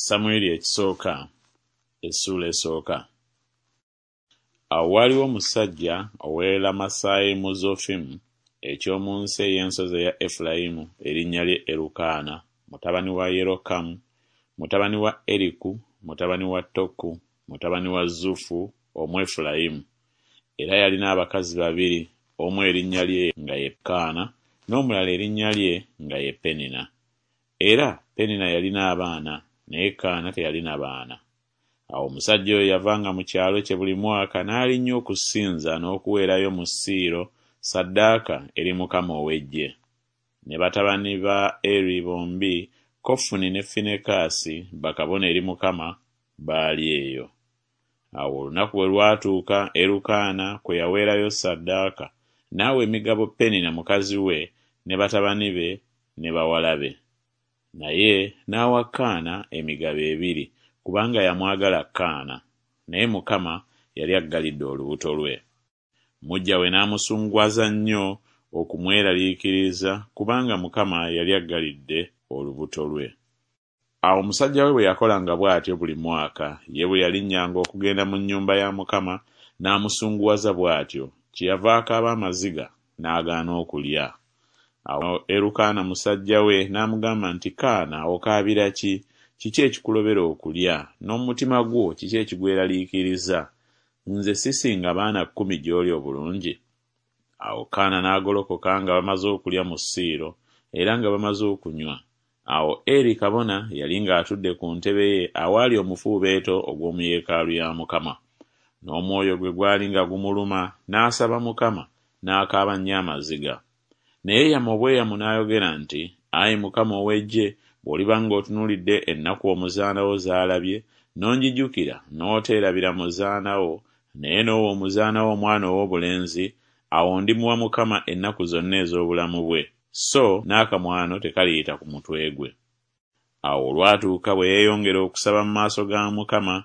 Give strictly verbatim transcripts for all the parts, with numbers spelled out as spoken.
Samwiri Ekisooka essuula esooka. Awo waaliwo omusajja ow'e Lamasayimuzofimu eky'omu nsi ey'ensozi eya Efulayimu, erinnya lye Erukaana, mutabani wa Yerokamu, mutabani wa Eriku, mutabani wa Toku, mutabani wa Zufu Omwefulayimu. Era yalina abakazi babiri, omu erinnya lye nga ye Kaana, n'omulala erinnya lye nga ye Penina. Era Penina yalina abaana, naye Kaana teyalina baana. Awo omusajja oyo yavanga mu kyalo kye buli mwaka n'alinnya okusinza n'okuweerayo mu Siiro ssaddaaka eri Mukama ow'eggye. Ne batabani ba Eri bombi, Kofuni ne Finekaasi, bakabona eri Mukama, baali eyo. Awo olunaku bwe lwatuuka Erukaana kwe yaweerayo ssaddaaka, n'awa emigabo Penina mukazi we ne batabani be ne bawala be. Naye n'awa Kaana emigabo ebiri, kubanga yamwagala Kaana, naye Mukama yali aggalidde olubuto lwe. Muggya we n'amusunguwaza nnyo okumweraliikiriza, kubanga Mukama yali aggalidde olubuto lwe. Awo musajja we bwe yakolanga bw'atyo buli mwaka, ye bwe yalinnyanga okugenda mu nnyumba ya Mukama, n'amusunguwaza bw'atyo, kyeyava akaaba amaziga, n'agaana okulya. Awo Erukaana musajja we n'amugamba nti, Kaana, okaabira ki? Kiki ekikulobera okulya? N'omutima gwo kiki ekigweraliikiriza? Nze sisinga baana kkumi gy'oli obulungi? Awo Kaana n'agolokoka nga bamaze okulya mu Siiro, era nga bamaze okunywa. Awo Eri kabona yali ng'atudde ku ntebe ye awaali omufuubeeto ogw'omu yeekaalu ya Mukama. N'omwoyo gwe gwali nga gumuluma, n'asaba Mukama, n'akaaba nnyo amaziga. Ne yeeyama obweyamo n'ayogera nti, Ayi Mukama ow'eggye, bw'oliba ng'otunuulidde ennaku omuzaana wo z'alabye, n'onjijukira, n'oteerabira muzaana wo, naye n'owa omuzaana wo omwana ow'obulenzi, awo ndimuwa Mukama ennaku zonna ez'obulamu bwe, so n'akamwano tekaliyita ku mutwe gwe. Awo olwatuuka bwe yeeyongera okusaba mu maaso ga Mukama,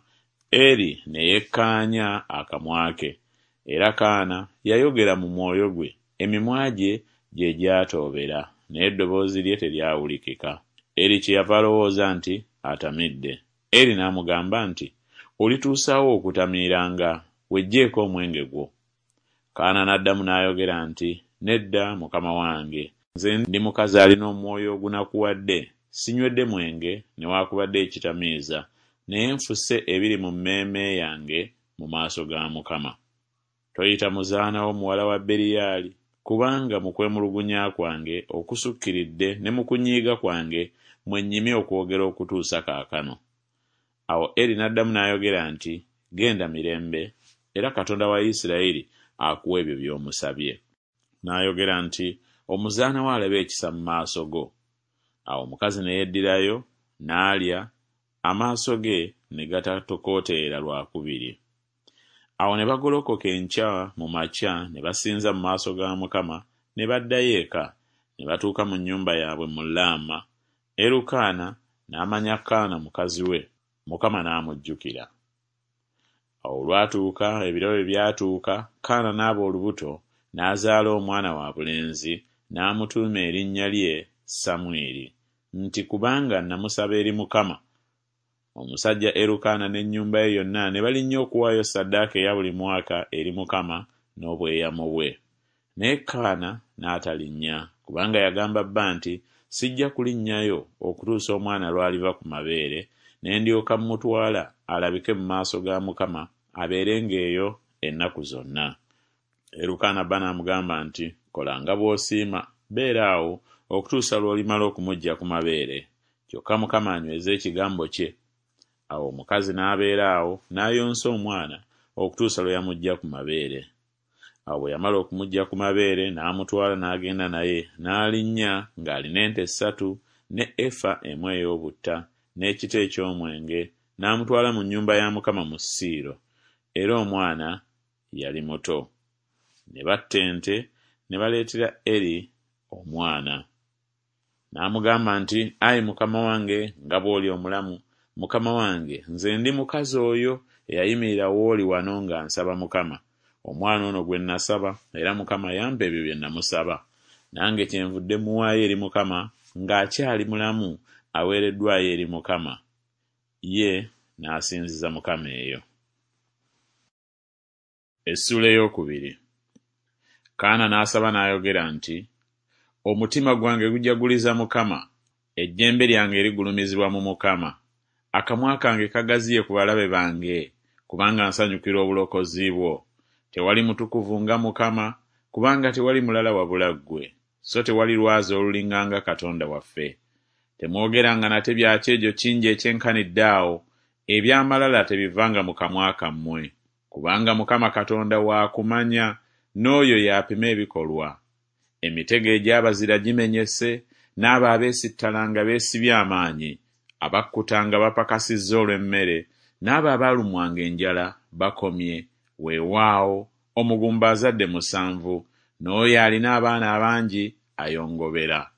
Eri ne yekkaanya akamwa ke. Era Kaana yayogera mu mwoyo gwe, emimwa gye gye gyatoobera, naye eddoboozi lye teryawulikika. Eri kyeyava alowooza nti atamidde. Eri n'amugamba nti, Olituusa wa okutamiiranga? Weggyeeko omwenge gwo. Kaana n'addamu n'ayogera nti, Nedda, mukama wange, nze ndi mukazi alina omwoyo ogunakuwadde, sinywedde mwenge newaakubadde ekitamiiza, naye nfuse ebiri mu mmeeme yange mu maaso ga Mukama. Toyita muzaana wo muwala wa Beriyaali, kubanga mu kwemulugunya kwange okusukkiridde ne mu kunyiiga kwange mwe nnyimye okwogera okutuusa kaakano. Awo Eri n'addamu n'ayogera nti, Genda mirembe, era Katonda wa Isirayiri akuwe ebyo by'omusabye. N'ayogera nti, Omuzaana wo alabe ekisa mu maaso go. Awo omukazi ne yeddirayo, n'alya, amaaso ge ne gatatokooterera lwa kubiri. Awo ne bagolokoka enkya mu makya ne basinza mu maaso ga Mukama, ne baddayo eka, ne batuuka mu nnyumba yaabwe mu Laama. Erukaana n'amanya Kaana mukazi we, Mukama n'amujjukira. Awo olwatuuka ebiro bwe byatuuka, Kaana n'aba olubuto, n'azaala omwana wa bulenzi, n'amutuuma erinnya lye Samwiri, nti kubanga namusaba eri Mukama. Omusajja Erukaana n'ennyumba ye yonna ne balinnya okuwaayo ssaddaaka eya buli mwaka eri Mukama n'obweyamo bwe. Naye Kaana n'atalinnya, kubanga yagamba bba nti, Sijja kulinnyayo okutuusa omwana lw'aliva ku mabeere, ne ndyoka mmutwala alabike mu maaso ga Mukama abeerenga eyo ennaku zonna. Erukaana bba n'amugamba nti, Kola nga bw'osiima, beera awo okutuusa lw'olimala okumuggya ku mabeere. Kyokka Mukama anyweze ekigambo kye. Awo omukazi n'abeera awo n'ayonsa omwana okutuusa lwe yamuggya ku mabeere. Awo bwe yamala okumuggya ku mabeere n'amutwala n'agenda naye, n'alinnya ng'alina ente ssatu ne efa emu ey'obutta n'ekita eky'omwenge, n'amutwala mu nnyumba ya Mukama mu Siiro. Era omwana yali muto. Ne batta ente ne baleetera Eri omwana. N'amugamba nti, Ayi mukama wange, nga bw'oli omulamu, mukama wange, nze ndi mukazi oyo eyayimirira w'oli wano nga nsaba Mukama. Omwana ono gwe nasaba, era Mukama yampa ebyo bye namusaba. Nange kyenvudde muwaayo eri Mukama, ng'akyali mulamu aweereddwayo eri Mukama. Ye n'asinziza Mukama eyo. Essuula ey'okubiri. Kaana n'asaba n'ayogera nti, Omutima gwange gujaguliza Mukama, ejjembe lyange ligulumizibwa mu Mukama. Akamwa kange kagaziye ku balabe bange, kubanga nsanyukira obulokozi bwo. Tewali mutukuvu nga Mukama, kubanga tewali mulala wabula ggwe, so tewali lwazi olulinganga Katonda waffe. Temwogeranga nate bya kyejo kingi ekyenkanidde awo, eby'amalala tebivanga mu kamwa kammwe. Kubanga Mukama Katonda wa kumanya, n'oyo y'apima ebikolwa. Emitego egy'abazira gimenyese, n'abo abeesittalanga beesibye amaanyi. Abakkutanga bapakasizza olw'emmere, n'abo abaalumwanga enjala bakomye. Weewaawo, omugumba azadde musanvu, n'oyo alina abaana abangi ayongobera.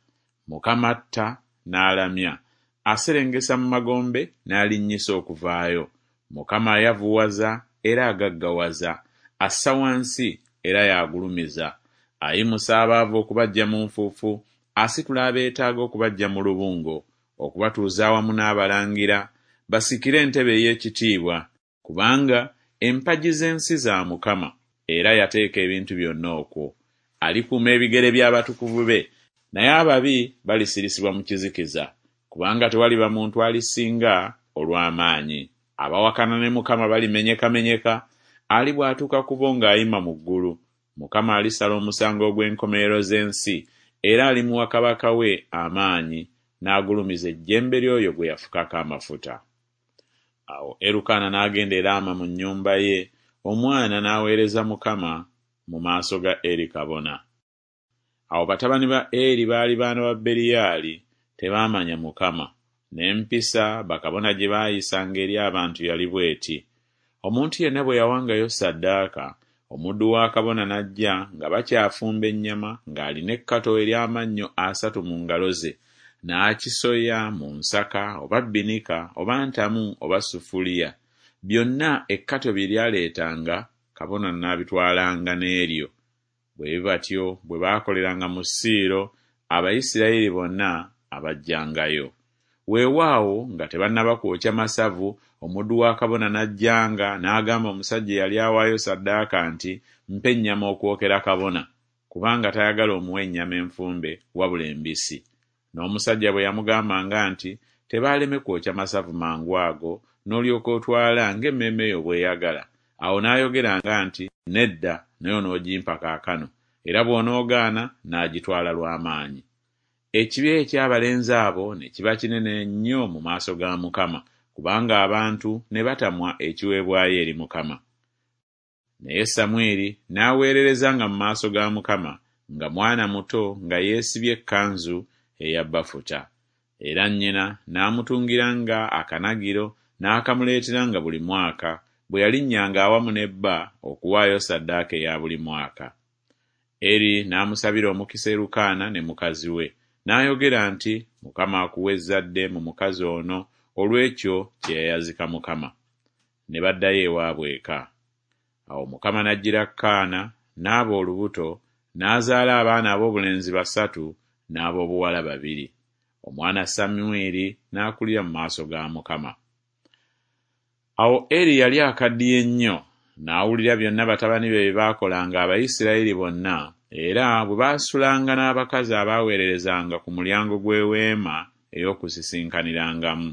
Mukama atta n'alamya, aserengesa mu magombe n'alinnyisa okuvaayo. Mukama ayavuwaza era agaggawaza, assa wansi era y'agulumiza. Ayimusa abaavu okubaggya mu nfuufu, asitula abeetaaga okubaggya mu lubungo, okubatuuza awamu n'abalangira, basikire entebe ey'ekitiibwa. Kubanga empagi z'ensi za Mukama, era yateeka ebintu byonna okwo. Alikuuma ebigere by'abatukuvu be, naye ababi balisirisibwa mu kizikiza. Kubanga tewaliba muntu alisinga olw'amaanyi. Abawakana ne Mukama balimenyekamenyeka, alibwatuka ku bo ng'ayima mu ggulu. Mukama alisala omusango ogw'enkomerero z'ensi, era alimuwa kabaka we amaanyi, n'agulumiza ejjembe ly'oyo gwe yafukako amafuta. Awo Erukaana n'agenda e Laama mu nnyumba ye, omwana n'aweereza Mukama mu maaso ga Eri kabona. Awo batabani ba Eri baali baana ba Beriyaali, tebaamanya Mukama. N'empisa bakabona gye baayisanga eri abantu yali bw'eti: Omuntu yenna bwe yawangayo ssaddaaka, omuddu wa kabona n'ajja nga bakyafumba ennyama ng'alina ekkato ery'amannyo asatu mu ngalo ze, n'akisoya mu nsaka oba bbinika oba ntamu oba sufuliya. Byonna ekkato bye lyaleetanga kabona n'abitwalanga n'eryo. Bwe batyo bwe baakoleranga mu Siiro Abayisirayiri bonna abajjangayo. Weewaawo nga tebannaba kwokya masavu, omuddu wa kabona n'ajjanga n'agamba omusajja eyali awaayo ssaddaaka nti, Mpa ennyama okwokera kabona, kubanga tayagala omuwe ennyama enfumbe wabula embisi. N'omusajja bwe yamugambanga nti, Tebaaleme kwokya masavu mangu ago, n'olyoka otwala ng'emmeeme yo bw'eyagala, awo n'ayogeranga nti, Nedda, naye onoogimpa kaakano, era bw'onoogaana n'agitwala lw'amaanyi. Ekibi eky'abalenzi abo ne kiba kinene nnyo mu maaso ga Mukama, kubanga abantu ne batamwa ekiweebwayo eri Mukama. Naye Samwiri n'aweererezanga mu maaso ga Mukama nga mwana muto nga yeesibye ekkanzu eya bafuta. Era nnyina n'amutungiranga akanagiro n'akamuleeteranga buli mwaka, bwe yalinnyanga awamu ne bba okuwaayo ssaddaaka eya buli mwaka. Eri n'amusabira omukisa Erukaana ne mukazi we, n'ayogera nti, Mukama akuwe ezzadde mu mukazi ono olw'ekyo kye yayazika Mukama. Ne baddayo ewaabwe eka. Awo Mukama n'ajjira Kaana, n'aba olubuto, n'azaala abaana ab'obulenzi basatu n'ab'obuwala babiri. Omwana Samwiri n'akulira mu maaso ga Mukama. Awo Eri yali akaddiye nnyo, n'awulira byonna batabani be bye baakolanga Abayisirayiri bonna, era bwe baasulanga n'abakazi abaaweererezanga ku mulyango gw'eweema ey'okusisinkanirangamu.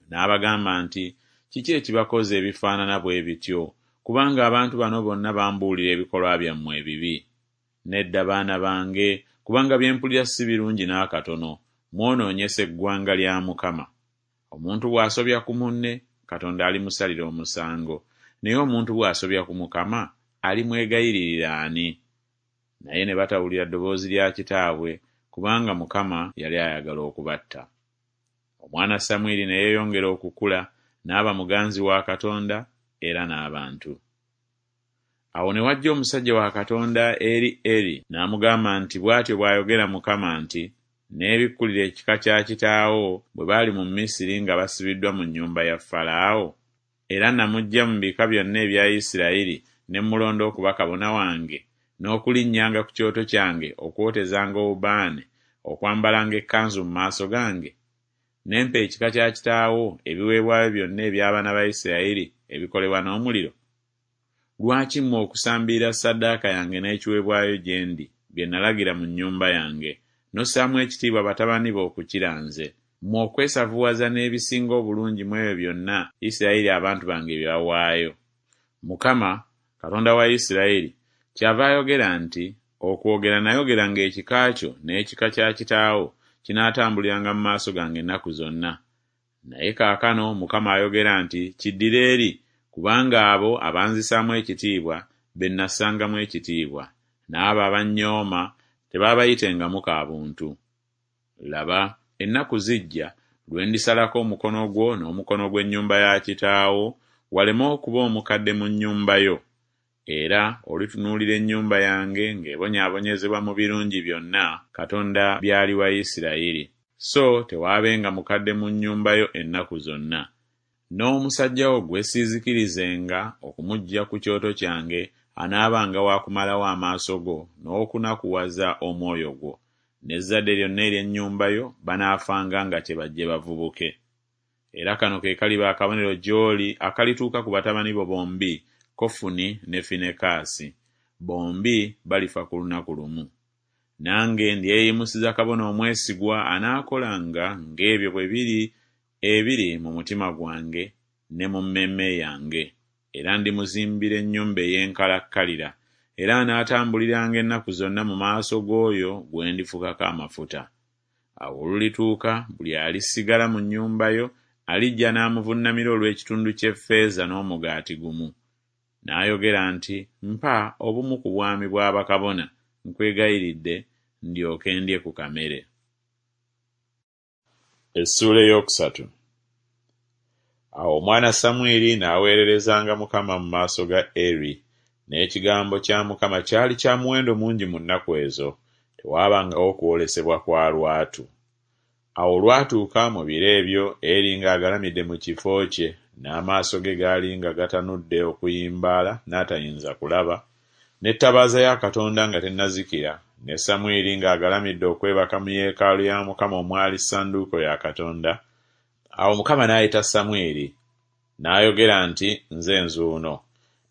N'abagamba nti, Kiki ekibakoza ebifaanana bwe bityo? Kubanga abantu bano bonna bambuulira ebikolwa byammwe ebibi. Nedda baana bange, kubanga bye mpulira si birungi n'akatono, mwonoonyesa eggwanga lya Mukama. Omuntu bw'asobya ku munne, Katonda alimusalira omusango, naye omuntu bw'asobya ku Mukama, alimwegayiririra ani? Naye ne batawulira ddoboozi lya kitaabwe, kubanga Mukama yali ayagala okubatta. Omwana Samwiri ne yeeyongera okukula, n'aba muganzi wa Katonda era n'abantu. Awo ne wajja omusajja wa Katonda eri Eri n'amugamba nti, Bw'atyo bw'ayogera Mukama nti, Neebikkulira ekika kya kitaawo bwe baali mu Misiri nga basibiddwa mu nnyumba ya Falaawo? Era namuggya mu bika byonna ebya Isirayiri ne mmulonda okuba kabona wange, n'okulinnyanga ku kyoto kyange okwotezanga obubaane, okwambalanga ekkanzu mu maaso gange? Ne mpa ekika kya kitaawo ebiweebwayo byonna eby'abaana ba Isirayiri ebikolebwa n'omuliro? Lwaki mmwe okusambirira ssaddaaka yange n'ekiweebwayo gye ndi, bye nalagira mu nnyumba yange, n'ossaamu ekitiibwa batabani bo okukira nze, mmwe okwesavuwaza n'ebisinga obulungi mu ebyo byonna Isirayiri abantu bange bye bawaayo? Mukama, Katonda wa Isirayiri, kyava ayogera nti, Okwogera nayogera ng'ekika kyo n'ekika kya kitaawo kinaatambuliranga mu maaso gange ennaku zonna. Naye kaakano Mukama ayogera nti, Kiddire eri, kubanga abo abanzisaamu ekitiibwa be nnassangamu ekitiibwa, n'abo abannyooma tebaabayitengamu ka buntu. Laba, ennaku zijja lwe ndisalako omukono gwo n'omukono gw'ennyumba ya kitaawo, waleme okuba omukadde mu nnyumba yo. Era olitunuulira ennyumba yange ng'ebonyaabonyezebwa mu birungi byonna Katonda by'aliwa Isirayiri, so tewaabenga mukadde mu nnyumba yo ennaku zonna. N'omusajja wo gwe siizikirizenga okumuggya ku kyoto kyange anaabanga wa kumalawo amaaso go n'okunakuwaza omwoyo gwo, n'ezzadde lyonna ery'ennyumba yo banaafanga nga kyebajje bavubuke. Era kano ke kaliba akabonero gy'oli akalituuka ku batabani bo bombi, Kofuni ne Finekaasi, bombi balifa ku lunaku lumu. Nange ndyeyimusiza kabona omwesigwa anaakolanga ng'ebyo bwe biri ebiri mu mutima gwange ne mu mmeeme yange, era ndimuzimbira ennyumba ey'enkalakkalira, era anaatambuliranga ennaku zonna mu maaso g'oyo gwe ndifukako amafuta. Awo olulituuka buli alisigala mu nnyumba yo alijja n'amuvunnamira olw'ekitundu ky'effeeza n'omugaati gumu. N'ayogera nti, Mpa obumu ku bwami bwa bakabona, nkwegayiridde, ndyoke ndye ku kamere. Essuula ey'okusatu. Awo omwana Samwiri n'aweererezanga Mukama mu maaso ga Eri, n'ekigambo kya Mukama kyali kya muwendo mungi mu nnaku ezo, tewaabangawo kwolesebwa kwa lwatu. Awo olwatuuka mu biro ebyo Eri ng'agalamidde mu kifo kye, n'amaaso ge gaali nga gatanudde okuyimbaala n'atayinza kulaba, n'ettabaaza ya Katonda nga tennazikira, ne Samwiri ng'agalamidde okwebaka mu yeekaalu ya Mukama omwali ssanduuko ya Katonda. Awo Mukama n'ayita Samwiri, n'ayogera nti, Nze nzuuno.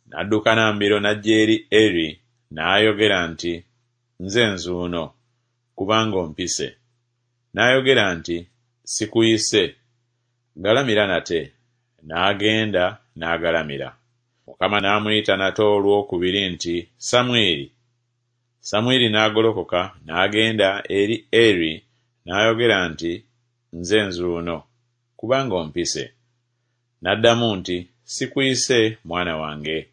N'adduka na mbiro n'ajja eri Eri, n'ayogera nti, Nze nzuuno, kubanga ompise. N'ayogera nti, Sikuyise, galamira nate. N'agenda n'agalamira. Mukama n'amuyita nate olwokubiri nti, Samwiri. Samwiri n'agolokoka n'agenda eri Eri, n'ayogera nti, Nze nzuuno, kubanga ompise. N'addamu nti, Sikuyise, mwana wange,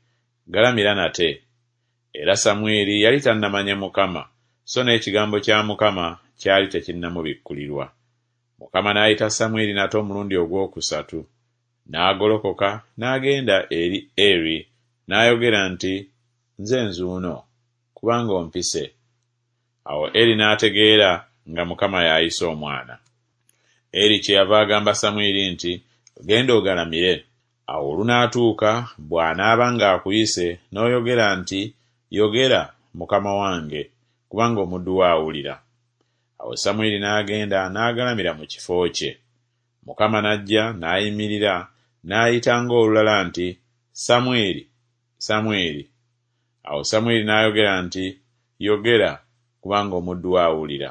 galamira nate. Era Samwiri yali tannamanya Mukama, so n'ekigambo kya Mukama kyali tekinnamubikkulirwa. Mukama n'ayita Samwiri nate omulundi ogwokusatu. N'agolokoka n'agenda eri Eri, n'ayogera nti, Nze nzuuno, kubanga ompise. Awo Eri n'ategeera nga Mukama y'ayise omwana. Eri kyeyava agamba Samwiri nti, Genda ogalamire. Awo olunaatuuka bw'anaaba ng'akuyise, n'oyogera nti, Yogera, Mukama wange, kubanga omuddu wo awulira. Awo Samwiri n'agenda n'agalamira mu kifo kye. Mukama n'ajja n'ayimirira n'ayita ng'olulala nti, Samwiri, Samwiri. Awo Samwiri n'ayogera nti, Yogera, kubanga omuddu wo awulira.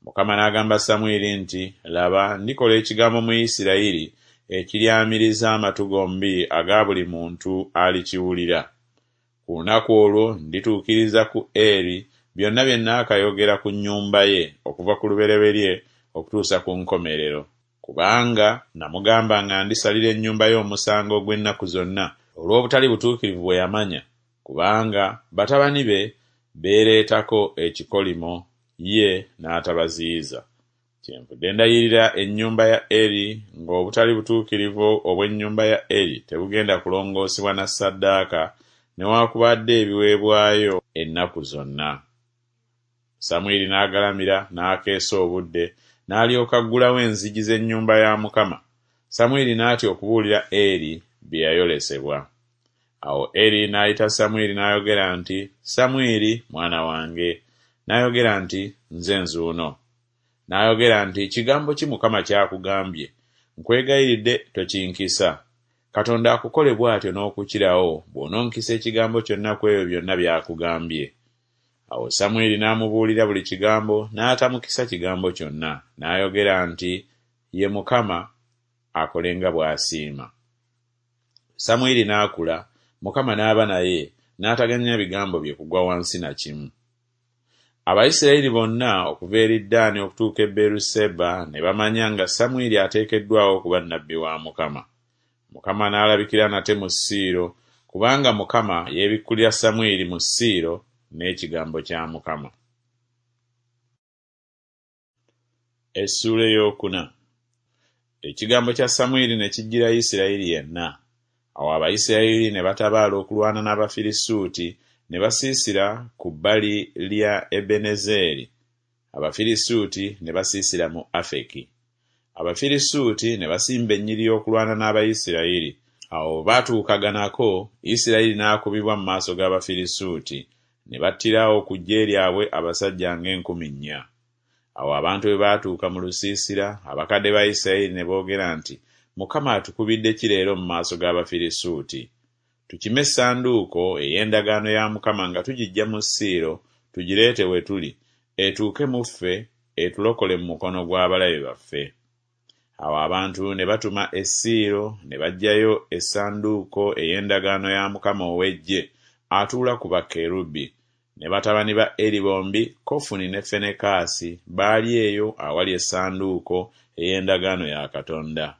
Mukama n'agamba Samwiri nti, Laba, ndikola ekigambo mu Isirayiri ekiryamiriza amatu gombi aga buli muntu alikiwulira. Ku lunaku olwo ndituukiriza ku Eri byonna bye nnaakayogera ku nnyumba ye okuva ku lubereberye okutuusa ku nkomerero. Kubanga namugamba nga ndisalira ennyumba ye omusango ogw'ennaku zonna olw'obutali butuukirivu bwe yamanya, kubanga batabani be beereetako ekikolimo ye n'atabaziyiza. Kyenvudde ndayirira ennyumba ya Eri ng'obutali butuukirivu obw'ennyumba ya Eri tebugenda kulongoosebwa na ssaddaaka newaakubadde ebiweebwayo ennaku zonna. Samwiri n'agalamira n'akeesa obudde, n'alyoka aggulawo enzigi z'ennyumba ya Mukama. Samwiri n'atya okubuulira Eri bye yayolesebwa. Awo Eri n'ayita Samwiri n'ayogera nti, Samwiri, mwana wange. N'ayogera nti, Nze nzuuno. N'ayogera nti, Kigambo ki Mukama ky'akugambye? Nkwegayiridde tokinkisa. Katonda akukole bw'atyo n'okukirawo, bw'ononkisa ekigambo kyonna ku ebyo byonna by'akugambye. Awo Samwiri n'amubuulira buli kigambo, n'atamukisa kigambo kyonna. N'ayogera nti, Ye Mukama, akole nga bw'asiima. Samwiri n'akula, Mukama n'aba naye, n'ataganya bigambo bye kugwa wansi na kimu. Abayisirayiri bonna okuva eri Ddaani okutuuka e Beeruseba ne bamanya nga Samwiri ateekeddwawo okuba nnabbi wa Mukama. Mukama n'alabikira nate mu Siiro, kubanga Mukama yeebikkulira Samwiri mu Siiro n'ekigambo kya Mukama. Essuula ey'okuna. Ekigambo kya Samwiri ne kijjira Isirayiri yenna. Awo Abayisirayiri ne batabaala okulwana n'Abafirisuuti, ne basiisira ku bbali lya Ebenezeeri. Abafirisuuti ne basiisira mu Afeki. Abafirisuuti ne basimba ennyiriri okulwana n'Abayisirayiri. Awo bwe baatuukaganako, Isirayiri n'akubibwa mu maaso g'Abafirisuuti, ne battirawo ku ggye lyabwe abasajja ng'enkumi nnya. Awo abantu bwe baatuuka mu lusiisira, abakadde ba Isirayiri ne boogera nti, Mukama atukubidde ki leero mu maaso g'Abafirisuuti? Tukime essanduuko ey'endagaano ya Mukama nga tugiggya mu Siiro, tugireete we tuli, etuuke mu ffe, etulokole mu mukono gw'abalabe baffe. Awo abantu ne batuma e Siiro ne baggyayo essanduuko ey'endagaano ya Mukama ow'eggye atuula ku bakerubi. Ne batabani ba Eri bombi, Kofuni ne Fenekaasi, baali eyo awali essanduuko ey'endagaano ya Katonda.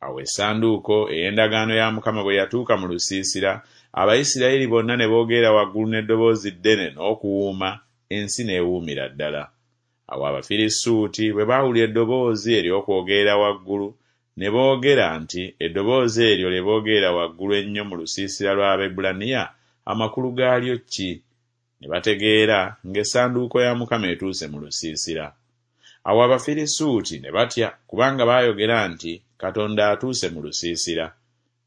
Awo essanduuko ey'endagaano ya Mukama bwe yatuuka mu lusiisira, Abayisirayiri bonna ne boogera waggulu n'eddoboozi ddene n'okuwuuma, ensi n'ewuumira ddala. Awo Abafirisuuti bwe baawulira eddoboozi ery'okwogerera waggulu, ne boogera nti, Eddoboozi eryo lye boogerera waggulu ennyo mu lusiisira lw'Abaebbulaniya, amakulu gaalyo ki? Ne bategeera ng'essanduuko ya Mukama etuuse mu lusiisira. Awo Abafirisuuti ne batya, kubanga baayogera nti, Katonda atuuse mu lusiisira.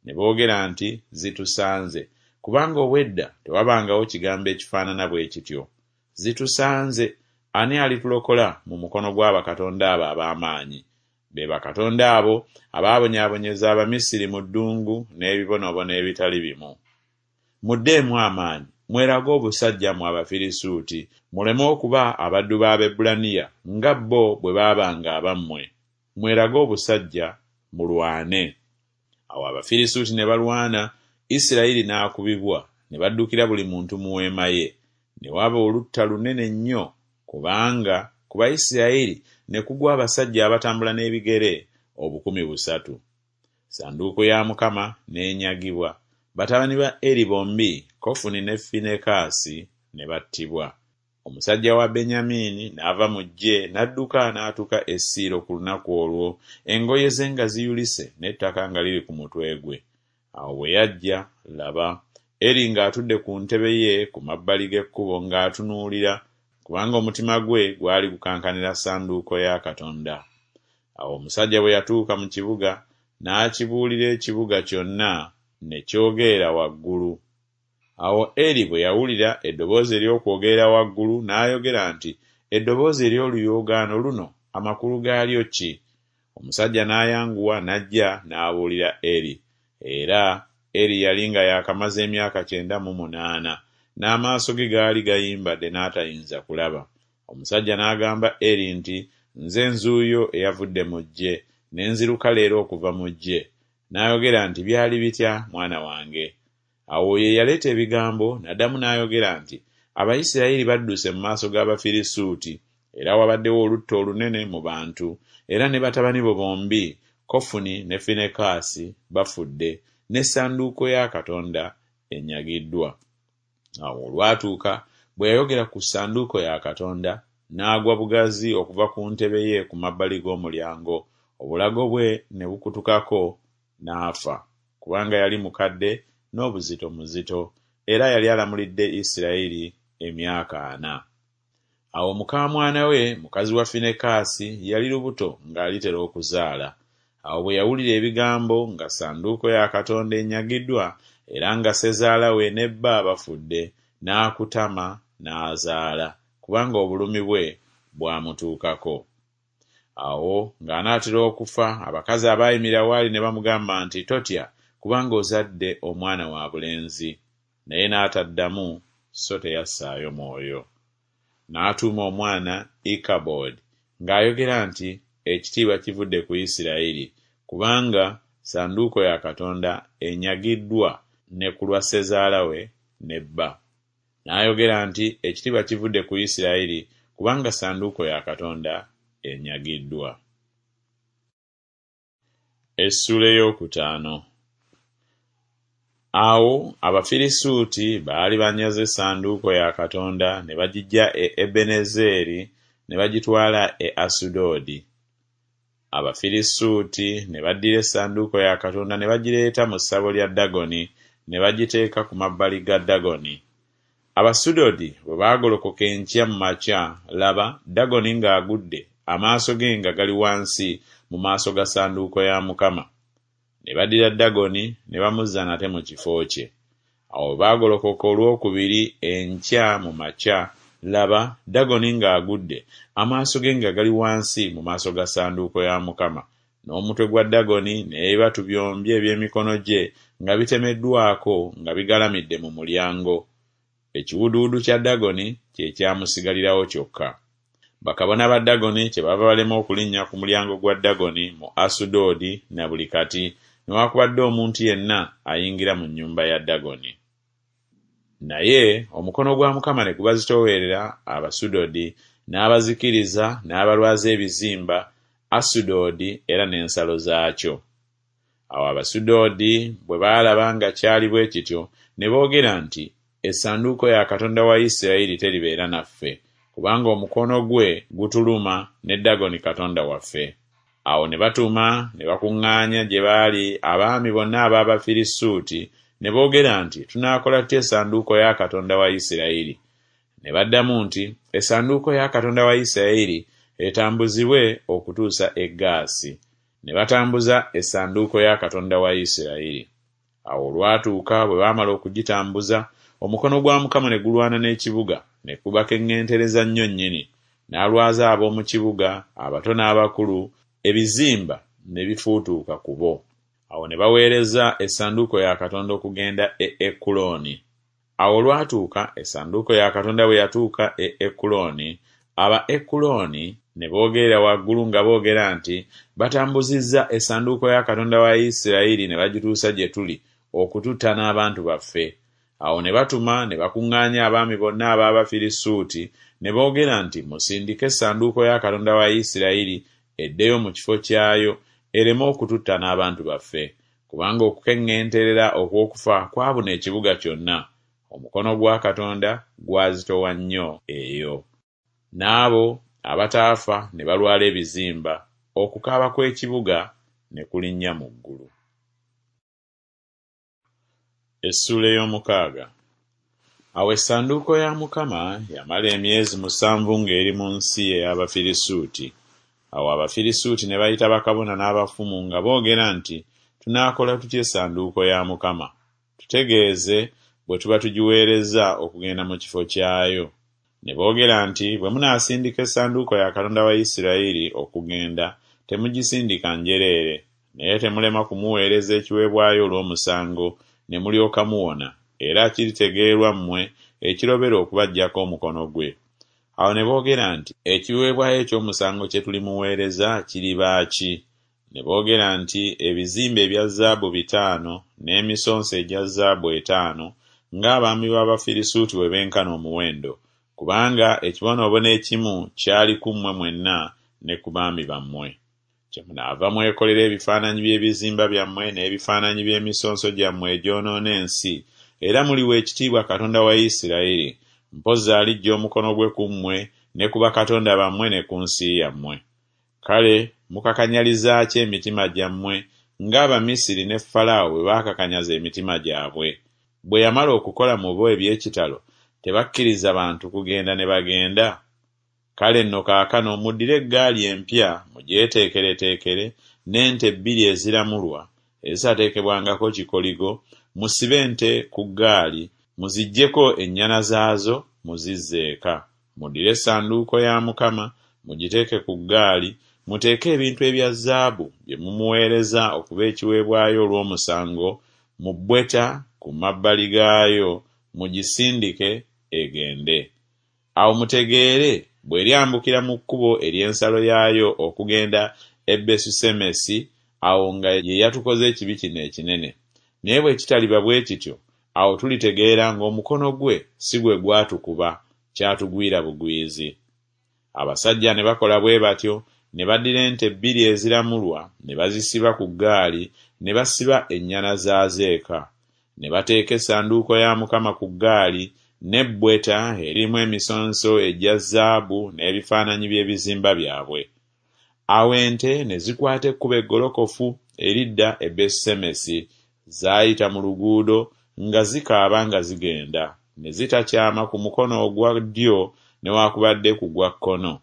Ne boogera nti, Zitusanze, kubanga obwedda tewabangawo kigambo ekifaanana bwe kityo. Zitusanze, ani alitulokola mu mukono gwa bakatonda abo ab'amaanyi? Be bakatonda abo abaabonyaabonyeza Abamisiri mu ddungu n'ebibonoobono ebitali bimu. Muddeemu amaanyi, mwerage obusajja mmwe Abafirisuuti, muleme okuba abaddu b'Abaebbulaniya nga bo bwe baabanga abammwe. Mwerage obusajja, mulwane. Awo Abafirisuuti ne balwana, Isirayiri n'akubibwa, ne baddukira buli muntu mu weema ye. Ne waba olutta lunene nnyo, kubanga ku Bayisirayiri ne kugwa abasajja abatambula n'ebigere obukumi busatu. Ssanduuko ya Mukama n'enyagibwa, batabani ba Eri bombi, Kofuni ne Finekaasi, ne battibwa. Omusajja wa Benyamini n'ava mu ggye n'adduka n'atuuka e Siiro ku lunaku olwo, engoye ze nga ziyulise n'ettaka nga liri ku mutwe gwe. Awo bwe yajja, laba, Eri ng'atudde ku ntebe ye ku mabbali g'ekkubo ng'atunuulira, kubanga omutima gwe gwali gukankanira ssanduuko ya Katonda. Awo omusajja bwe yatuuka mu kibuga, n'akibuulira ekibuga kyonna, ne kyogerera waggulu. Awo Eri bwe yawulira eddoboozi ery'okwogerera waggulu, n'ayogera nti, Eddoboozi ery'oluyoogaano luno amakulu gaalyo ki? Omusajja n'ayanguwa n'ajja n'abuulira Eri. Era Eri yali nga yaakamaze emyaka kyenda mu munaana, n'amaaso ge gaali gayimbadde n'atayinza kulaba. Omusajja n'agamba Eri nti, Nze nzuuyo eyavudde mu ggye, ne nziruka leero okuva mu ggye. N'ayogera nti, Byali bitya, mwana wange? Awo ye yaleeta ebigambo n'addamu n'ayogera nti, Abayisirayiri badduse mu maaso g'Abafirisuuti, era wabaddewo olutta olunene mu bantu, era ne batabani bo bombi, Kofuni ne Finekaasi, bafudde, n'essanduuko ya Katonda enyagiddwa. Awo olwatuuka bwe yayogera ku ssanduuko ya Katonda, n'agwa bugazi okuva ku ntebe ye ku mabbali g'omulyango, obulago bwe ne bukutukako, n'afa, kubanga yali mukadde n'obuzito muzito, era yali alamulidde Isirayiri emyaka ana. Awo mukaamwana we, mukazi wa Finekaasi, yali lubuto ng'alitera okuzaala. Awo bwe yawulira ebigambo nga ssanduuko ya Katonda enyagiddwa, era nga ssezaala we ne bba bafudde, n'akutama n'azaala, kubanga obulumi bwe bwamutuukako. Awo ng'anaatera okufa, abakazi abaayimirira w'ali ne bamugamba nti, Totya, kubanga ozadde omwana wa bulenzi. Naye n'ataddamu so teyassaayo mwoyo. N'atuuma omwana Ikabodi, ng'ayogera nti Ekitiibwa kivudde ku Isiraeri, kubanga ssanduuko ya Katonda enyagiddwa ne ku lwa ssezaala we ne bba. N'ayogera nti Ekitiibwa kivudde ku Isiraeri, kubanga ssanduuko ya Katonda enyagiddwa. Essuula ey'okutaano. Awo Abafirisuuti baali banyaze essanduuko ya Katonda ne bagiggya e Ebenezeri ne bagitwala e Asudodi. Abafirisuuti ne baddira essanduuko ya Katonda ne bagireeta mu ssabo lya Dagoni ne bagiteeka ku mabbali ga Dagoni. Abasudodi bwe baagolokoka enkya mu makya, laba, Dagoni ng'agudde, amaaso ge nga gali wansi mu maaso ga ssanduuko ya Mukama. Ne baddira Dagoni ne bamuzza nate mu kifo kye. Awo bwe baagolokoka olwokubiri enkya mu makya, laba, Dagoni ng'agudde, amaaso ge nga gali wansi mu maaso ga ssanduuko ya Mukama, n'omutwe gwa Dagoni n'ebibatu byombi eby'emikono gye nga bitemeddwako nga bigalamidde mu mulyango. Ekiwuduwudu kya Dagoni kye kyamusigalirawo kyokka. Bakabona ba Dagoni kyebava balema okulinnya ku mulyango gwa Dagoni mu Asudodi na buli kati, newakubadde omuntu yenna ayingira mu nnyumba ya Dagoni. Naye omukono gwa Mukama ne gubazitoowerera Abasudodi, n'abazikiriza n'abalwaza ebizimba, Asudodi era n'ensalo zaakyo. Awo Abasudodi bwe baalaba nga kyali bwe kityo, ne boogera nti, Essanduuko ya Katonda wa Isirayiri teribeera naffe, kubanga omukono gwe gutuluma ne Dagoni katonda waffe. Awo ne batuma ne bakuŋŋaanya gye baali abaami bonna ab'Abafirisuuti, ne boogera nti, Tunaakola tutya essanduuko ya Katonda wa Isirayiri? Ne baddamu nti, Essanduuko ya Katonda wa Isirayiri etambuzibwe okutuusa e Gaasi. Ne batambuza essanduuko ya Katonda wa Isirayiri. Awo olwatuuka bwe baamala okugitambuza, omukono gwa Mukama ne gulwana n'ekibuga, ne kubakeŋŋentereza nnyo nnyini. N'alwaza ab'omu kibuga, abato n'abakulu, ebizimba ne bifuutuuka ku bo. Awo ne baweereza essanduuko ya Katonda okugenda e Ekulooni. Awo olwatuuka essanduuko ya Katonda bwe yatuuka e Ekulooni, aba Ekulooni ne boogerera waggulu nga boogera nti, Batambuzizza essanduuko ya Katonda wa Isirayiri ne bagituusa gye tuli okututta n'abantu baffe. Awo ne batuma ne bakuŋŋaanya abaami bonna ab'Abafirisuuti ne boogera nti, Musindike essanduuko ya Katonda wa Isirayiri eddeyo mu kifo kyayo, ereme okututta n'abantu baffe, kubanga okukeŋŋenterera okw'okufa kwabuna ekibuga kyonna. Omukono gwa Katonda gwazitowa nnyo eyo. N'abo abataafa ne balwala ebizimba, okukaaba kw'ekibuga ne kulinnya mu ggulu. Essuula ey'omukaaga. Awo essanduuko ya Mukama yamala emyezi musanvu ng'eri mu nsi ey'Abafirisuuti. Awo Abafirisuuti ne bayita bakabona n'abafumu nga boogera nti, Tunaakola tutya essanduuko ya Mukama? Tutegeeze bwe tuba tugiweereza okugenda mu kifo kyayo. Ne boogera nti, Bwe munaasindika essanduuko ya Katonda wa Isirayiri okugenda, temugisindika njereere, naye temulema kumuweereza ekiweebwayo olw'omusango, ne mulyoka muwona, era kiritegeerwa mmwe ekirobera okubaggyako omukono gwe. Awo ne boogera nti, Ekiweebwayo eky'omusango kye tulimuweereza kiriba ki? Ne boogera nti, Ebizimba ebya zaabu bitaano n'emisonso egya zaabu etaano, ng'abaami b'Abafirisuuti bwe benkana omuwendo, kubanga ekibonoobono ekimu kyali ku mmwe mwenna ne ku baami bammwe. Kyemunaava mwekolera ebifaananyi by'ebizimba byammwe n'ebifaananyi by'emisonso gyammwe egyonoona ensi, era muliwa ekitiibwa Katonda wa Isirayiri, mpozzi aliggya omukono gwe ku mmwe ne ku bakatonda bammwe ne ku nsi yammwe. Kale mukakanyaliza ki emitima gyammwe ng'Abamisiri ne Falaawo bwe baakakanyaza emitima gyabwe? Bwe yamala okukola mu bo eby'ekitalo, tebakkiriza bantu kugenda ne bagenda? Kale nno kaakano muddire eggaali empya mugyeteekereteekere n'ente bbiri eziramulwa ezitateekebwangako kikoligo, musibe ente ku ggaali, muziggyeko ennyana zaazo muzizze eka. Muddire essanduuko ya Mukama mugiteeke ku ggaali, muteeke ebintu ebya zaabu bye mumuweereza okuba ekiweebwayo olw'omusango mu bbweta ku mabbali gaayo, mugisindike egende. Awo mutegeere bw'eryambukira mu kkubo ery'ensalo yaayo okugenda e Besusemesi, awo nga ye yatukoze ekibi kino ekinene. Naye bwe kitaliba bwe kityo, awo tulitegeera ng'omukono gwe si gwe gwatukuba, kyatugwira bugwizi. Abasajja ne bakola bwe batyo, ne baddira ente bbiri eziramulwa ne bazisiba ku ggaali, ne basiba ennyana zaazo eka. Ne bateeka essanduuko ya Mukama ku ggaali n'ebbweta erimu emisonso egya zaabu n'ebifaananyi by'ebizimba byabwe. Awo ente ne zikwata ekkubo eggolokofu eridda e Besusemesi, zaayita mu luguudo nga zikaaba nga zigenda, ne zitakyama ku mukono ogwa ddyo newaakubadde ku gwa kkono.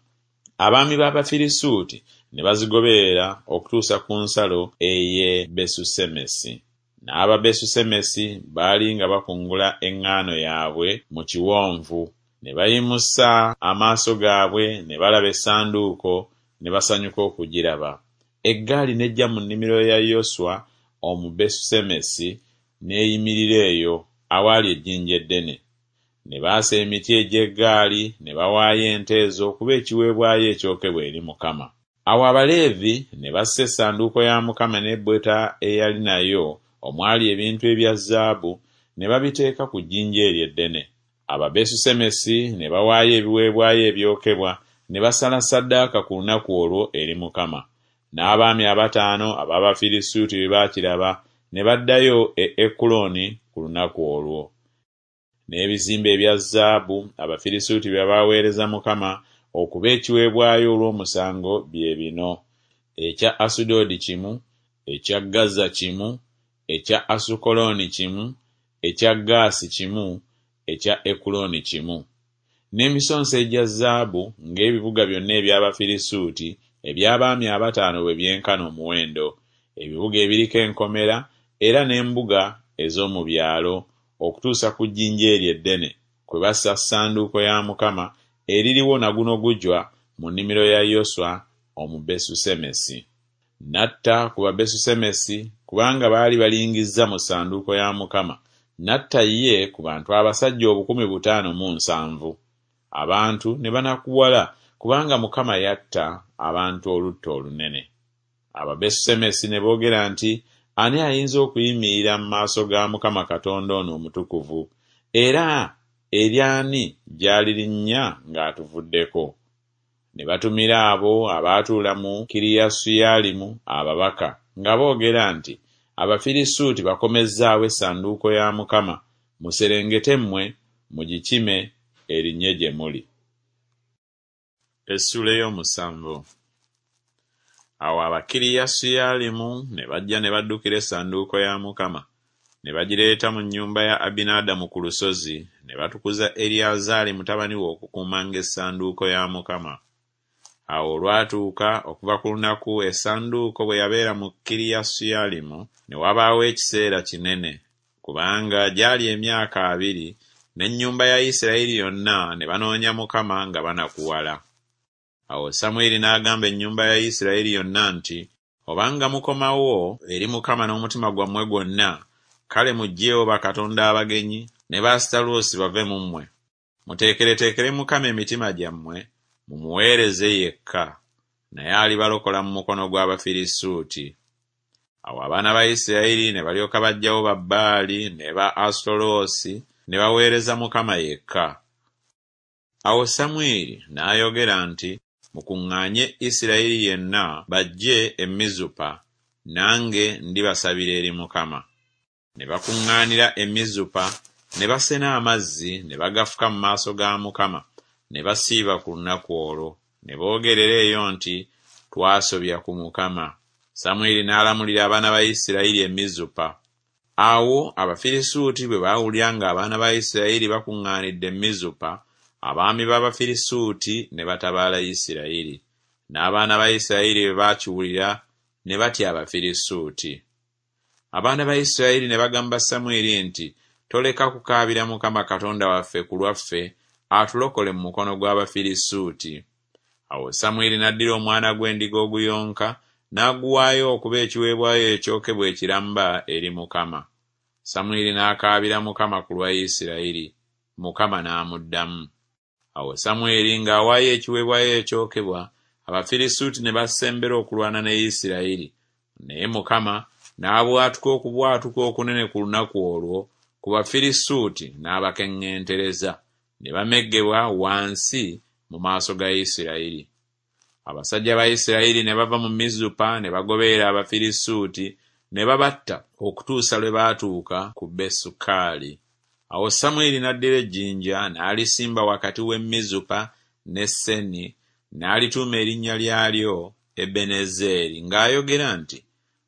Abaami b'Abafirisuuti ne bazigoberera okutuusa ku nsalo ey'e Besusemesi. N'Ababesusemesi baali nga bakungula eŋŋaano yaabwe mu kiwonvu, ne bayimusa amaaso gaabwe ne balaba essanduuko, ne basanyuka okugiraba. Eggaali n'ejja mu nnimiro ya Yoswa Omubesusemesi n'eyimirira eyo awaali ejjinja eddene. Ne baasa emiti egy'eggaali ne bawaayo ente ezo okuba ekiweebwayo ekyokebwa eri Mukama. Awo Abaleevi ne bassa essanduuko ya Mukama n'ebbweta eyali nayo omwali ebintu ebya zaabu ne babiteeka ku jjinja eryo eddene. Ababesusemesi ne bawaayo ebiweebwayo ebyokebwa ne basala ssaddaaka ku lunaku olwo eri Mukama. N'abaami abataano ab'Abafirisuuti bwe baakiraba ne baddayo e Ekuloni ku lunaku olwo. N'ebizimbe ebya zaabu Abafirisuuti bye baaweereza Mukama okuba ekiweebwayo olw'omusango bye bino: ekya Asudodi kimu, ekya Gaza kimu, ekya Asukoloni kimu, ekya Gaasi kimu, ekya Ekuloni kimu. N'emisonso egya zaabu ng'ebibuga byonna eby'Abafirisuuti eby'abaami abataano bwe byenkana omuwendo, ebibuga ebiriko enkomera era n'embuga ez'omu byalo, okutuusa ku jjinja eryo eddene kwe bassa ssanduuko ya Mukama eririwo na guno gujwa mu nnimiro ya Yoswa Omubesusemesi. N'atta ku Babesusemesi kubanga baali balingizza mu ssanduuko ya Mukama, n'atta ye ku bantu abasajja obukumi butaano mu nsanvu. Abantu ne banakuwala kubanga Mukama yatta abantu olutta olunene. Ababesusemesi ne boogera nti, Ani ayinza okuyimirira mu maaso ga Mukama Katonda ono omutukuvu? Era eri ani gy'alirinnya ng'atuvuddeko? Ne batumira abo abaatuula mu Kiriyasuyalimu ababaka nga boogera nti, Abafirisuuti bakomezzaawo essanduuko ya Mukama, muserengete mmwe mugikime erinnye gye muli. Essuula ey'omusanvu. Awo Abakiriyasuyalimu ne bajja ne baddukira essanduuko ya Mukama, ne bagireeta mu nnyumba ya Abinadamu ku lusozi, ne batukuza Eriyazaali mutabani we okukuumanga essanduuko ya Mukama. Awo olwatuuka okuva ku lunaku essanduuko bwe yabeera mu Kiriyasuyalimu, ne wabaawo ekiseera kinene, kubanga gyali emyaka abiri, n'ennyumba ya Isirayiri yonna ne banoonya Mukama nga banakuwala. Awo Samwiri n'agamba ennyumba ya Isirayiri yonna nti, Obanga mukomawo eri Mukama n'omutima gwammwe gwonna, kale muggyeewo bakatonda abagenyi ne Baasutaloosi bave mu mmwe. Muteekereteekere Mukama emitima gyammwe, mumuweereze yekka, naye alibalokola mu mukono gw'Abafirisuuti. Awo abaana ba Isirayiri ne balyoka baggyawo Babbaali ne ba Asutaloosi ne baweereza Mukama yekka. Awo Samwiri n'ayogera nti, Mukuŋŋaanye Isirayiri yenna bajje e Mizupa, nange ndibasabira eri Mukama. Ne bakuŋŋaanira e Mizupa, ne basena amazzi ne bagafuka mu maaso ga Mukama, ne basiiba ku lunaku olwo, ne boogerera eyo nti, Twasobya ku Mukama. Samwiri n'alamulira abaana ba Isirayiri e Mizupa. Awo Abafirisuuti bwe baawulira ng'abaana ba Isirayiri bakuŋŋaanidde e Mizupa, abaami b'Abafirisuuti ne batabaala Isirayiri. N'abaana ba Isirayiri bwe baakiwulira ne batya Abafirisuuti. Abaana ba Isirayiri ne bagamba Samwiri nti, Toleka kukaabira Mukama Katonda waffe ku lwaffe atulokole mu mukono gw'Abafirisuuti. Awo Samwiri n'addira omwana gw'endiga oguyonka n'aguwaayo okuba ekiweebwayo ekyokebwa ekiramba eri Mukama. Samwiri n'akaabira Mukama ku lwa Isirayiri, Mukama n'amuddamu. Awo Samwiri ng'awaayo ekiweebwayo ekyokebwa, Abafirisuuti ne basembera okulwana ne Isirayiri. Naye Mukama n'abwatuka okubwatuka okunene ku lunaku olwo ku Bafirisuuti n'abakeŋŋentereza, ne bameggebwa wansi mu maaso ga Isirayiri. Abasajja ba Isirayiri ne bava mu Mizupa ne bagoberera Abafirisuuti ne babatta okutuusa lwe baatuuka ku Besukaali. Awo Samwiri n'addira ejjinja n'alisimba wakati w'e Mizupa ne Seni n'alituuma erinnya lyalyo Ebenezeeri ng'ayogera nti,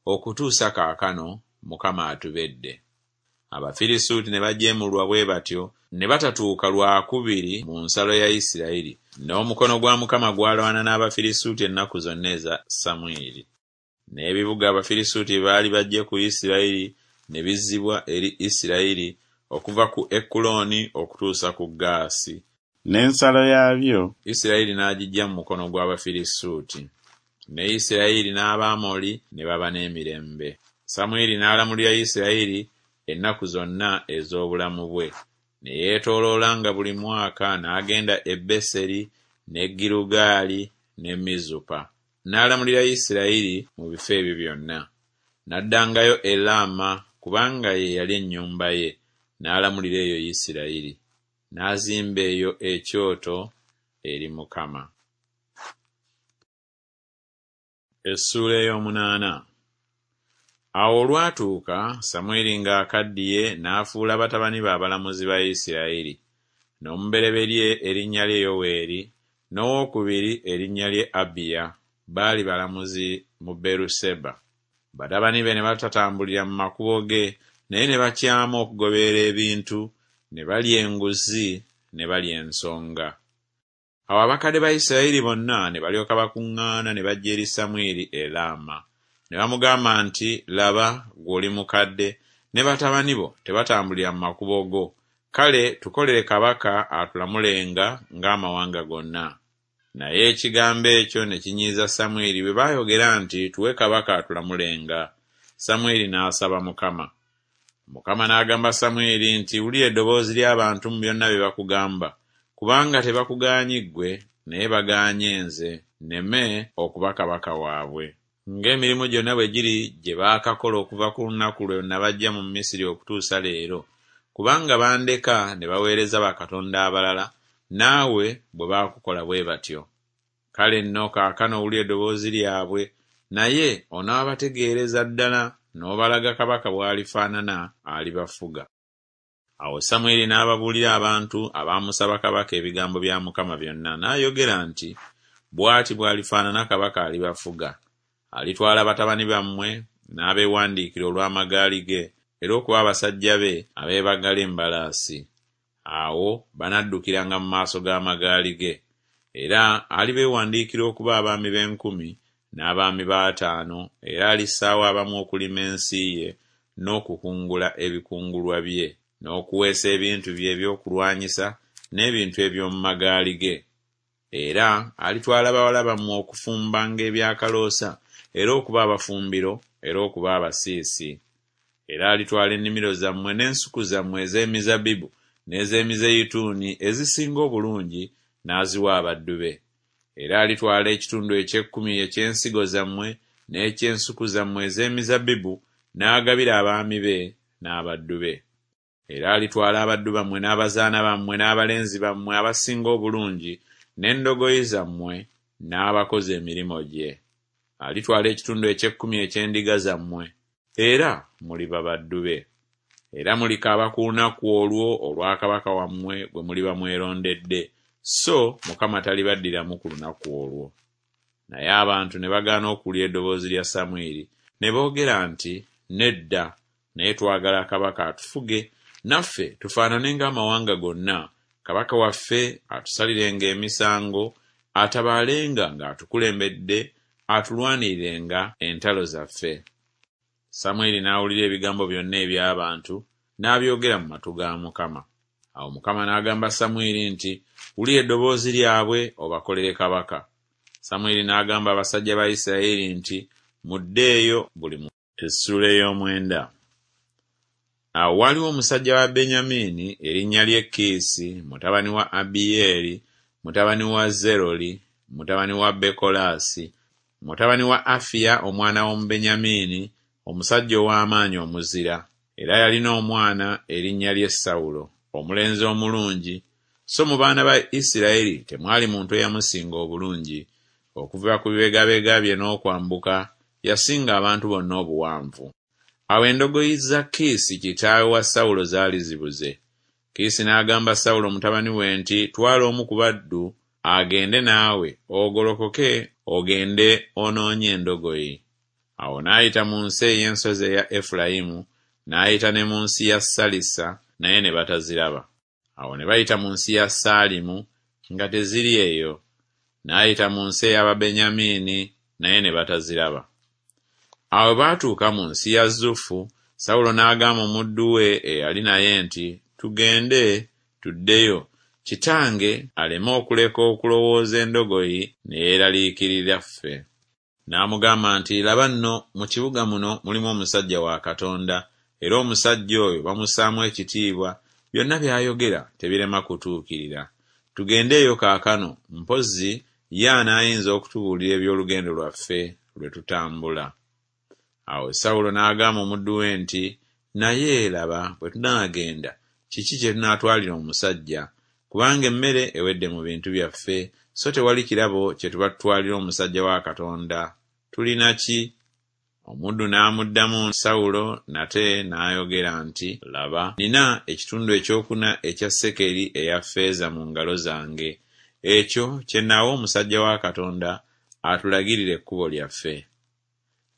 Okutuusa kaakano Mukama atubedde. Abafirisuuti ne bajeemulwa bwe batyo ne batatuuka lwakubiri mu nsalo ya Isirayiri. N'omukono gwa Mukama gwalwana n'Abafirisuuti ennaku zonna eza Samwiri. N'ebibuga Abafirisuuti bye baali baggye ku Isirayiri ne bizzibwa eri Isirayiri okuva ku Ekulooni okutuusa ku Gaasi. N'ensalo yaabyo Isirayiri n'agiggya mu mukono gw'Abafirisuuti. Ne Isirayiri n'Abamoli ne baba n'emirembe. Samwiri n'alamulira Isirayiri ennaku zonna ez'obulamu bwe. Ne yeetooloolanga buli mwaka n'agenda e Beseri ne Girugaali ne Mizupa. N'alamulira Isirayiri mu bifo ebyo byonna. N'addangayo e Laama kubanga ye yali ennyumba ye, n'alamulira eyo Isirayiri. N'azimba eyo ekyoto eri Mukama. Essuula ey'omunaana. Awo olwatuuka Samwiri ng'akaddiye n'afuula batabani be abalamuzi ba Isirayiri. N'omubereberye erinnya lye Yoweeri, n'owookubiri erinnya lye Abiya, baali balamuzi mu Beeruseba. Batabani be ne batatambulira mu makubo ge, naye ne bakyama okugoberera ebintu, ne balya enguzi, ne balya ensonga. Awo abakadde ba Isirayiri bonna ne balyoka bakuŋŋaana ne bajja eri Samwiri e Laama. Ne bamugamba nti, Laba, ggwe oli mukadde, ne batabani bo tebatambulira mu makubo go. Kale tukolere kabaka atulamulenga ng'amawanga gonna. Naye ekigambo ekyo ne kinyiiza Samwiri bwe baayogera nti, Tuwe kabaka atulamulenga. Samwiri n'asaba Mukama. Mukama n'agamba Samwiri nti, Wulira eddoboozi ly'abantu mu byonna bye bakugamba, kubanga tebakugaanyi ggwe, naye bagaanye nze, nneme okuba kabaka waabwe. Ng'emirimu gyonna bwe giri gye baakakola okuva ku lunaku lwe nabaggya mu Misiri okutuusa leero, kubanga bandeka ne baweereza bakatonda abalala, naawe bwe baakukola bwe batyo. Kale nno kaakano wulira eddoboozi lyabwe, naye onaabategeereza ddala n'obalaga kabaka bw'alifaanana alibafuga. Awo Samwiri n'ababuulira abantu abaamusaba kabaka ebigambo bya Mukama byonna, n'ayogera nti, Bw'ati bw'alifaanana kabaka alibafuga. Alitwala batabani bammwe n'abeewandiikira olw'amagaali ge, era okuba abasajja be abeebagala embalaasi. Awo banaddukiranga mu maaso g'amagaali ge. Era alibeewandiikira okuba abaami b'enkumi n'abaami b'ataano, era alissaawo abamu okulima ensi ye n'okukungula ebikungulwa bye, n'okuweesa ebintu bye eby'okulwanyisa n'ebintu eby'omu magaali ge. Era alitwala bawala bammwe okufumbanga ebyakaloosa, era okuba abafumbiro, era okuba abasiisi. Era alitwala ennimiro zammwe n'ensuku zammwe ez'emizabbibu n'ez'emizeyituuni ezisinga obulungi n'aziwa abaddu be. Era alitwala ekitundu eky'ekkumi eky'ensigo zammwe n'eky'ensuku zammwe ez'emizabbibu n'agabira abaami be n'abaddu be. Era alitwala abaddu bammwe n'abazaana bammwe n'abalenzi bammwe abasinga obulungi n'endogoyi zammwe n'abakozi emirimu gye. Alitwala ekitundu eky'ekkumi eky'endiga zammwe, era muliba baddu be. Era mulikaaba ku lunaku olwo olwa kabaka wammwe gwe muliba mwerondedde, so Mukama talibaddiramu ku lunaku olwo. Naye abantu ne bagaana okuwulira eddoboozi lya Samwiri, ne boogera nti, Nedda, naye twagala kabaka atufuge, naffe tufaanane ng'amawanga gonna, kabaka waffe atusalirenga emisango, atabaalenga ng'atukulembedde, atulwanirirenga entalo zaffe. Samwiri n'awulira ebigambo byonna eby'abantu, n'abyogera mu matu ga Mukama. Awo Mukama n'agamba Samwiri nti, Wulira eddoboozi lyabwe obakolere kabaka. Samwiri n'agamba abasajja ba Isirayiri nti, Muddeeyo buli muntu. Essuula ey'omwenda. Awo waaliwo omusajja wa Benyamini erinnya lye Kiisi, mutabani wa Abiyeeri, mutabani wa Zeroli, mutabani wa Bekolaasi, mutabani wa Afiya omwana w'Omubenyamini, omusajja ow'amaanyi omuzira. Era yalina omwana erinnya lye Sawulo, omulenzi omulungi, so mu baana ba Isirayiri temwali muntu eyamusinga obulungi. Okuva ku bibegabega bye n'okwambuka, yasinga abantu bonna obuwanvu. Awo endogoyi za Kiisi kitaawe wa Sawulo zaali zibuze. Kiisi n'agamba Sawulo mutabani we nti, Twala omu ku baddu agende naawe, ogolokoke ogende onoonye endogoyi. Awo n'ayita mu nsi ey'ensozi eya Efulayimu, n'ayita ne mu nsi ya Salisa, naye ne bataziraba. Awo ne bayita mu nsi ya Saalimu, nga teziri eyo. N'ayita mu nsi ey'Ababenyamini, naye ne bataziraba. Awo bwe baatuuka mu nsi ya Zufu, Sawulo n'agamba omuddu we eyali naye nti, Tugende tuddeyo, kitange aleme okuleka okulowooza endogoyi ne yeeraliikirira ffe. N'amugamba nti, Laba nno, mu kibuga muno mulimu omusajja wa Katonda, era omusajja oyo bamussaamu ekitiibwa, byonna by'ayogera tebirema kutuukirira. Tugende eyo kaakano, mpozzi ye anaayinza okutubuulira eby'olugendo lwaffe lwe tutambula. Awo Sawulo n'agamba omuddu we nti, Naye laba, bwe tunaagenda, kiki kye tunaatwalira omusajja? Kubanga emmere ewedde mu bintu byaffe, so tewali kirabo kye tuba tutwalira omusajja wa Katonda. Tulina ki? Omuddu n'amuddamu Sawulo nate n'ayogera nti, Laba, nnina ekitundu ekyokuna ekya sekeri eya ffeeza mu ngalo zange, ekyo kye nnaawa omusajja wa Katonda atulagirire ekkubo lyaffe.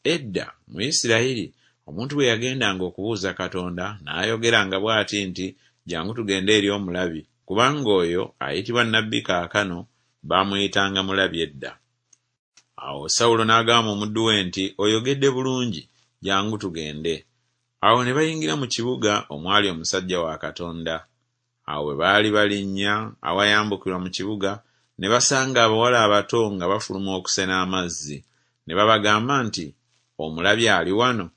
Edda mu Isirayiri omuntu bwe yagendanga okubuuza Katonda, n'ayogeranga bw'ati nti, Jjangu tugende eri omulabi, kubanga oyo ayitibwa nnabbi kaakano baamuyitanga mulabi edda. Awo Sawulo n'agamba omuddu we nti, Oyogedde bulungi, jjangu tugende. Awo ne bayingira mu kibuga omwali omusajja wa Katonda. Awo bwe baali balinnya awayambukirwa mu kibuga, ne basanga abawala abato nga bafuluma okusena amazzi. Ne babagamba nti, Omulabi ali wano?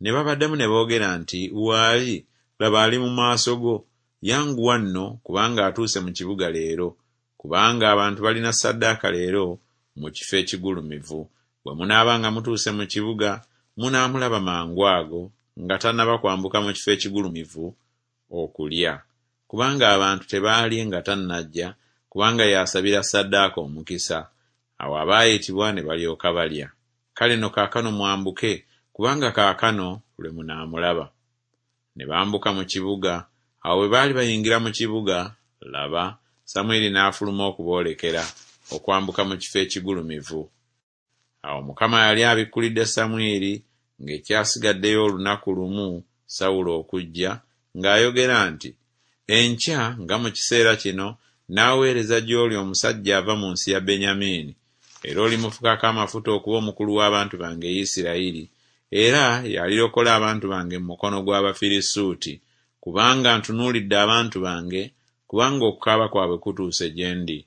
Ne babaddamu ne boogera nti, Waali, laba ali mu maaso go. Yanguwa nno, kubanga atuuse mu kibuga leero, kubanga abantu balina ssaddaaka leero mu kifo ekigulumivu. Bwe munaaba nga mutuuse mu kibuga, munaamulaba mangu ago, nga tannaba kwambuka mu kifo ekigulumivu okulya. Kubanga abantu tebaalye nga tannajja, kubanga y'asabira ssaddaaka omukisa. Awo abaayitibwa ne balyoka balya. Kale nno kaakano mwambuke, kubanga kaakano lwe munaamulaba. Ne bambuka mu kibuga. Awo bwe baali bayingira mu kibuga, laba, Samwiri n'afuluma okuboolekera, okwambuka mu kifo ekigulumivu. Awo Mukama yali abikkulidde Samwiri ng'ekyasigaddeyo olunaku lumu Sawulo okujja, ng'ayogera nti, Enkya nga mu kiseera kino nnaaweereza gy'oli omusajja ava mu nsi ya Benyamini, era olimufukako amafuta okuba omukulu w'abantu bange Isirayiri, era y'alirokola abantu bange mu mukono gw'Abafirisuuti, kubanga ntunuulidde abantu bange, kubanga okukaaba kwabwe kutuuse gye ndi.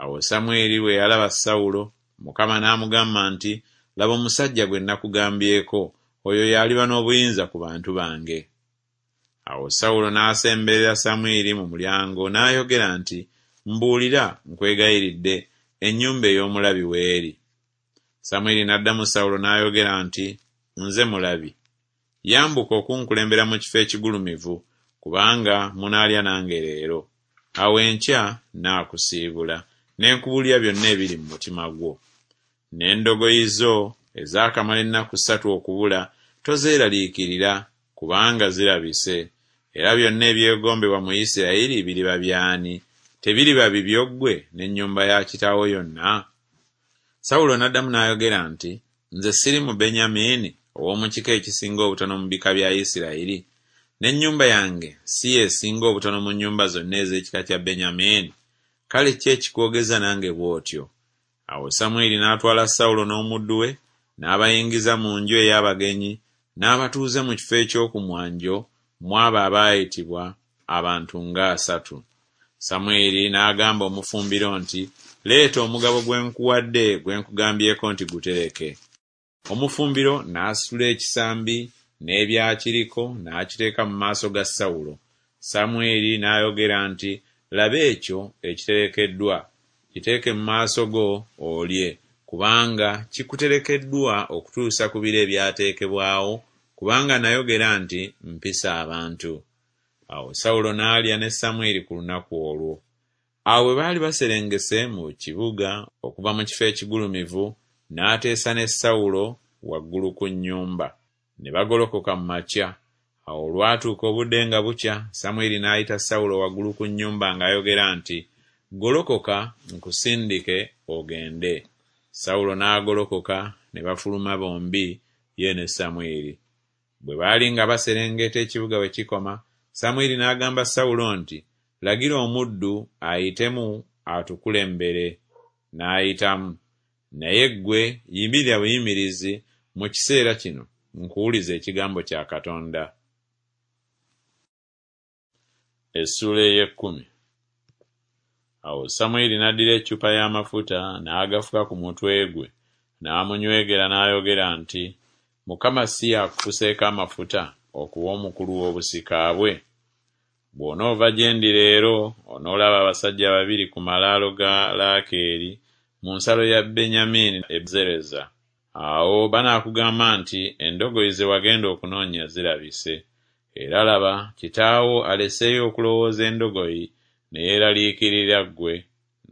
Awo Samwiri bwe yalaba Sawulo, Mukama n'amugamba nti, Laba omusajja gwe nakugambyeko, oyo y'aliba n'obuyinza ku bantu bange. Awo Sawulo n'asemberera Samwiri mu mulyango n'ayogera nti, Mbuulira, nkwegayiridde, ennyumba ey'omulabi w'eri. Samwiri n'addamu Sawulo n'ayogera nti, Nze mulabi. Yambuka okunkulembera mu kifo ekigulumivu, kubanga munaalya nange leero. Awo enkya nnaakusiibula, ne nkubuulira byonna ebiri mu mutima gwo. N'endogoyi zo ezaakamala ennaku ssatu okubula tozeeraliikirira, kubanga zirabise. Era byonna ebyegombebwa mu Isirayiri biriba by'ani? Tebiriba bibyo ggwe n'ennyumba ya kitaawo yonna? Sawulo n'addamu n'ayogera nti, Nze siri Mubenyamini, ow'omu kika ekisinga obutono mu bika bya Isirayiri? N'ennyumba yange si y'esinga obutono mu nnyumba zonna ez'ekika kya Benyamini? Kale ki ekikwogeza nange bw'otyo? Awo Samwiri n'atwala Sawulo n'omuddu we, n'abayingiza mu nju ey'abagenyi, n'abatuuza mu kifo eky'oku mwanjo mu abo abaayitibwa, abantu ng'asatu. Samwiri n'agamba omufumbiro nti, Leeta omugabo gwe nkuwadde gwe nkugambyeko nti gutereke. Omufumbiro n'asitula ekisambi n'ebyakiriko n'akiteeka mu maaso ga Sawulo. Samwiri n'ayogera nti Laba ekyo ekiterekeddwa, kiteeke mu maaso go olye, kubanga kikuterekeddwa okutuusa ku biro ebyateekebwawo, kubanga nayogera nti Mpise abantu. Awo Sawulo n'alya ne Samwiri ku lunaku olwo. Awo bwe baali baserengese mu kibuga okuva mu kifo ekigulumivu, n'ateesa ne Sawulo waggulu ku nnyumba. Ne bagolokoka mu makya. Awo olwatuuka obudde nga bukya, Samwiri n'ayita Sawulo waggulu ku nnyumba ng'ayogera nti Golokoka nkusindike ogende. Sawulo n'agolokoka ne bafuluma bombi, ye ne Samwiri. Bwe baali nga baserengeta ekibuga we kikoma, Samwiri n'agamba Sawulo nti Lagira omuddu ayitemu atukulembere. N'ayitamu. Naye ggwe yimirira buyimirizi mu kiseera kino nkuwulize ekigambo kya Katonda. Essuula ey'ekkumi. Awo Samwiri n'addira eccupa y'amafuta n'agafuka ku mutwe gwe, n'amunywegera n'ayogera nti Mukama si y'akufuseeko amafuta okuba omukulu w'obusika bwe? Bw'onoova gye ndi leero, onoolaba abasajja babiri ku malaalo ga Laakeeri mu nsalo ya Benyamini e Zereza. Awo banaakugamba nti Endogoyi ze wagenda okunoonya zirabise. Era laba, kitaawo aleseeyo okulowooza endogoyi, ne yeeraliikirira ggwe,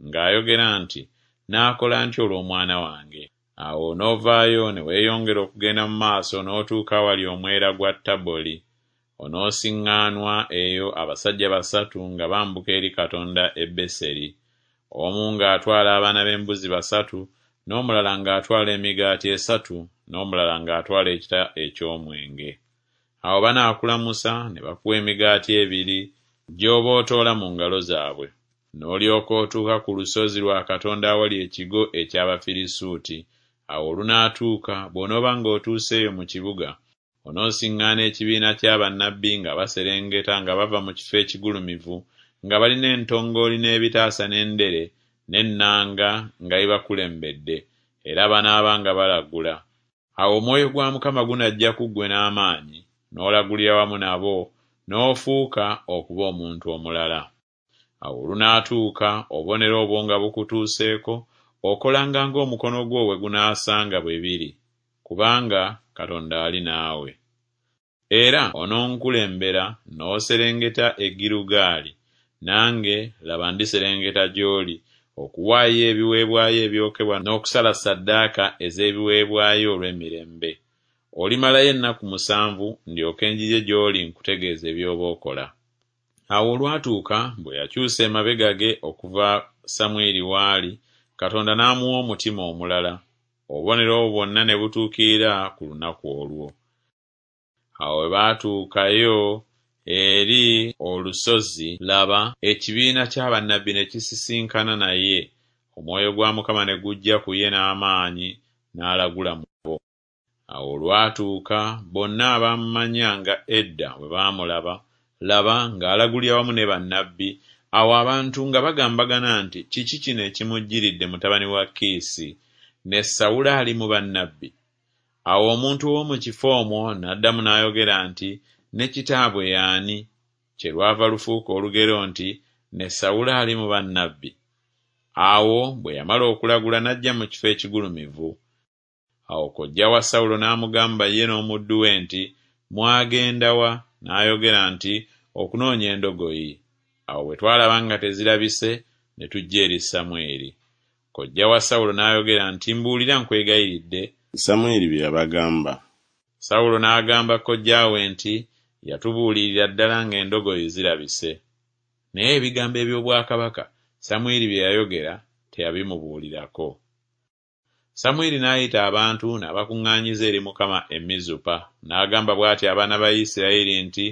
ng'ayogera nti Naakola ntya olw'omwana wange? Awo onoovaayo ne weeyongera okugenda mu maaso n'otuuka awali omwera gwa Taboli. Onoosiŋŋaanwa eyo abasajja basatu nga bambuka eri Katonda e Beseri, omu ng'atwala abaana b'embuzi basatu, n'omulala ng'atwala emigaati esatu, n'omulala ng'atwala ekita eky'omwenge. Awo banaakulamusa ne bakuwa emigaati ebiri, gy'oba otoola mu ngalo zaabwe. N'olyoka otuuka ku lusozi lwa Katonda awali ekigo eky'Abafirisuuti. Awo olunaatuuka, bw'onooba ng'otuuseeyo mu kibuga, onoosiŋŋaana ekibiina kya bannabbi nga baserengeta nga bava mu kifo ekigulumivu, nga balina entongooli n'ebitaasa n'endere n'ennanga nga bibakulembedde, era banaaba nga balagula. Awo omwoyo gwa Mukama gunajja ku ggwe n'amaanyi, n'olagulira wamu nabo, n'ofuuka okuba omuntu omulala. Awo olunaatuuka obubonero obwo nga bukutuuseeko, okolanga ng'omukono gwo we gunaasanga bwe biri, kubanga Katonda ali naawe. Era ononkulembera n'oserengeta e Girugaali, nange, laba, ndiserengeta gy'oli, okuwaayo ebiweebwayo ebyokebwa n'okusala ssaddaaka ez'ebiweebwayo olw'emirembe. Olimalayo ennaku musanvu, ndyoke njije gy'oli nkutegeeze by'oba okola. Awo olwatuuka bwe yakyusa emabega ge okuva Samwiri w'ali, Katonda n'amuwa omutima omulala. Obubonero obwo bwonna ne butuukirira ku lunaku olwo. Awo bwe baatuukayo eri olusozi, laba, ekibiina kya bannabbi ne kisisinkana naye, omwoyo gwa Mukama ne gujja ku ye n'amaanyi, n'alagula mu bo. Awo olwatuuka bonna abaamumanyanga edda bwe baamulaba, laba, ng'alagulira wamu ne bannabbi, awo abantu nga bagambagana nti Kiki kino ekimujjiridde mutabani wa Kiisi? Ne Sawulo ali mu bannabbi? Awo omuntu ow'omu kifo omwo n'addamu n'ayogera nti Ne kitaabwe ye ani? Kyerwava lufuuka olugero nti Ne Sawulo ali mu bannabbi? Awo bwe yamala okulagula n'ajja mu kifo ekigulumivu. Awo kojja wa Sawulo n'amugamba ye n'omuddu we nti Mwagenda wa? N'ayogera nti Okunoonya endogoyi. Awo bwe twalaba nga tezirabise, ne tujja eri Samwiri. Kojja wa Sawulo n'ayogera nti Mbuulira nkwegayiridde. Samwiri bye yabagamba. Sawulo n'agamba kojja we nti Yatubuulirira ddala ng'endogoyi zirabise. Naye ebigambo eby'obwakabaka Samwiri bye yayogera teyabimubuulirako. Samwiri n'ayita abantu n'abakuŋŋaanyiza eri Mukama e Mizupa, n'agamba bw'ati abaana ba Isirayiri nti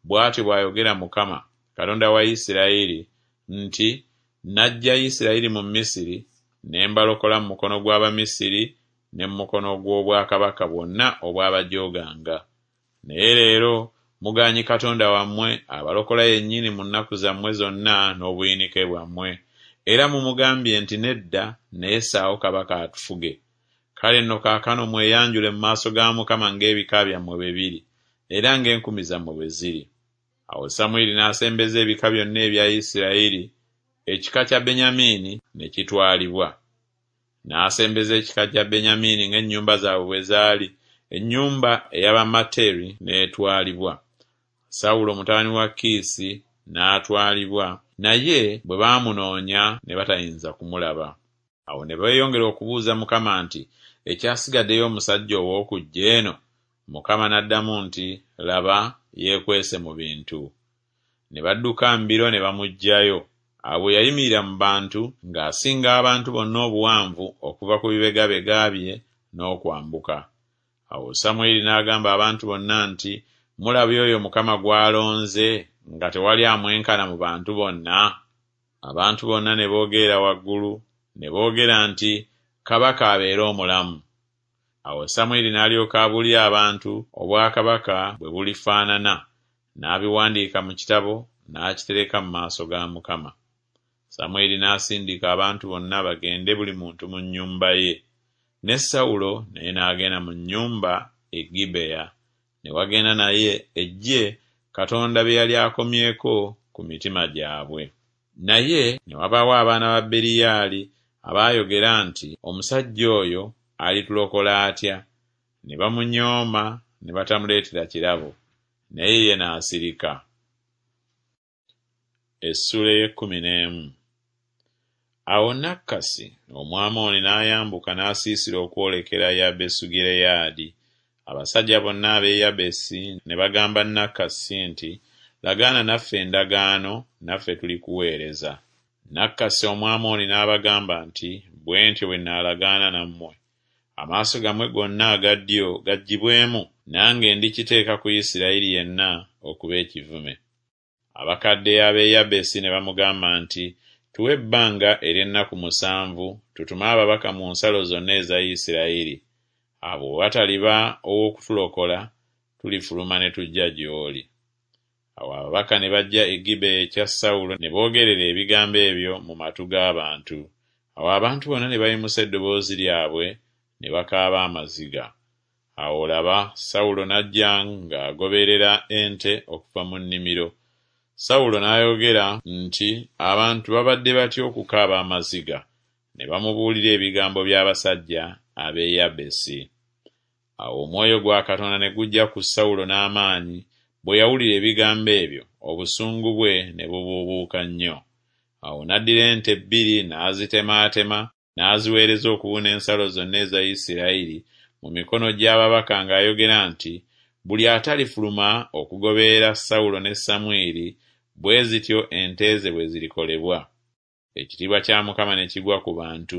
Bw'atyo bw'ayogera Mukama, Katonda wa Isirayiri nti Naggya Isirayiri mu Misiri, ne mbalokola mu mukono gw'Abamisiri ne mu mukono gw'obwakabaka bwonna obwabajooganga. Naye leero mugaanyi Katonda wammwe abalokola yennyini mu nnaku zammwe zonna n'obuyinike bwammwe, Era mumugambye nti, Nedda, naye ssaawo kabaka atufuge. Kale nno kaakano mweyanjule mu maaso ga Mukama ng'ebika byammwe bwe biri, era ng'enkumi zammwe bwe ziri. Awo Samwiri n'asembeza ebika byonna ebya Isirayiri, ekika kya Benyamini ne kitwalibwa. N'asembeza ekika kya Benyamini ng'ennyumba zaabwe bwe zaali, ennyumba ey'Abamateri n'etwalibwa. Sawulo mutabani wa Kiisi n'atwalibwa, naye bwe baamunoonya ne batayinza kumulaba. Awo ne beeyongera okubuuza Mukama nti, Ekyasigaddeyo omusajja ow'okujja eno? Mukama n'addamu nti, Laba, yeekwese mu bintu. Ne badduka mbiro ne bamuggyayo. Awo bwe yayimirira mu bantu, ng'asinga abantu bonna obuwanvu okuva ku bibegabega bye n'okwambuka. Awo Samwiri n'agamba abantu bonna nti, Mulabye oyo Mukama gw'alonze, nga tewali amwenkana mu bantu bonna? Abantu bonna ne boogerera waggulu, ne boogera nti, Kabaka abeere omulamu. Awo Samwiri n'alyoka abuulira abantu obwakabaka bwe bulifaanana, n'abiwandiika mu kitabo, n'akitereka mu maaso ga Mukama. Samwiri n'asindika abantu bonna bagende buli muntu mu nnyumba ye. Ne Sawulo naye n'agenda mu nnyumba e Gibeya, ne wagenda naye eggye Katonda bye yali akomyeko ku mitima gyabwe. Naye ne wabaawo abaana ba Beriyaali abaayogera nti, Omusajja oyo alitulokola atya? Ne bamunyooma ne batamuleetera kirabo, naye ye n'asirika. Essuula ey'ekkumi n'emu. Awo Nakkasi Omwamoni n'ayambuka n'asiisira okwolekera Yabesugireyaadi. Abasajja bonna ab'e Yabesi ne bagamba Nakkasi nti, Lagaana naffe endagaano, naffe tulikuweereza. Nakkasi Omwamoni n'abagamba nti, Bwe ntyo bwe nnaalagaana nammwe. Amaaso gammwe gonna aga ddyo gaggyibwemu, nange ndikiteeka ku Isirayiri yenna okuba ekivume. Abakadde ab'e Yabesi ne bamugamba nti, Tuwe ebbanga ery'ennaku musanvu, tutume ababaka mu nsalo zonna eza Isirayiri. Abo bwe wataliba ow'okutulokola, tulifuluma ne tujja gy'oli. Awo ababaka ne bajja e Gibeya ekya Sawulo ne boogerera ebigambo ebyo mu matu g'abantu. Awo abantu bonna ne bayimusa eddoboozi lyabwe ne bakaaba amaziga. Awo laba, Sawulo n'ajja ng'agoberera ente okuva mu nnimiro. Sawulo n'ayogera nti, Abantu babadde batya okukaaba amaziga? Ne bamubuulira ebigambo by'abasajja ab'e Yabesi. Awo omwoyo gwa Katonda ne gujja ku Sawulo n'amaanyi, bwe yawulira ebigambo ebyo, obusungu bwe ne bubuubuuka nnyo. Awo n'addira ente bbiri n'azitemaatema, n'aziweereza okubuna ensalo zonna eza Isirayiri mu mikono gy'ababaka ng'ayogera nti, Buli atalifuluma okugoberera Sawulo ne Samwiri, bwe zityo ente ze bwe zirikolebwa. Ekitiibwa kya Mukama ne kigwa ku bantu,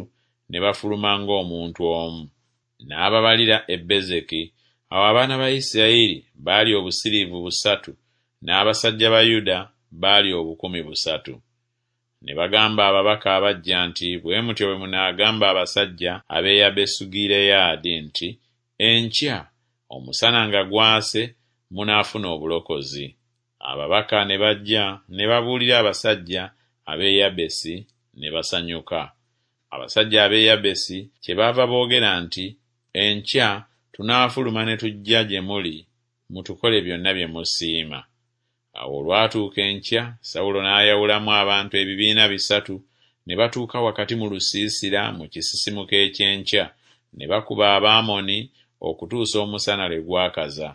ne bafuluma ng'omuntu omu. N'ababalira e Bezeki. Awo abaana ba Isirayiri baali obusiriivu busatu, n'abasajja ba Yuda baali obukumi busatu. Ne bagamba ababaka abajja nti, Bwe mutyo bwe munaagamba abasajja ab'e Yabesugireyaadi nti, Enkya, omusana nga gwase, munaafuna obulokozi. Ababaka ne bajja ne babuulira abasajja ab'e Yabesi, ne basanyuka. Abasajja ab'e Yabesi kyebaava boogera nti, Enkya tunaafuluma ne tujja gye muli, mutukole byonna bye musiima. Awo olwatuuka enkya, Sawulo n'ayawulamu abantu ebibiina bisatu, ne batuuka wakati mu lusiisira mu kisisimuka eky'enkya, ne bakuba Abamoni okutuusa omusana lwe gwakaza.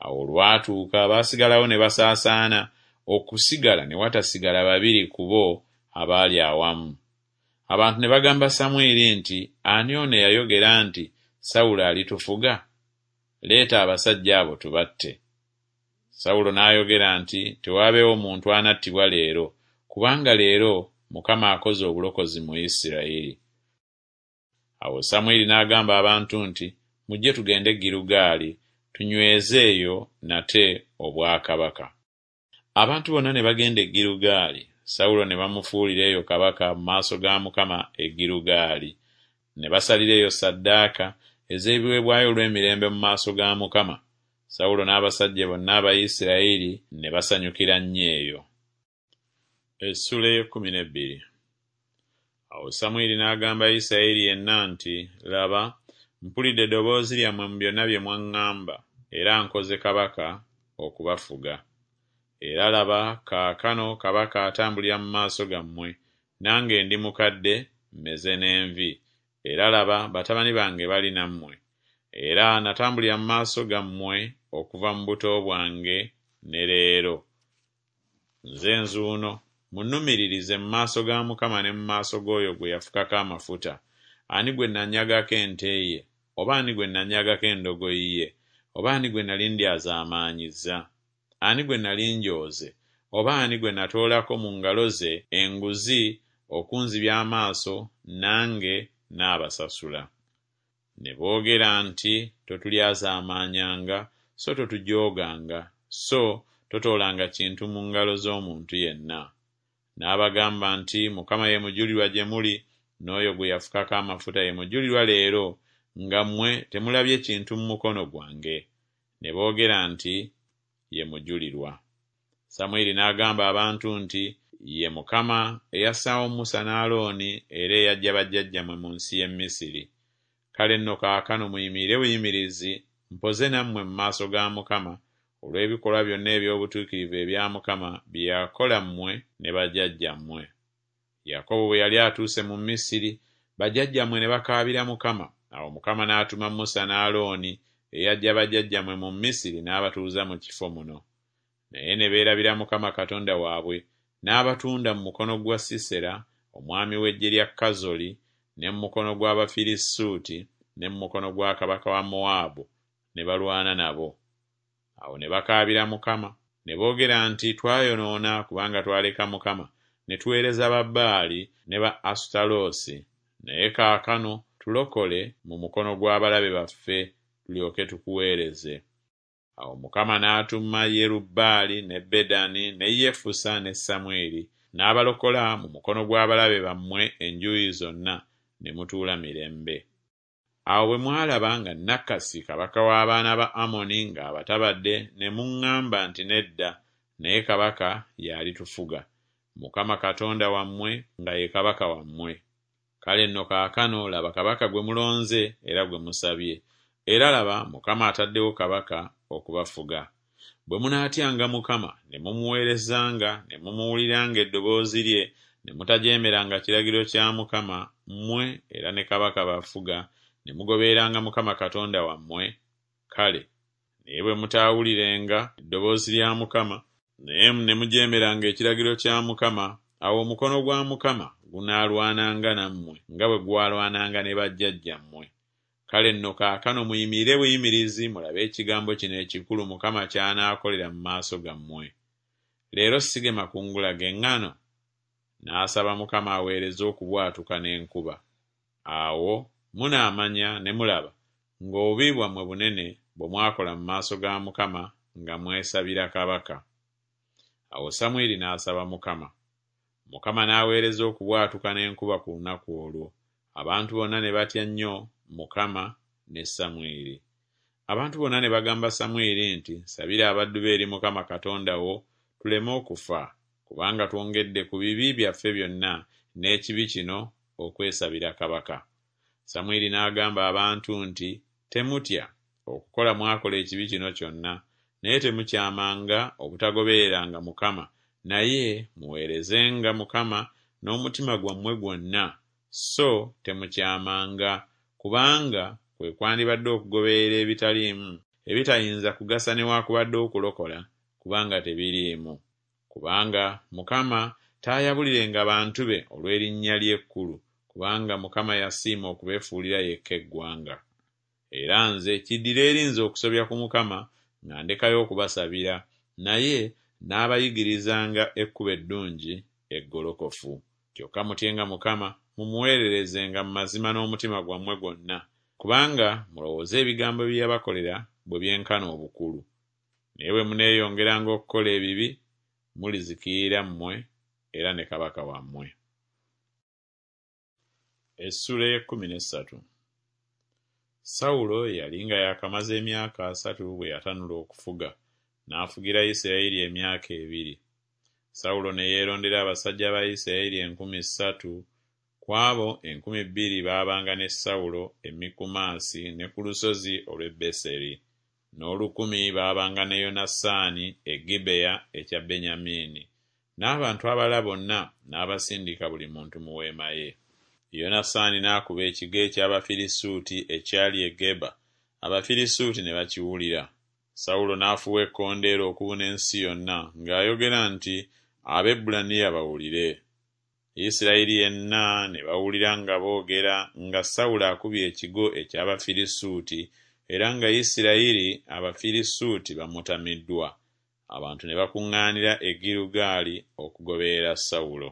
Awo olwatuuka abaasigalawo ne basaasaana, okusigala ne watasigala babiri ku bo abaali awamu. Abantu ne bagamba Samwiri nti, Ani ono eyayogera nti, Sawulo alitufuga? Leeta abasajja abo tubatte. Sawulo n'ayogera nti, Tewaabeewo muntu anattibwa leero, kubanga leero Mukama akoze obulokozi mu Isirayiri. Awo Samwiri n'agamba abantu nti, Mujje tugende e Girugaali, tunyweze eyo nate obwakabaka. Abantu bonna ne bagenda e Girugaali, Sawulo ne bamufuulira eyo kabaka mu maaso ga Mukama e Girugaali. Ne basalira eyo ssaddaaka ez'ebiweebwayo olw'emirembe mu maaso ga Mukama. Sawulo n'abasajja bonna aba Isirayiri ne basanyukira nnyo eyo. Essuula ey'ekkumi n'ebbiri. Awo Samwiri n'agamba Isirayiri yenna nti, Laba, mpulidde eddoboozi lyammwe mu byonna bye mwaŋŋamba, era nkoze kabaka okubafuga. Era laba, kaakano kabaka atambulira mu maaso gammwe, nange ndi mukadde, mmeze n'envi, era laba, batabani bange bali nammwe. Era natambulira mu maaso gammwe okuva mu buto bwange ne leero. Nze nzuuno, munnumiririze mu maaso ga Mukama ne mu maaso g'oyo gwe yafukako amafuta. Ani gwe nanyagako ente ye, oba ani gwe nanyagako endogoyi ye, oba ani gwe nali ndyazaamaanyizza? Ani gwe nali njooze, oba ani gwe natoolako mu ngalo ze enguzi okunzibya amaaso, nange naabasasula? Ne boogera nti, Totulyazaamaanyanga, so totujooganga, so totoolanga kintu mu ngalo z'omuntu yenna. N'abagamba nti, Mukama ye mujulirwa gye muli, n'oyo gwe yafukako amafuta ye mujulirwa leero, nga mmwe temulabye kintu mu mukono gwange. Ne boogera nti, Ye mujulirwa. Samwiri n'agamba abantu nti, Ye Mukama eyassaawo Musa ne Alooni era eyaggya bajjajjammwe mu nsi y'e Misiri. Kale nno kaakano muyimirire buyimirizi, mpoze nammwe mu maaso ga Mukama olw'ebikolwa byonna eby'obutuukirivu ebya Mukama bye yakola mmwe ne bajjajjammwe. Yakobo bwe yali atuuse mu Misiri, bajjajjammwe ne bakaabira Mukama. Awo Mukama n'atuma Musa ne Alooni eyaggya bajjajjammwe mu Misiri n'abatuuza mu kifo muno. Naye ne beerabira Mukama Katonda waabwe, n'abatunda mu mukono gwa Sisera omwami w'eggye lya Kazoli, ne mu mukono gw'Abafirisuuti, ne mu mukono gwa kabaka wa Mowaabu, ne balwana nabo. Awo ne bakaabira Mukama, ne boogera nti, Twayonoona kubanga twaleka Mukama, ne tuweereza Babaali ne ba Asutaloosi. Naye kaakano tulokole mu mukono gw'abalabe baffe, tulyoke tukuweereze. Awo Mukama n'atuma Yerubbaali ne Bedani ne Yefusa ne Samwiri, n'abalokola mu mukono gw'abalabe bammwe enjuuyi zonna, ne mutuula mirembe. Awo bwe mwalaba nga Nakasi kabaka w'abaana ba Amoni ng'abatabadde, ne muŋŋamba nti, Nedda, naye kabaka y'alitufuga, Mukama Katonda wammwe nga ye kabaka wammwe. Kale nno kaakano laba kabaka gwe mulonze era gwe musabye, era laba Mukama ataddewo kabaka okubafuga. Bwe munaatyanga Mukama ne mumuweerezanga ne mumuwuliranga eddoboozi lye, ne mutajeemeranga kiragiro kya Mukama, mmwe era ne kabaka bafuga, ne mugobereranga Mukama Katonda wammwe, kale. Naye bwe mutaawulirenga eddoboozi lya Mukama, naye ne mujeemeranga ekiragiro kya Mukama, awo omukono gwa Mukama gunaalwananga nammwe nga bwe gwalwananga ne bajjajjammwe. Kale nno kaakano muyimirire buyimirizi mulabe ekigambo kino ekikulu Mukama ky'anaakolera mu maaso gammwe. Leero sige makungula g'eŋŋano? N'asaba Mukama aweereze okubwatuka n'enkuba. Awo munaamanya ne mulaba ng'obubi bwammwe bunene bwe mwakola mu maaso ga Mukama nga mwesabira kabaka. Awo Samwiri n'asaba Mukama. Mukama n'aweereza okubwatuka n'enkuba ku lunaku olwo. Abantu bonna ne batya nnyo Mukama ne Samwiri. Abantu bonna ne bagamba Samwiri nti, Sabira abaddu be eri Mukama Katonda wo, tuleme okufa, kubanga twongedde ku bibi byaffe byonna n'ekibi kino okwesabira kabaka. Samwiri n'agamba abantu nti, Temutya, okukola mwakola ekibi kino kyonna, naye temukyamanga obutagobereranga Mukama, naye muweerezenga Mukama n'omutima gwammwe gwonna, so temukyamanga, kubanga kwe kwandibadde okugoberera ebitaliimu, ebitayinza kugasa newaakubadde okulokola, kubanga tebiriimu. Kubanga Mukama taayabulirenga bantu be olw'erinnya lye ekkulu, kubanga Mukama yasiima okubeefuulira yekka eggwanga. Era nze kiddire eri nze okusobya ku Mukama nga ndekayo okubasabira, naye n'abayigirizanga ekkubo eddungi eggolokofu. Kyokka mutyenga Mukama, mumuweererezenga mu mazima n'omutima gwammwe gwonna, kubanga mulowooze ebigambo bye yabakolera bwe byenkana obukulu. Naye bwe muneeyongeranga okukola ebibi, mulizikirira mmwe era ne kabaka wammwe. Essuula ey'ekkumi n'essatu. Sawulo yali nga yaakamaze emyaka asatu bwe yatanula okufuga, n'afugira Isirayiri emyaka ebiri. Sawulo ne yeerondera abasajja ba Isirayiri enkumi ssatu Ku abo enkumi bbiri baabanga ne Sawulo e Mikumasi ne ku lusozi olw'e Beseri, n'olukumi baabanga ne Yonasaani e Gibeya ekya Benyamini, n'abantu abalala bonna n'abasindika buli muntu mu weema ye. Yonasaani n'akuba ekigo eky'Abafirisuuti ekyali e Geba, Abafirisuuti ne bakiwulira. Sawulo n'afuuwa ekkondeere okubuna ensi yonna ng'ayogera nti Abaebbulaniya bawulire. Isirayiri yenna ne bawulira nga boogera nga Sawulo akubye ekigo eky'Abafirisuuti era nga Isirayiri Abafirisuuti bamutamiddwa. Abantu ne bakuŋŋaanira e Girugaali okugoberera Sawulo.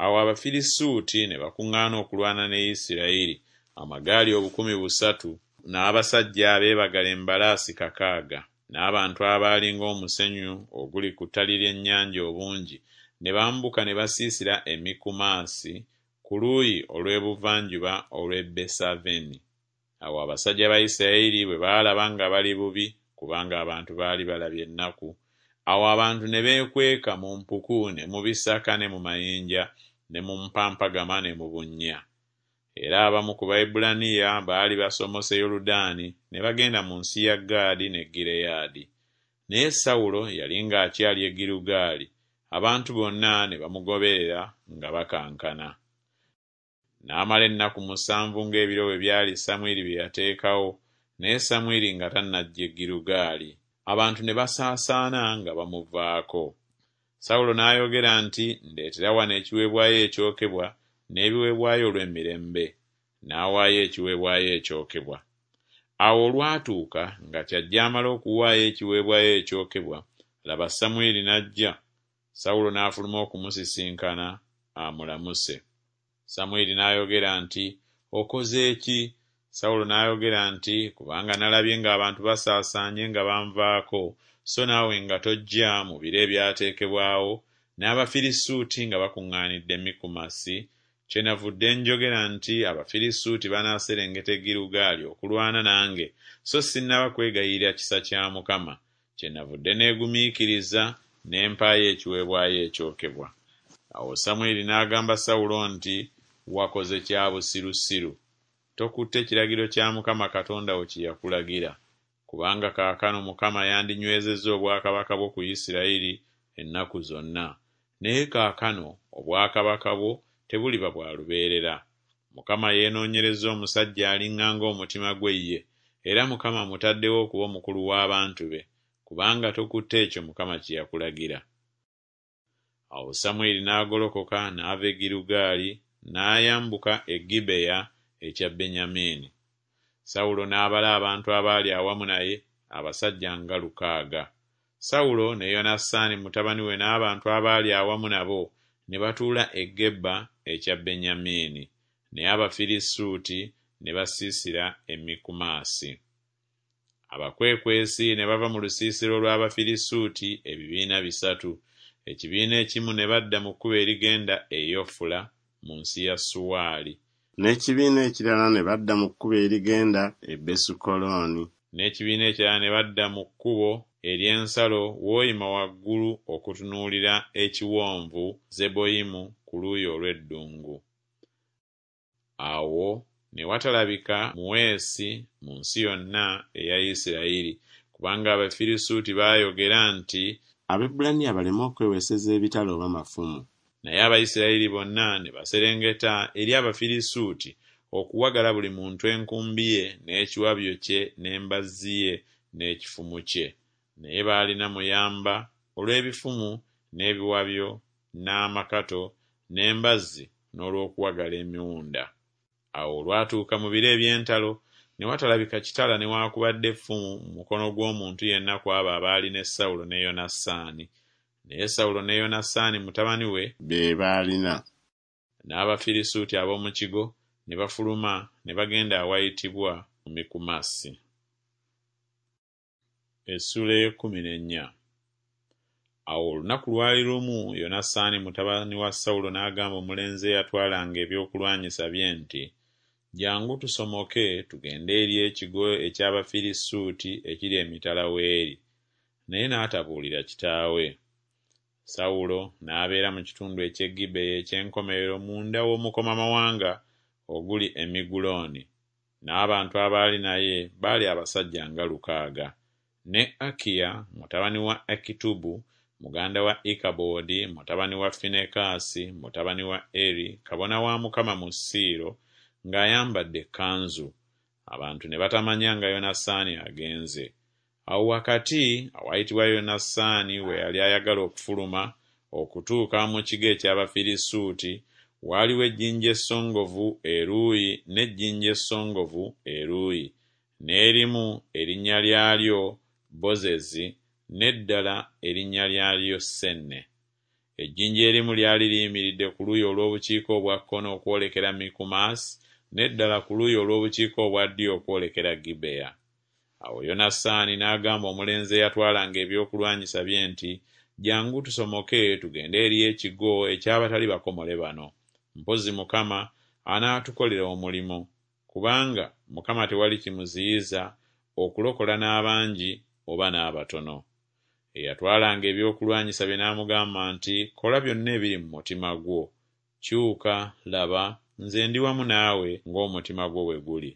Awo Abafirisuuti ne bakuŋŋaana okulwana ne Isirayiri, amagaali obukumi busatu n'abasajja abeebagala embalaasi kakaaga, n'abantu abaali ng'omusenyu oguli ku ttali ly'ennyanja obungi, ne bambuka ne basiisira e Mikumasi ku luuyi olw'ebuvanjuba olw'e Besaveni. Awo abasajja ba Isirayiri bwe baalaba nga bali bubi, kubanga abantu baali balabye ennaku, awo abantu ne beekweka mu mpuku ne mu bisaka ne mu mayinja ne mu mpampagama ne mu bunnya. Era abamu ku Baebbulaniya baali basomose Yoludaani ne bagenda mu nsi ya Gaadi ne Gireyaadi. Naye Sawulo yali ng'akyali e Girugaali, abantu bonna ne bamugoberera nga bakankana. N'amala ennaku musanvu ng'ebiro bwe byali Samwiri bye yateekawo, naye Samwiri nga tannajja e Girugaali. Abantu ne basaasaana nga bamuvaako. Sawulo n'ayogera nti, Ndeetera wano ekiweebwayo ekyokebwa n'ebiweebwayo olw'emirembe. N'awaayo ekiweebwayo ekyokebwa. Awo olwatuuka nga kyajje amale okuwaayo ekiweebwayo ekyokebwa, laba Samwiri n'ajja. Sawulo n'afuluma okumusisinkana amulamuse. Samwiri n'ayogera nti, Okoze ki? Sawulo n'ayogera nti, Kubanga nalabye ng'abantu basaasaanye nga banvaako, so naawe nga tojja mu biro ebyateekebwawo, n'Abafirisuuti nga bakuŋŋaanidde Mikumasi, kyenavudde njogera nti Abafirisuuti banaaserengeta e Girugaali okulwana nange, so sinnaba kwegayirira kisa kya Mukama. Kyenavudde neegumiikiriza ne mpaayo ekiweebwayo ekyokebwa. Awo Samwiri n'agamba Sawulo nti, Wakoze kya busirusiru. Tokutte kiragiro kya Mukama Katonda wo kye yakulagira. Kubanga kaakano Mukama yandinywezezza obwakabaka bwo ku Isirayiri ennaku zonna. Naye kaakano obwakabaka bwo tebuliba bwa lubeerera. Mukama yeenoonyerezza omusajja aliŋŋanga omutima gwe ye, era Mukama amutaddewo okuba omukulu w'abantu be, kubanga tokutte ekyo Mukama kye yakulagira. Awo Samwiri n'agolokoka n'ava e Girugaali n'ayambuka e Gibeya ekya Benyamini. Sawulo n'abala abantu abaali awamu naye, abasajja nga lukaaga. Sawulo ne Yonasaani mutabani we n'abantu abaali awamu nabo ne batuula e Geba ekya Benyamini, naye Abafirisuuti ne basiisira e Mikumasi. Abakwekwesi ne bava mu lusiisira olw'Abafirisuuti ebibiina bisatu, ekibiina ekimu ne badda mu kkubo erigenda e Yofula mu nsi ya Suwaali, N'ekibiina ekirala ne badda mu kkubo erigenda e Besukolooni. N'ekibiina ekirala ne badda mu kkubo ery'ensalo w'oyima waggulu okutunuulira ekiwonvu Zeboyimu ku luuyi olw'eddungu. Awo ne watalabika muweesi mu nsi yonna eya Isirayiri, kubanga Abafirisuuti baayogera nti, Abaebbulaniya baleme okweweeseza ebitala oba mafumu. Naye Abayisirayiri bonna ne baserengeta eri Abafirisuuti okuwagala buli muntu enkumbi ye n'ekiwabyo kye n'embazzi ye n'ekifumu kye. Naye baalina muyamba olw'ebifumu n'ebiwabyo n'amakato n'embazzi n'olw'okuwagala emiwunda. Awo olwatuuka mu biro eby'entalo ne watalabika kitala newaakubadde effumu mu mukono gw'omuntu yenna ku abo abaali ne Sawulo ne Yonasaani. Naye Sawulo ne Yonasaani mutabani we be baalina. N'Abafirisuuti ab'omu kigo ne bafuluma ne bagenda awayitibwa Mikumasi. Essuula ey'ekkumi n'ennya. Awo olunaku lwali lumu Yonasaani mutabani wa Sawulo n'agamba omulenzi eyatwalanga ebyokulwanyisa bye nti, Jjangu tusomoke tugende eri ekigo eky'Abafirisuuti ekiri emitala w'eri. Naye n'atabuulira kitaawe. Sawulo n'abeera mu kitundu eky'e Gibeya eky'enkomerero munda w'omukomamawanga oguli e Migulooni, n'abantu abaali naye baali abasajja nga lukaaga. Ne Akiya mutabani wa Akitubu muganda wa Ikabodi mutabani wa Finekaasi mutabani wa Eri kabona wa Mukama mu Siiro ng'ayambadde ekkanzu. Abantu ne batamanya nga Yonasaani agenze. Awo wakati awayitibwa Yonasaani we yali ayagala okufuluma okutuuka mu kigo eky'Abafirisuuti, waaliwo ejjinja essongovu eruuyi n'ejjinja essongovu eruuyi, n'erimu erinnya lyalyo Bozezi n'eddala erinnya lyalyo Senne. Ejjinja erimu lyali liyimiridde ku luuyi olw'obukiika obwa kkono okwolekera Mikumasi, n'eddala ku luuyi olw'obukiika obwa ddyo okwolekera Gibeya. Awo Yonasaani n'agamba omulenzi eyatwalanga ebyokulwanyisa bye nti, Jjangu tusomoke tugende eri ekigo eky'abatali bakomole bano. Mpozzi Mukama anaatukolera omulimu, kubanga Mukama tewali kimuziyiza okulokola n'abangi oba n'abatono. Eyatwalanga ebyokulwanyisa bye n'amugamba nti, Kola byonna ebiri mu mutima gwo. Kyuka, laba, nze ndi wamu naawe ng'omutima gwo bwe guli.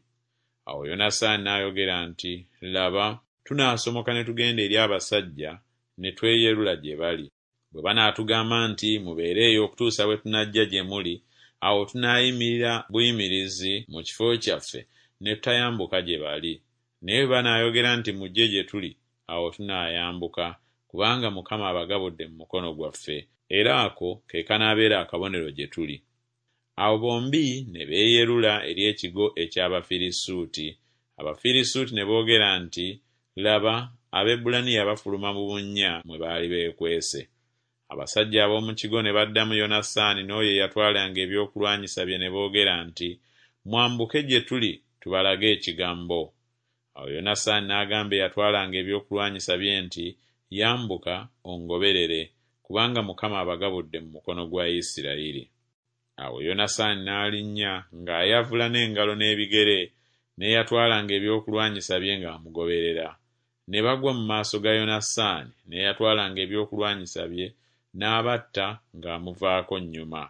Awo Yonasaani n'ayogera nti, Laba, tunaasomoka ne tugenda eri abasajja ne tweyerula gye bali. Bwe banaatugamba nti, Mubeere eyo okutuusa bwe tunajja gye muli, awo tunaayimirira buyimirizi mu kifo kyaffe ne tutayambuka gye bali. Naye bwe banaayogera nti, Mujje gye tuli, awo tunaayambuka, kubanga Mukama abagabudde mu mukono gwaffe, era ako ke kanaabeera akabonero gye tuli. Awo bombi ne beeyerula eri ekigo eky'Abafirisuuti. Abafirisuuti ne boogera nti, Laba, Abaebbulaniya bafuluma mu bunnya mwe baali beekwese. Abasajja ab'omu kigo ne baddamu Yonasaani n'oyo eyatwalanga ebyokulwanyisa bye ne boogera nti, Mwambuke gye tuli tubalage ekigambo. Awo Yonasaani n'agamba eyatwalanga ebyokulwanyisa bye nti, Yambuka ongoberere, kubanga Mukama abagabudde mu mukono gwa Isirayiri. Awo Yonasaani n'alinnya ng'ayavula n'engalo n'ebigere, n'eyatwalanga ebyokulwanyisa bye ng'amugoberera. Ne bagwa mu maaso ga Yonasaani n'eyatwalanga ebyokulwanyisa bye n'abatta ng'amuvaako nnyuma.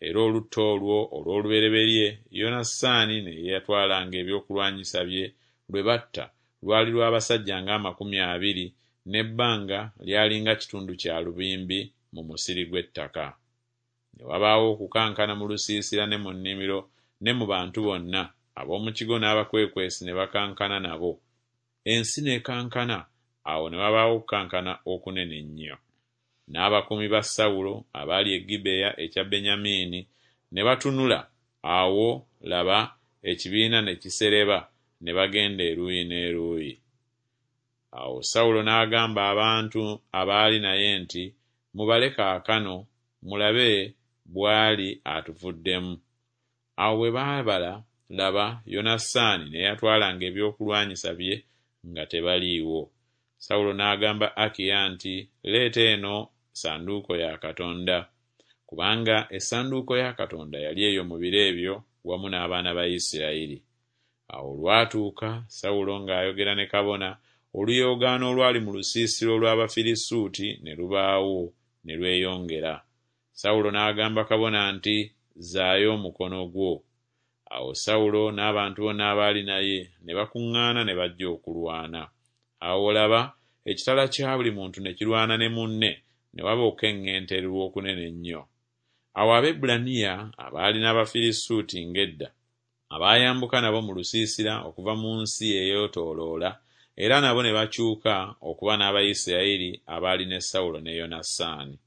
Era olutta olwo olw'olubereberye Yonasaani n'eyatwalanga ebyokulwanyisa bye lwe batta lwali lw'abasajja ng'amakumi abiri, n'ebbanga lyali nga kitundu kya lubimbi mu musiri gw'ettaka. Ne wabaawo okukankana mu lusiisira ne mu nnimiro ne mu bantu bonna, ab'omu kigo n'abakwekwesi ne bakankana nabo. Ensi n'ekankana, awo ne wabaawo okukankana okunene ennyo. N'abakuumi ba Sawulo abaali e Gibeya ekya Benyamini ne batunula, awo, laba, ekibiina ne kisereba, ne bagenda eruuyi n'eruuyi. Awo Sawulo n'agamba abantu abaali naye nti, Mubale kaakano, mulabe bw'ali atuvuddemu. Awo bwe baabala, laba, Yonasaani n'eyatwalanga ebyokulwanyisa bye nga tebaliiwo. Sawulo n'agamba Akiya nti, Leeta eno ssanduuko ya Katonda. Kubanga essanduuko ya Katonda yali eyo mu biro ebyo wamu n'abaana ba Isirayiri. Awo olwatuuka Sawulo ng'ayogera ne kabona, oluyoogaano olwali mu lusiisira olw'Abafirisuuti ne lubaawo ne lweyongera. Sawulo n'agamba kabona nti, Zzaayo omukono gwo. Awo Sawulo n'abantu bonna abaali naye ne bakuŋŋaana ne bajja okulwana. Awo laba, ekitala kya buli muntu ne kirwana ne munne, ne waba okukeŋŋentererwa okunene ennyo. Awo Abaebbulaniya abaali n'Abafirisuuti ng'edda, abaayambuka nabo mu lusiisira okuva mu nsi eyeetooloola, era nabo ne bakyuka okuba n'Abayisirayiri abaali ne Sawulo ne Yonasaani.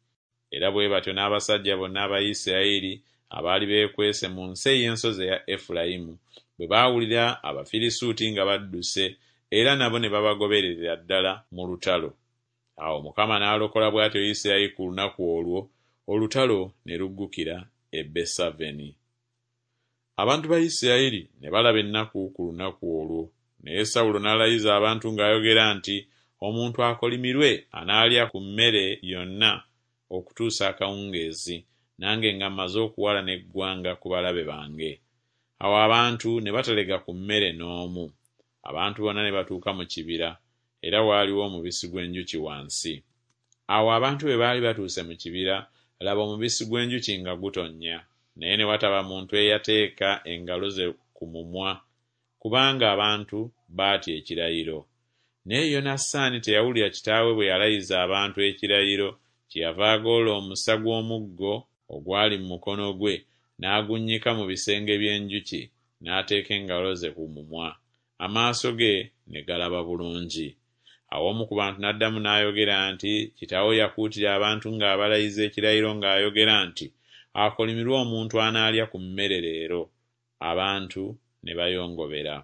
Era bwe batyo n'abasajja bonna aba Isirayiri abaali beekwese mu nsi ey'ensozi eya Efulayimu bwe baawulira Abafirisuuti nga badduse, era nabo ne babagobererera ddala mu lutalo. Awo Mukama n'alokola bw'atyo Isirayiri ku lunaku olwo, olutalo ne luggukira e Besaveni. Abantu ba Isirayiri ne balaba ennaku ku lunaku olwo. Naye Sawulo n'alayiza abantu ng'ayogera nti, Omuntu akolimirwe anaalya ku mmere yonna okutuusa akawungeezi, nange nga mmaze okuwalana eggwanga ku balabe bange. Awo abantu ne batalega ku mmere n'omu. Abantu bonna ne batuuka mu kibira, era waaliwo omubisi gw'enjuki wansi. Awo abantu bwe baali batuuse mu kibira, laba omubisi gw'enjuki nga gutonnya, naye ne wataba muntu eyateeka engalo ze ku mumwa, kubanga abantu baatya ekirayiro. Naye Yonasaani teyawulira kitaawe bwe yalayiza abantu ekirayiro, kyeyava agolola omusa gw'omuggo ogwali mu mukono gwe, n'agunnyika mu bisenge by'enjuki, n'ateeka engalo ze ku mumwa, amaaso ge ne galaba bulungi. Awo omu ku bantu n'addamu n'ayogera nti, Kitaawo yakuutira abantu ng'abalayiza ekirayiro ng'ayogera nti, Akolimirwe omuntu anaalya ku mmere leero. Abantu ne bayongobera.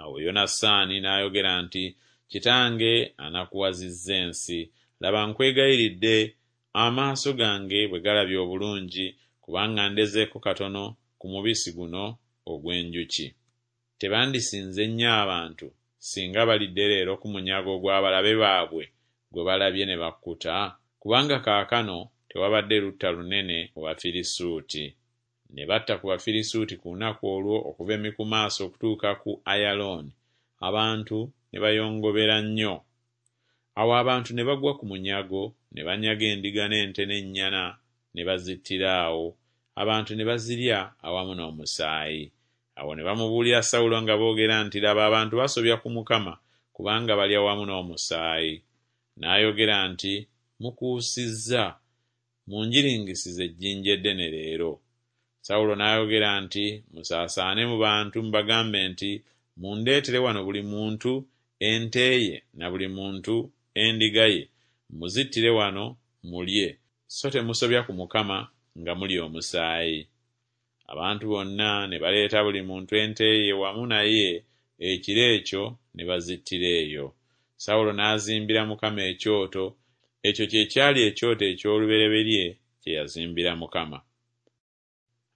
Awo Yonasaani n'ayogera nti, Kitange anakuwazizza ensi. Laba nkwegayiridde, amaaso gange bwe galabye obulungi, kubanga ndezeeko katono ku mubisi guno ogw'enjuki. Tebandisinze nnyo abantu, singa balidde leero ku munyago gw'abalabe baabwe gwe balabye ne bakkuta? Kubanga kaakano tewabadde lutta lunene mu Bafirisuuti. Ne batta ku Bafirisuuti ku lunaku olwo okuva e Mikumaasi okutuuka ku Ayalooni, abantu ne bayongobera nnyo. Awo abantu ne bagwa ku munyago, ne banyaga endiga n'ente n'ennyana, ne bazittira awo, abantu ne bazirya awamu n'omusaayi. Awo ne bamubuulira Sawulo nga boogera nti, Laba abantu basobya ku Mukama, kubanga balya wamu n'omusaayi. N'ayogera nti, Mukuusizza, munjiringisize ejjinja eddene leero. Sawulo n'ayogera nti, Musaasaane mu bantu mubagambe nti, Mundeetere wano buli muntu ente ye na buli muntu endiga ye, muzittire wano mulye, so temusobya ku Mukama nga mulya omusaayi. Abantu bonna ne baleeta buli muntu ente ye wamu naye ekiro ekyo ne bazittira eyo. Sawulo n'azimbira Mukama ekyoto, ekyo kye kyali ekyoto eky'olubereberye kye yazimbira Mukama.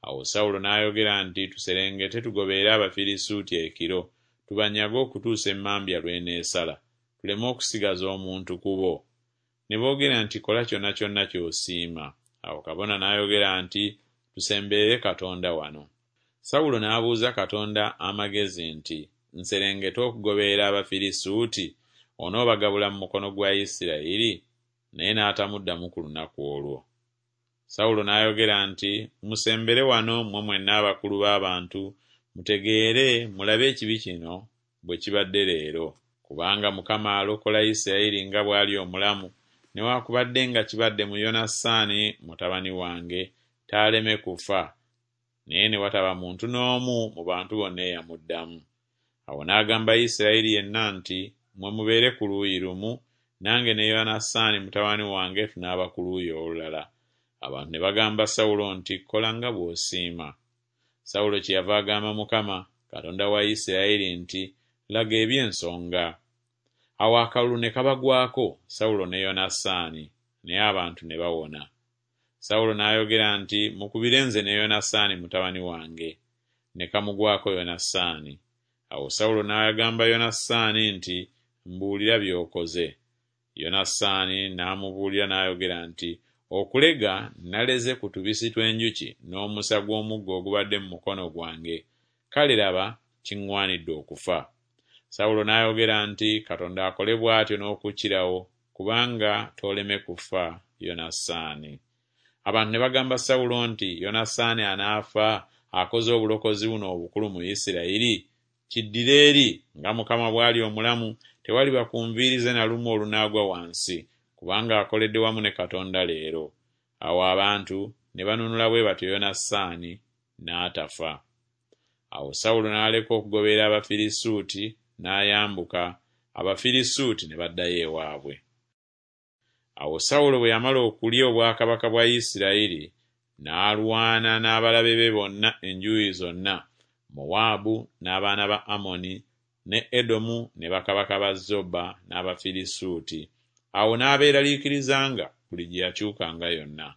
Awo Sawulo n'ayogera nti, Tuserengete tugoberere Abafirisuuti ekiro, tubanyage okutuusa emmambya lw'eneesala, tuleme okusigaza omuntu ku bo. Ne boogera nti, Kola kyonna kyonna ky'osiima. Awo kabona n'ayogera nti, Tusemberere Katonda wano. Sawulo n'abuuza Katonda amagezi nti, Nserengete okugoberera Abafirisuuti? Onoobagabula mu mukono gwa Isirayiri? Naye n'atamuddamu ku lunaku olwo. Sawulo n'ayogera nti, Musembere wano mmwe mwenna abakulu b'abantu, mutegeere mulabe ekibi kino bwe kibadde leero. Kubanga Mukama alokola Isirayiri nga bw'ali omulamu, newaakubadde nga kibadde mu Yonasaani mutabani wange, taaleme kufa. Naye ne wataba muntu n'omu mu bantu bonna eyamuddamu. Awo n'agamba Isirayiri yenna nti, Mmwe mubeere ku luuyi lumu, nange ne Yonasaani mutabani wange tunaaba ku luuyi olulala. Abantu ne bagamba Sawulo nti, Kola nga bw'osiima. Sawulo kyeyava agamba Mukama, Katonda wa Isirayiri nti, Laga eby'ensonga. Awo akalulu ne kabagwako Sawulo ne Yonasaani, naye abantu ne bawona. Sawulo n'ayogera nti, Mukubire nze ne Yonasaani mutabani wange. Ne kamugwako Yonasaani. Awo Sawulo n'agamba Yonasaani nti, Mbuulira by'okoze. Yonasaani n'amubuulira n'ayogera nti, Okulega naleze ku tubisi tw'enjuki n'omusa gw'omuggo ogubadde mu mukono gwange. Kale laba kiŋŋwanidde okufa. Sawulo n'ayogera nti, Katonda akole bw'atyo n'okukirawo, kubanga tooleme kufa, Yonasaani. Abantu ne bagamba Sawulo nti, Yonasaani anaafa akoze obulokozi buno obukulu mu Isirayiri? Kiddire eri, nga Mukama bw'ali omulamu, tewaliba ku nviiri ze na lumu olunaagwa wansi, kubanga akoledde wamu ne Katonda leero. Awo abantu ne banunula bwe batyo Yonasaani, n'atafa. Awo Sawulo n'aleka okugoberera Abafirisuuti, n'ayambuka, Abafirisuuti ne baddayo ewaabwe. Awo Sawulo bwe yamala okulya obwakabaka bwa Isirayiri, n'alwana n'abalabe be bonna enjuuyi zonna, Mowaabu n'abaana ba Amoni, ne Edomu ne bakabaka ba Zoba n'Abafirisuuti. Awo n'abeeraliikirizanga buli gye yakyukanga yonna.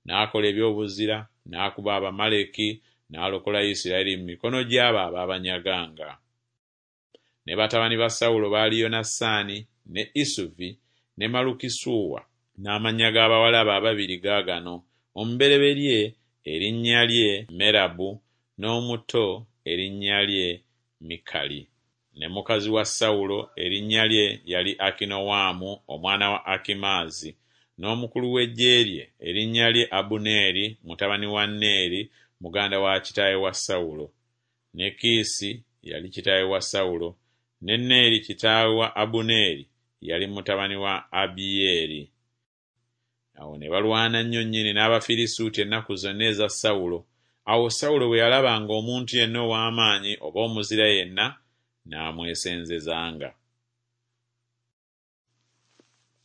N'akola eby'obuzira, n'akuba Abamaleki, n'alokola Isirayiri mu mikono gy'abo abaabanyaganga. Ne batabani ba Sawulo baali Yonasaani, ne Isuvi, ne Malukisuwa. N'amannya g'abawala be ababiri gaagano, omubereberye erinnya lye Merabu, n'omuto erinnya lye Mikali. Ne mukazi wa Sawulo erinnya lye yali Akinowaamu omwana wa Akimaazi, n'omukulu w'eggye lye erinnya lye Abuneeri mutabani wa Neeri muganda wa kitaawe wa Sawulo. Ne Kiisi yali kitaawe wa Sawulo, ne Neeri kitaawe wa Abuneeri yali mutabani wa Abiyeeri. Awo ne balwana nnyo nnyini n'Abafirisuuti ennaku zonna eza Sawulo. Awo Sawulo bwe yalabanga omuntu yenna ow'amaanyi oba omuzira yenna, n'amwesenzezanga.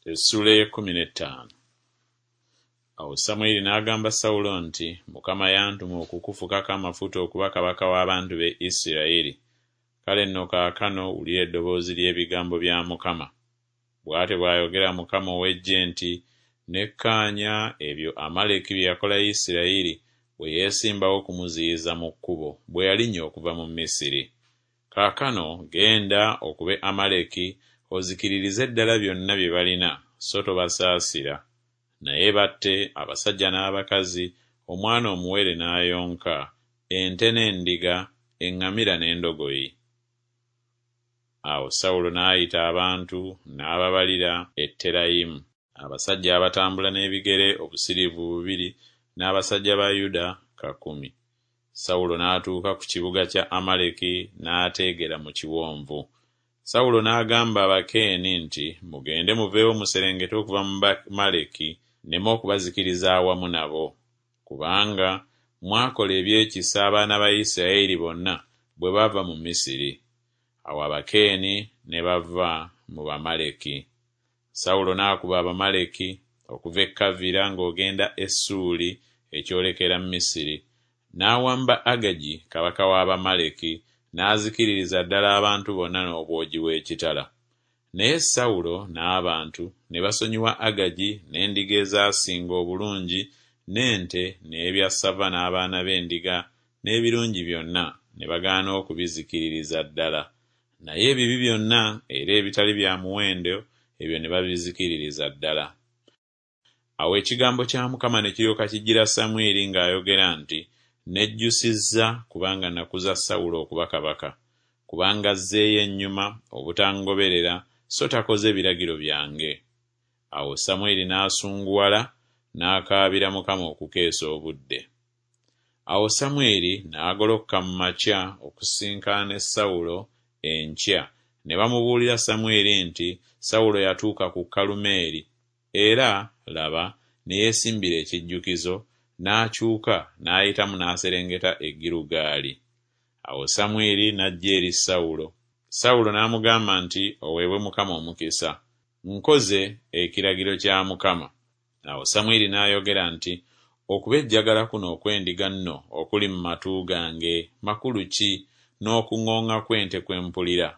Essuula ey'ekkumi n'ettaano. Awo Samwiri n'agamba Sawulo nti, Mukama yantuma okukufukako amafuta okuba kabaka w'abantu be Isirayiri. Kale nno kaakano wulira eddoboozi ly'ebigambo bya Mukama. Bw'atyo bw'ayogera Mukama ow'eggye nti, Nekkaanya ebyo Amaleki bye yakola Isirayiri bwe yeesimbawo okumuziyiza mu kkubo bwe yalinnya okuva mu Misiri. Kaakano genda okube Amaleki ozikiririze ddala byonna bye balina, so tobasaasira. Naye batte abasajja n'abakazi, omwana omuwere n'ayonka, ente n'endiga, eŋŋamira n'endogoyi. Awo Sawulo n'ayita abantu n'ababalira e Terayimu, abasajja abatambula n'ebigere obusiriivu bubiri n'abasajja ba Yuda kakumi. Sawulo n'atuuka ku kibuga kya Amaleki n'ateegera mu kiwonvu. Sawulo n'agamba Abakeeni nti, Mugende muveewo muserengete okuva mu Bamaleki, nneme okubazikiriza awamu nabo. Kubanga mwakola eby'ekisa abaana ba Isirayiri bonna bwe bava mu Misiri. Awo Abakeeni ne bava mu Bamaleki. Sawulo n'akuba Abamaleki okuva e Kavira ng'ogenda e Ssuuli ekyolekera Misiri, n'awamba Agagi kabaka w'Abamaleki, n'azikiririza ddala abantu bonna n'obwogi bw'ekitala. Naye Sawulo n'abantu ne basonyiwa Agagi n'endiga ezaasinga obulungi n'ente n'ebyassava n'abaana b'endiga n'ebirungi byonna, ne bagaana okubizikiririza ddala. Naye ebibi byonna era ebitali bya muwendo ebyo ne babizikiririza ddala. Awo ekigambo kya Mukama ne kiryoka kijjira Samwiri ng'ayogera nti, Nejjusizza kubanga nakuza Sawulo okuba kabaka, kubanga azzeeyo ennyuma obutangoberera so takoze biragiro byange. Awo Samwiri n'asunguwala n'akaabira Mukama okukeesa obudde. Awo Samwiri n'agolokoka mu makya okusisinkana ne Sawulo enkya, ne bamubuulira Samwiri nti Sawulo yatuuka ku Kalumeeri, era, laba, ne yeesimbira ekijjukizo, n'akyuka n'ayitamu n'aserengeta e Girugaali. Awo Samwiri n'ajja eri Sawulo. Sawulo n'amugamba nti, Oweebwe Mukama omukisa. Nkoze ekiragiro kya Mukama. Awo Samwiri n'ayogera nti, Okubejjagala kuno okw'endiga nno okuli mu matu gange makulu ki, n'okuŋŋooŋŋa kw'ente kwe mpulira?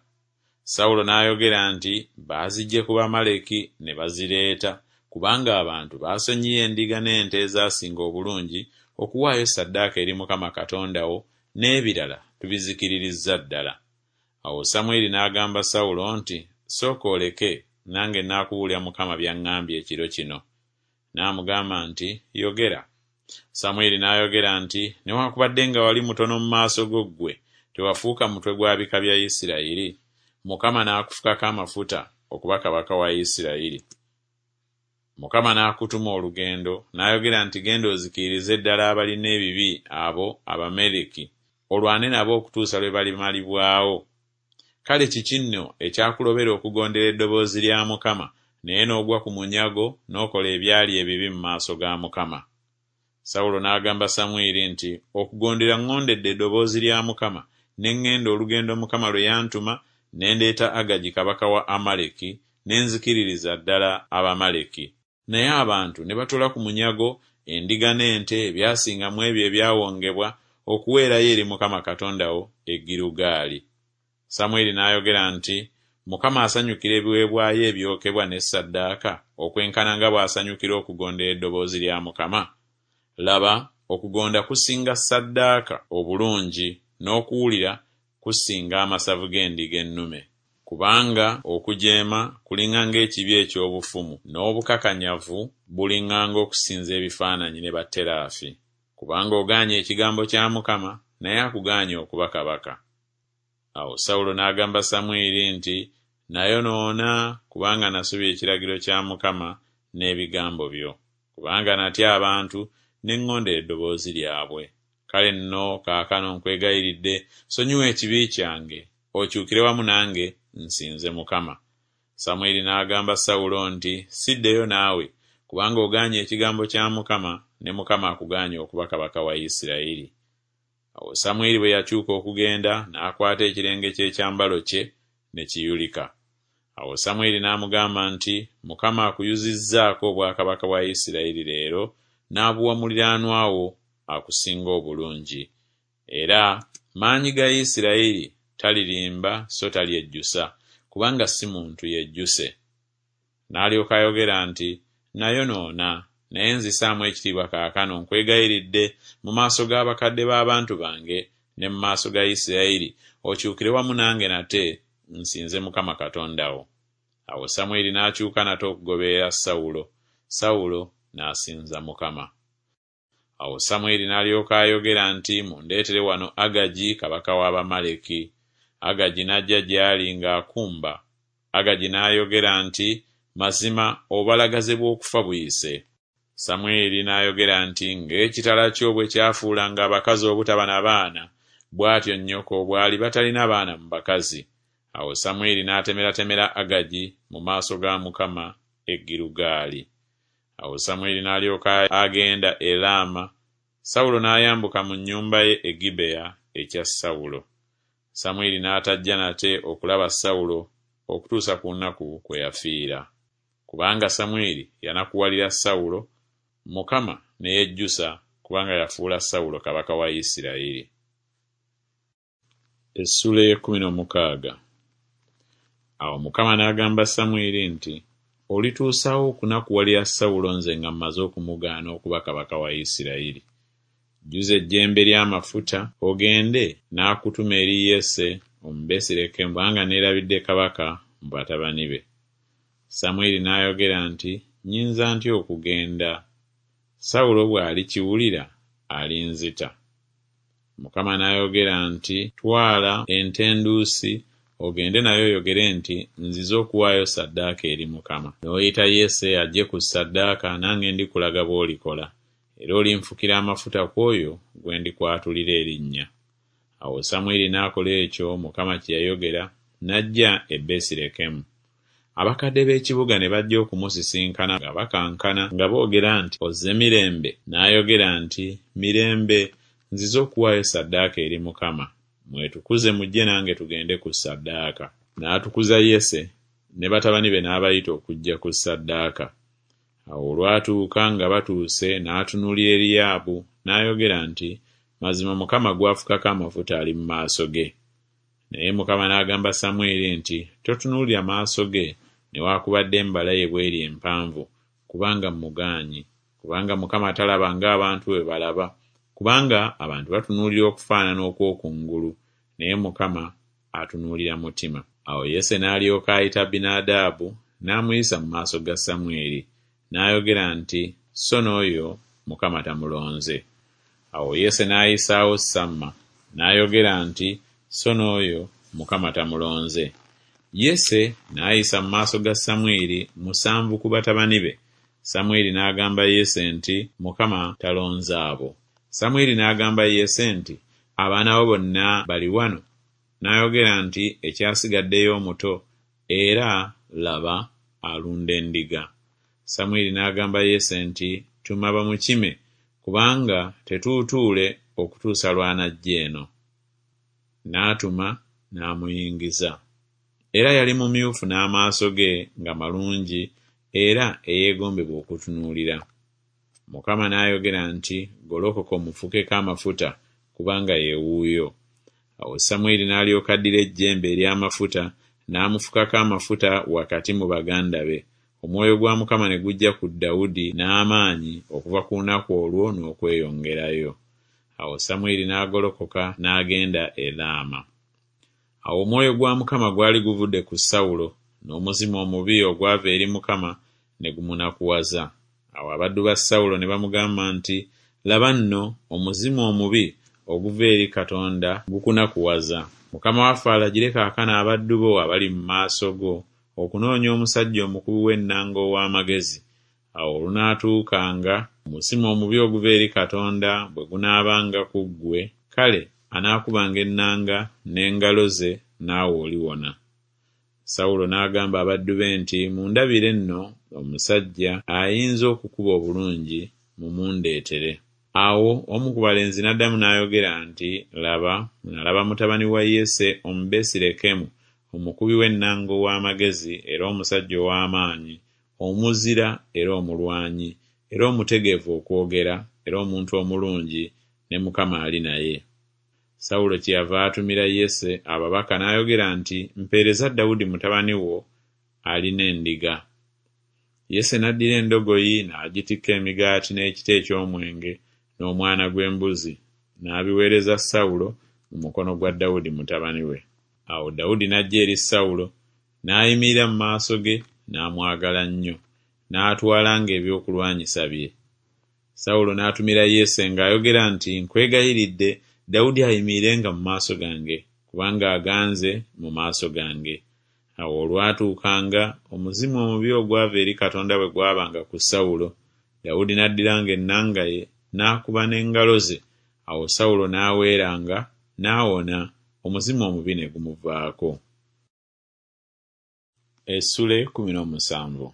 Sawulo n'ayogera nti, Baaziggye ku Bamaleki ne bazireeta, kubanga abantu baasonyiye endiga n'ente ezaasinga obulungi okuwaayo ssaddaaka eri Mukama Katonda wo, n'ebirala tubizikiririzza ddala. Awo Samwiri n'agamba Sawulo nti, Sooka oleke, nange nnaakubuulira Mukama by'aŋŋambye ekiro kino. N'amugamba nti, Yogera. Samwiri n'ayogera nti, Newaakubadde nga wali mutono mu maaso go ggwe, tewafuuka mutwe gwa bika bya Isirayiri? Mukama n'akufukako amafuta okuba kabaka wa Isirayiri. Mukama n'akutuma olugendo, n'ayogera nti, Genda ozikiririze ddala abalina ebibi abo Abamaleki, olwane nabo okutuusa lwe balimalibwawo. Kale kiki nno ekyakulobera okugondera eddoboozi lya Mukama, naye n'ogwa ku munyago n'okola ebyali ebibi mu maaso ga Mukama? Sawulo n'agamba Samwiri nti, Okugondera ŋŋondedde eddoboozi lya Mukama, ne ŋŋenda olugendo Mukama lwe yantuma, ne ndeeta Agagi kabaka wa Amaleki, ne nzikiririza ddala Abamaleki. Naye abantu ne batoola ku munyago endiga n'ente ebyasinga mu ebyo ebyawongebwa okuweerayo eri Mukama Katonda wo e Girugaali. Samwiri n'ayogera nti, Mukama asanyukira ebiweebwayo ebyokebwa ne ssaddaaka okwenkana nga bw'asanyukira okugondera eddoboozi lya Mukama? Laba, okugonda kusinga ssaddaaka obulungi, n'okuwulira kusinga amasavu g'endiga ennume. Kubanga okujeema kulinga ng'ekibi eky'obufumu, n'obukakanyavu bulinga ng'okusinza ebifaananyi ne batteraafi. Kubanga ogaanye ekigambo kya Mukama, naye akugaanye okuba kabaka. Awo Sawulo n'agamba Samwiri nti, Nayonoona, kubanga nasobya ekiragiro kya Mukama n'ebigambo byo, kubanga natya abantu ne ŋŋondera eddoboozi lyabwe. Kale nno kaakano nkwegayiridde, sonyiwa ekibi kyange, okyukire wamu nange nsinze Mukama. Samwiri n'agamba Sawulo nti, Siddeyo naawe, kubanga ogaanye ekigambo kya Mukama, ne Mukama akugaanye okuba kabaka wa Isirayiri. Awo Samwiri bwe yakyuka okugenda, n'akwata ekirenge ky'ekyambalo kye, ne kiyulika. Awo Samwiri n'amugamba nti, Mukama akuyuzizzaako obwakabaka bwa Isirayiri leero, n'abuwa muliraanwa wo akusinga obulungi. Era maanyi ga Isirayiri talirimba so talyejjusa, kubanga si muntu yejjuse. N'alyoka ayogera nti, Nayonoona, naye nzisaamu ekitiibwa kaakano nkwegayiridde mu maaso g'abakadde b'abantu bange ne mu maaso ga Isirayiri, okyukire wamu nange nate nsinze Mukama Katonda wo. Awo Samwiri n'akyuka nate okugoberera Sawulo, Sawulo n'asinza Mukama. Awo Samwiri n'alyoka ayogera nti, Mundeetere wano Agagi kabaka w'Abamaleki. Agagi n'ajja gy'ali ng'akumba. Agagi n'ayogera nti, Mazima obubalagaze bw'okufa buyise. Samwiri n'ayogera nti, Ng'ekitala kyo bwe kyafuulanga abakazi obutaba na baana, bw'atyo nnyoko bw'aliba talina baana mu bakazi. Awo Samwiri n'atemeratemera Agagi mu maaso ga Mukama e Girugaali. Awo Samwiri n'alyoka agenda e Laama, Sawulo n'ayambuka mu nnyumba ye e Gibeya ekya Sawulo. Samwiri n'atajja nate okulaba Sawulo okutuusa ku lunaku kwe yafiira. Kubanga Samwiri yanakuwalira Sawulo, Mukama ne yejjusa kubanga yafuula Sawulo kabaka wa Isirayiri. Essuula ey'ekkumi n'omukaaga. Awo Mukama n'agamba Samwiri nti, Olituusa wa okunakuwalira Sawulo nze nga mmaze okumugaana okuba kabaka wa Isirayiri? Jjuza ejjembe ly'amafuta ogende n'akutuma eri Yese Omubesirekemu, kubanga neerabidde kabaka mu batabani be. Samwiri n'ayogera nti, Nnyinza ntya okugenda? Sawulo bw'alikiwulira alinzita. Mukama n'ayogera nti, Twala ente enduusi ogende nayo oyogere nti, Nzize okuwaayo ssaddaaka eri Mukama. N'oyita Yese ajje ku ssaddaaka, nange ndikulaga bw'olikola, era olinfukira amafuta ku oyo gwe ndikwatulira erinnya. Awo Samwiri n'akola ekyo Mukama kye yayogera, n'ajja e Besirekemu. Abakadde b'ekibuga ne bajja okumusisinkana nga bakankana nga boogera nti, Ozze mirembe? N'ayogera nti, Mirembe, nzize okuwaayo ssaddaaka eri Mukama. Mwetukuze mujje nange tugende ku ssaddaaka. N'atukuza Yese ne batabani be n'abayita okujja ku ssaddaaka. Awo olwatuuka nga batuuse n'atunuulira Eriyaabu n'ayogera nti, Mazima Mukama gw'afukako amafuta ali mu maaso ge. Naye Mukama n'agamba Samwiri nti, Totunuulira maaso ge newaakubadde embala ye bw'eri empanvu, kubanga mmugaanyi. Kubanga Mukama talaba ng'abantu bwe balaba, kubanga abantu batunuulira okufaanana okw'okungulu, naye Mukama atunuulira mutima. Awo Yese n'alyoka ayita Abinadaabu n'amuyisa mu maaso ga Samwiri. N'ayogera nti, So n'oyo Mukama tamulonze. Awo Yese n'ayisaawo Samma, n'ayogera nti, So n'oyo Mukama tamulonze. Yese n'ayisa mu maaso ga Samwiri musanvu ku batabani be. Samwiri n'agamba Yese nti, Mukama talonze abo. Samwiri n'agamba Yese nti, Abaana bo bonna bali wano? N'ayogera nti, Ekyasigaddeyo omuto, era, laba, alunda endiga. Samwiri n'agamba Yese nti, Tuma bamukime, kubanga tetuutuule okutuusa lw'anajja eno. N'atuma n'amuyingiza. Era yali mumyufu n'amaaso ge nga malungi era eyeegombebwa okutunuulira. Mukama n'ayogera nti, Golokoka omufukeko amafuta, kubanga ye wuuyo. Awo Samwiri n'alyoka addira ejjembe ery'amafuta n'amufukako amafuta wakati mu baganda be. Omwoyo gwa Mukama ne gujja ku Dawudi n'amaanyi okuva ku lunaku olwo n'okweyongerayo. Awo Samwiri n'agolokoka n'agenda e Laama. Awo omwoyo gwa Mukama gwali guvudde ku Sawulo, n'omuzimu omubi ogwava eri Mukama ne gumunakuwaza. Awo abaddu ba Sawulo ne bamugamba nti, Laba nno, omuzimu omubi oguva eri Katonda gukunakuwaza. Mukama waffe alagire kaakano abaddu bo abali mu maaso go okunoonya omusajja omukubi w'ennanga ow'amagezi, Awo olunaatuukanga, omuzimu omubi oguva eri Katonda bwe gunaabanga ku ggwe, kale anaakubanga ennanga n'engalo ze naawe oliwona. Sawulo n'agamba abaddu be nti, Mundabire nno omusajja ayinza okukuba obulungi, mumundeetere. Awo omu ku balenzi n'addamu n'ayogera nti, Laba, nalaba mutabani wa Yese Omubesirekemu, omukubi w'ennanga ow'amagezi era omusajja ow'amaanyi, omuzira era omulwanyi, era omutegeevu okwogera, era omuntu omulungi, ne Mukama ali naye. Sawulo kyeyava atumira Yese ababaka n'ayogera nti, Mpeereza Dawudi mutabani wo alina endiga. Yese n'addira endogoyi n'agitikka emigaati n'ekita eky'omwenge n'omwana gw'embuzi, n'abiweereza Sawulo mu mukono gwa Dawudi mutabani we. Awo Dawudi n'ajja eri Sawulo, n'ayimirira mu maaso ge, n'amwagala nnyo, n'atwalanga ebyokulwanyisa bye. Sawulo n'atumira Yese ng'ayogera nti, Nkwegayiridde, Dawudi ayimirirenga mu maaso gange, kubanga aganze mu maaso gange. Awo olwatuukanga, omuzimu omubi ogwava eri Katonda bwe gwabanga ku Sawulo, Dawudi n'addiranga ennanga ye, n'akuba n'engalo ze, awo Sawulo n'aweeranga, n'awona, omuzimu omubi ne gumuvaako. Essula ekkumi n'omusanvu.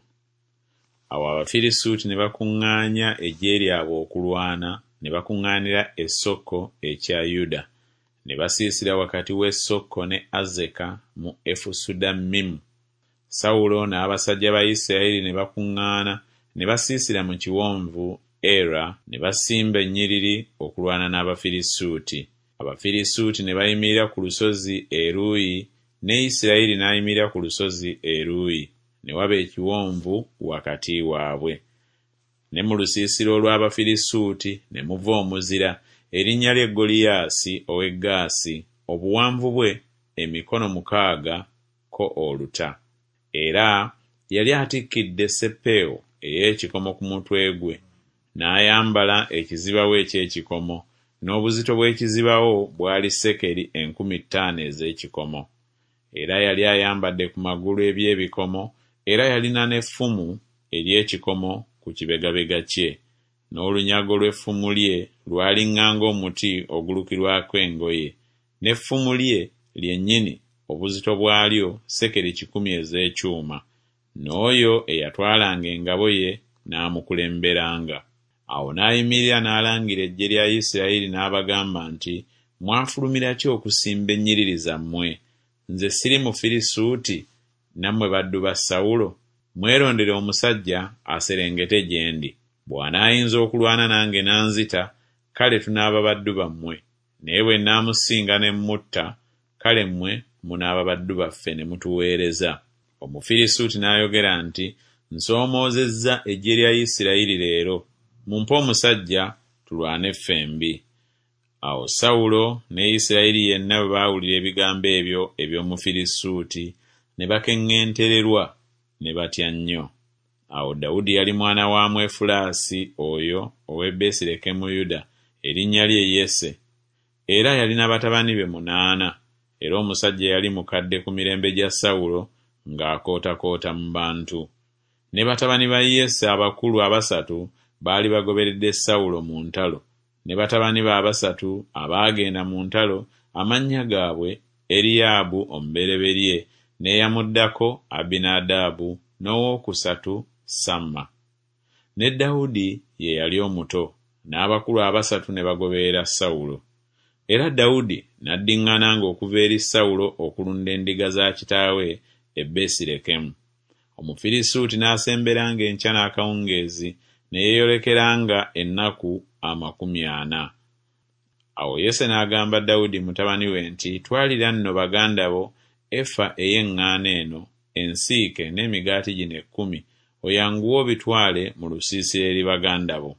Awo Abafirisuuti ne bakuŋŋaanya eggye lyabwe okulwana, ne bakuŋŋaanira e Soko ekya Yuda, ne basiisira wakati w'e Soko ne Azeka mu Efusudammimu. Sawulo n'abasajja ba Isirayiri ne bakuŋŋaana ne basiisira mu kiwonvu Era, ne basimba ennyiriri okulwana n'Abafirisuuti. Abafirisuuti ne bayimirira ku lusozi eruuyi, ne Isirayiri n'ayimirira ku lusozi eruuyi, ne waba ekiwonvu wakati waabwe. Ne mu lusiisira olw'Abafirisuuti ne muva omuzira, erinnya lye Goliyaasi ow'e Gaasi, obuwanvu bwe emikono mukaaga ko oluta. Era yali atikkidde sseppeewo ey'ekikomo ku mutwe gwe, n'ayambala ekizibawo eky'ekikomo, n'obuzito bw'ekizibawo bwali sekeri enkumi ttaano ez'ekikomo. Era yali ayambadde ku magulu eby'ebikomo, era yalina n'effumu ery'ekikomo ku kibegabega kye, n'olunyago lw'effumu lye lwaliŋŋanga omuti ogulukirwako engoye, n'effumu lye lyennyini obuzito bwalyo sekeri kikumi ez'ekyuma, n'oyo eyatwalanga engabo ye n'amukulemberanga. Awo n'ayimirira n'alangira eggye lya Isirayiri n'abagamba nti, Mwafulumira ki okusimba ennyiriri zammwe? Nze siri Mufirisuuti, nammwe baddu ba Sawulo? Mwerondere omusajja aserengete gye ndi. Bw'anaayinza okulwana nange n'anzita, kale tunaaba baddu bammwe, naye bwe nnaamusinga ne mmutta, kale mmwe munaaba baddu baffe ne mutuweereza. Omufirisuuti n'ayogera nti, Nsoomoozezza eggye lya Isirayiri leero, mumpe omusajja tulwane ffembi. Awo Sawulo ne Isirayiri yenna bwe baawulira ebigambo ebyo eby'Omufirisuuti, ne bakeŋŋentererwa, ne batya nnyo. Awo Dawudi yali mwana wa Mwefulaasi oyo ow'e Besirekemuyuda, erinnya lye Yese. Era yalina batabani be munaana, era omusajja yali mukadde ku mirembe gya Sawulo, ng'akootakoota mu bantu. Ne batabani ba Yese abakulu abasatu baali bagoberedde Sawulo mu ntalo, ne batabani be abasatu abaagenda mu ntalo amannya gaabwe Eriyaabu omubereberye, n'eyamuddako Abinadaabu, n'owookusatu Samma. Ne Dawudi ye yali omuto, n'abakulu abasatu ne bagoberera Sawulo. Era Dawudi n'addiŋŋananga okuva eri Sawulo okulunda endiga za kitaawe e Besirekemu. Omufirisuuti n'asemberanga enkya n'akawungeezi, ne yeeyolekeranga ennaku amakumi ana. Awo Yese n'agamba Dawudi mutabani we nti, Twalira nno baganda bo efa ey'eŋŋaano eno ensiike n'emigaati gino ekkumi, oyanguwe obitwale mu lusiisira eri baganda bo.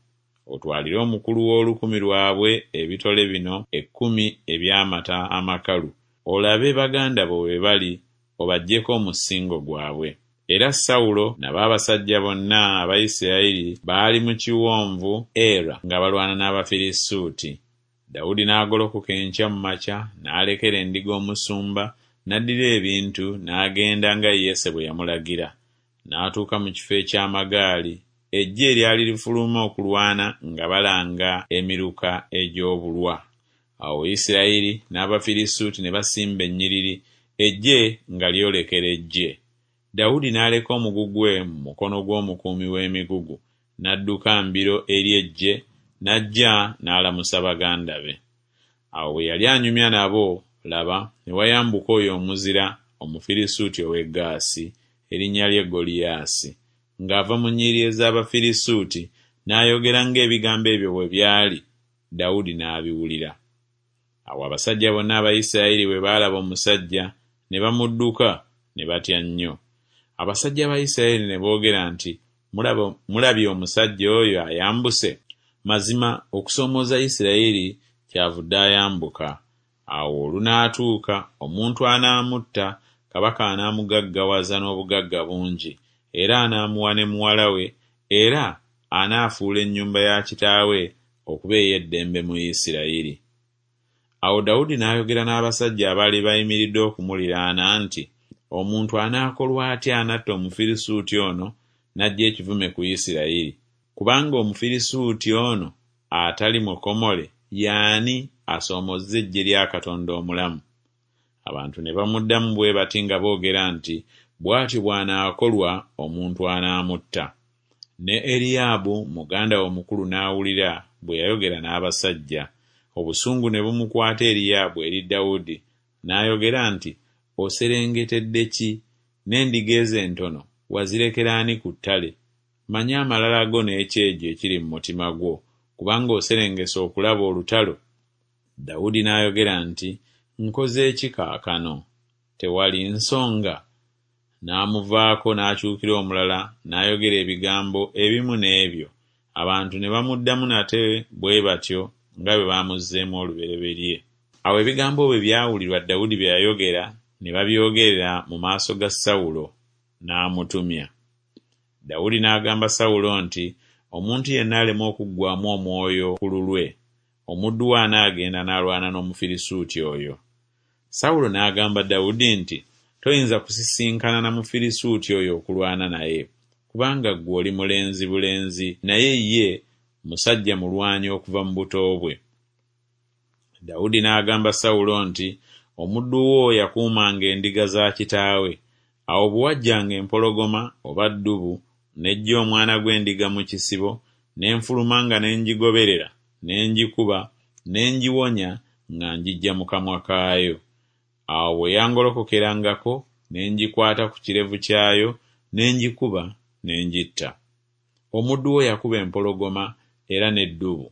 Otwalire omukulu w'olukumi lwabwe ebitole bino ekkumi eby'amata amakalu, olabe baganda bo bwe bali, obaggyeko omusingo gwabwe. Era Sawulo nabo abasajja bonna aba Isirayiri baali mu kiwonvu Era nga balwana n'Abafirisuuti. Dawudi n'agolokoka enkya mu makya, n'alekera endiga omusumba, n'addira ebintu, n'agenda nga Yese bwe yamulagira. N'atuuka mu kifo eky'amagaali, Eggye eryali lifuluma okulwana nga balanga emiruka egy'obulwa. Awo Isirayiri n'Abafirisuuti ne basimba ennyiriri, eggye nga lyolekera eggye. Dawudi n'aleka omugugu gwe mu mukono gw'omukuumi w'emigugu, n'adduka mbiro eri eggye, n'ajja n'alamusa baganda be. Awo bwe yali anyumya nabo, laba, ne wayambuka oyo omuzira, Omufirisuuti ow'e Gaasi, erinnya lye Goliyaasi, ng'ava mu nnyiriri ez'Abafirisuuti, n'ayogera ng'ebigambo ebyo bwe byali, Dawudi n'abiwulira. Awo abasajja bonna aba Isirayiri bwe baalaba omusajja, ne bamudduka, ne batya nnyo. Abasajja ba Isirayiri ne boogera nti, Mulabye omusajja oyo ayambuse? Mazima okusoomooza Isirayiri kyavudde ayambuka. Awo olunaatuuka omuntu anaamutta, kabaka anaamugaggawaza n'obugagga bungi, era anaamuwa ne muwala we, era anaafuula ennyumba ya kitaawe okuba ey'eddembe mu Isirayiri. Awo Dawudi n'ayogera n'abasajja abaali bayimiridde okumuliraana nti, Omuntu anaakolwa atya anatta Omufirisuuti ono n'aggya ekivume ku Isirayiri? Kubanga Omufirisuuti ono atali mukomole ye ani asoomooza eggye lya Katonda omulamu? Abantu ne bamuddamu bwe bati nga boogera nti, Bw'atyo bw'anaakolwa omuntu anaamutta. Ne Eriyaabu muganda we omukulu n'awulira bwe yayogera n'abasajja. Obusungu ne bumukwata Eriyaabu eri Dawudi, n'ayogera nti, Oserengetedde ki? N'endiga ezo entono wazirekera ani ku ttale? Manya amalala go n'ekyejo ekiri mu mutima gwo, kubanga oserengese okulaba olutalo. Dawudi n'ayogera nti, Nkoze ki kaakano? Tewali nsonga? N'amuvaako n'akyukira omulala n'ayogera ebigambo ebimu n'ebyo. Abantu ne bamuddamu nate bwe batyo nga bwe baamuzzeemu olubereberye. Awo ebigambo bwe byawulirwa Dawudi bye yayogera, ne babyogerera mu maaso ga Sawulo, n'amutumya. Dawudi n'agamba Sawulo nti, Omuntu yenna aleme okuggwaamu omwoyo ku lulwe, omuddu we anaagenda n'alwana n'Omufirisuuti oyo. Sawulo n'agamba Dawudi nti, Toyinza kusisinkana na Mufirisuuti oyo okulwana naye, kubanga ggwe oli mulenzi bulenzi, naye ye musajja mulwanyi okuva mu buto bwe. Dawudi n'agamba Sawulo nti, Omuddu wo yakuumanga endiga za kitaawe. Awo bwe wajjanga empologoma oba ddubu n'eggya omwana gw'endiga mu kisibo, ne nfulumanga ne ngigoberera, ne ngikuba, ne ngiwonya nga ngiggya mu kamwa kaayo. Awo bwe yangolokokerangako, ne ngikwata ku kirevu kyayo, ne ngikuba, ne ngitta. Omuddu wo yakuba empologoma era n'eddubu,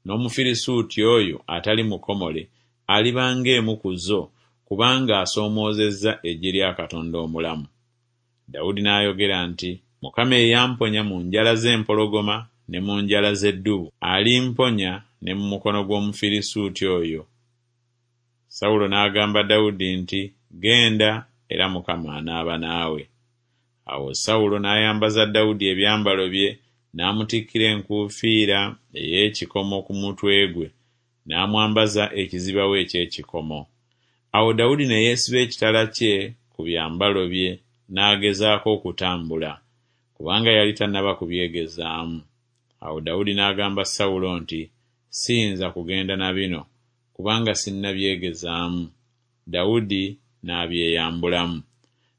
n'Omufirisuuti oyo atali mukomole aliba ng'emu ku zo, kubanga asoomoozezza eggye lya Katonda omulamu. Dawudi n'ayogera nti, Mukama eyamponya mu njala z'empologoma ne mu njala z'eddubu, alimponya ne mu mukono gw'Omufirisuuti oyo. Sawulo n'agamba Dawudi nti, Genda, era Mukama anaaba naawe. Awo Sawulo n'ayambaza Dawudi ebyambalo bye, n'amutikkira enkuufiira ey'ekikomo ku mutwe gwe, n'amwambaza ekizibawo eky'ekikomo. Awo Dawudi ne yeesiba ekitala kye ku byambalo bye, n'agezaako okutambula, kubanga yali tannaba kubyegezaamu. Awo Dawudi n'agamba Sawulo nti, Siyinza kugenda na bino, kubanga sinnabyegezaamu. Dawudi n'abyeyambulamu.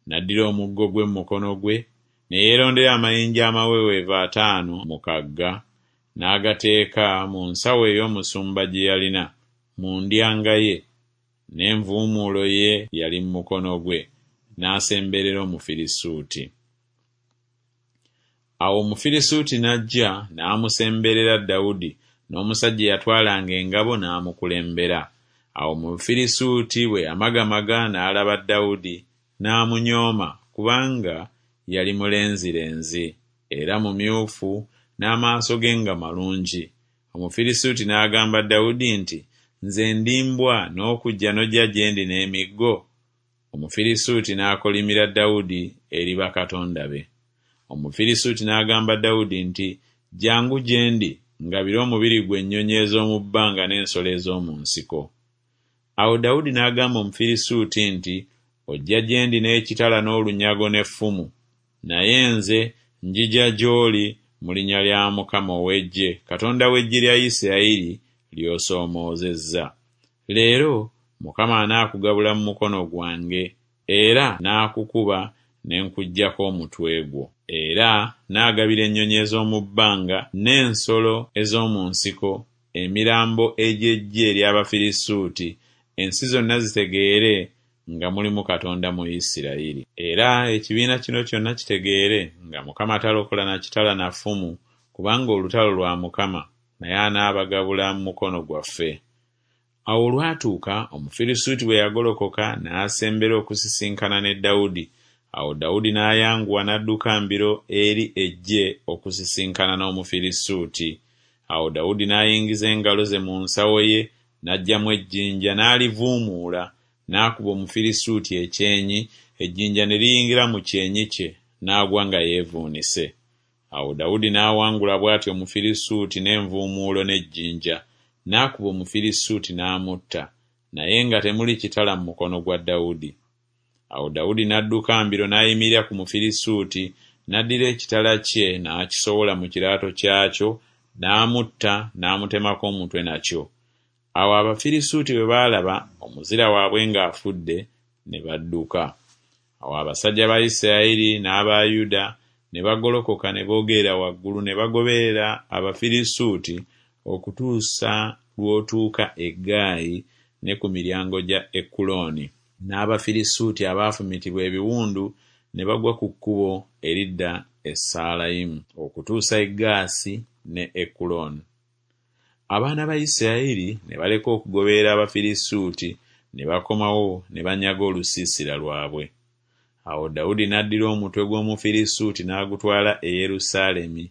N'addira omuggo gwe mu mukono gwe, ne yeerondera amayinja amaweweevu ataano mu kagga, n'agateeka mu nsawo ey'omusumba gye yalina, mu ndyanga ye, n'envuumuulo ye yali mu mukono gwe, n'asemberera Omufirisuuti. Awo Omufirisuuti n'ajja n'amusemberera Dawudi, n'omusajja eyatwalanga engabo n'amukulembera. Awo Omufirisuuti bwe yamagamaga n'alaba Dawudi, n'amunyooma, kubanga yali mulenzirenzi era mumyufu, n'amaaso ge nga malungi. Omufirisuuti n'agamba Dawudi nti, Nze ndi mbwa n'okujja n'ojja gye ndi n'emiggo? Omufirisuuti n'akolimira Dawudi eri bakatonda be. Omufirisuuti n'agamba Dawudi nti, Jjangu gye ndi, ngabire omubiri gwo ennyonyi ez'omu bbanga n'ensolo ez'omu nsiko. Awo Dawudi n'agamba Omufirisuuti nti, Ojja gye ndi n'ekitala n'olunyago n'effumu, naye nze njija gy'oli mu linnya lya Mukama ow'eggye, Katonda w'eggye lya Isirayiri ly'osoomoozezza. Leero Mukama anaakugabula mu mukono gwange, era n'akukuba ne nkuggyako omutwe gwo. Era naagabira ennyonyi ez'omu bbanga n'ensolo ez'omu nsiko emirambo egy'eggye ery'Abafirisuuti, ensi zonna zitegeere nga mulimu Katonda mu Isirayiri. Era ekibiina kino kyonna kitegeere nga Mukama talokola na kitala na ffumu, kubanga olutalo lwa Mukama, naye anaabagabula mu mukono gwaffe. Awo olwatuuka Omufirisuuti bwe yagolokoka n'asembera okusisinkana ne Dawudi. Awo Dawudi n'ayanguwa n'adduka mbiro eri eggye okusisinkana n'Omufirisuuti. Awo Dawudi n'ayingiza engalo ze mu nsawo ye, n'aggyamu ejjinja n'alivuumuula, n'akuba Omufirisuuti ekyenyi, ejjinja ne liyingira mu kyenyi kye, n'agwa nga yeevuunise. Awo Dawudi n'awangula bw'atyo Omufirisuuti n'envuumuulo n'ejjinja, n'akuba Omufirisuuti n'amutta, naye nga temuli kitala mu mukono gwa Dawudi. Awo Dawudi n'adduka mbiro n'ayimirira ku Mufirisuuti, n'addira ekitala kye n'akisowola mu kiraato kyakyo, n'amutta n'amutemako omutwe nakyo. Awo Abafirisuuti bwe baalaba omuzira waabwe ng'afudde, ne badduka. Awo abasajja ba Isirayiri n'aba Yuda ne bagolokoka ne boogerera waggulu ne bagoberera Abafirisuuti okutuusa lw'otuuka e Gaayi ne ku miryango gya Ekulooni. N'Abafirisuuti abaafumitibwa ebiwundu ne bagwa ku kkubo eridda e Saalayimu okutuusa e Gaasi ne Ekulooni. Abaana ba Isirayiri ne baleka okugoberera Abafirisuuti ne bakomawo ne banyaga olusiisira lwabwe. Awo Dawudi n'addira omutwe gw'Omufirisuuti n'agutwala e Yerusaalemi,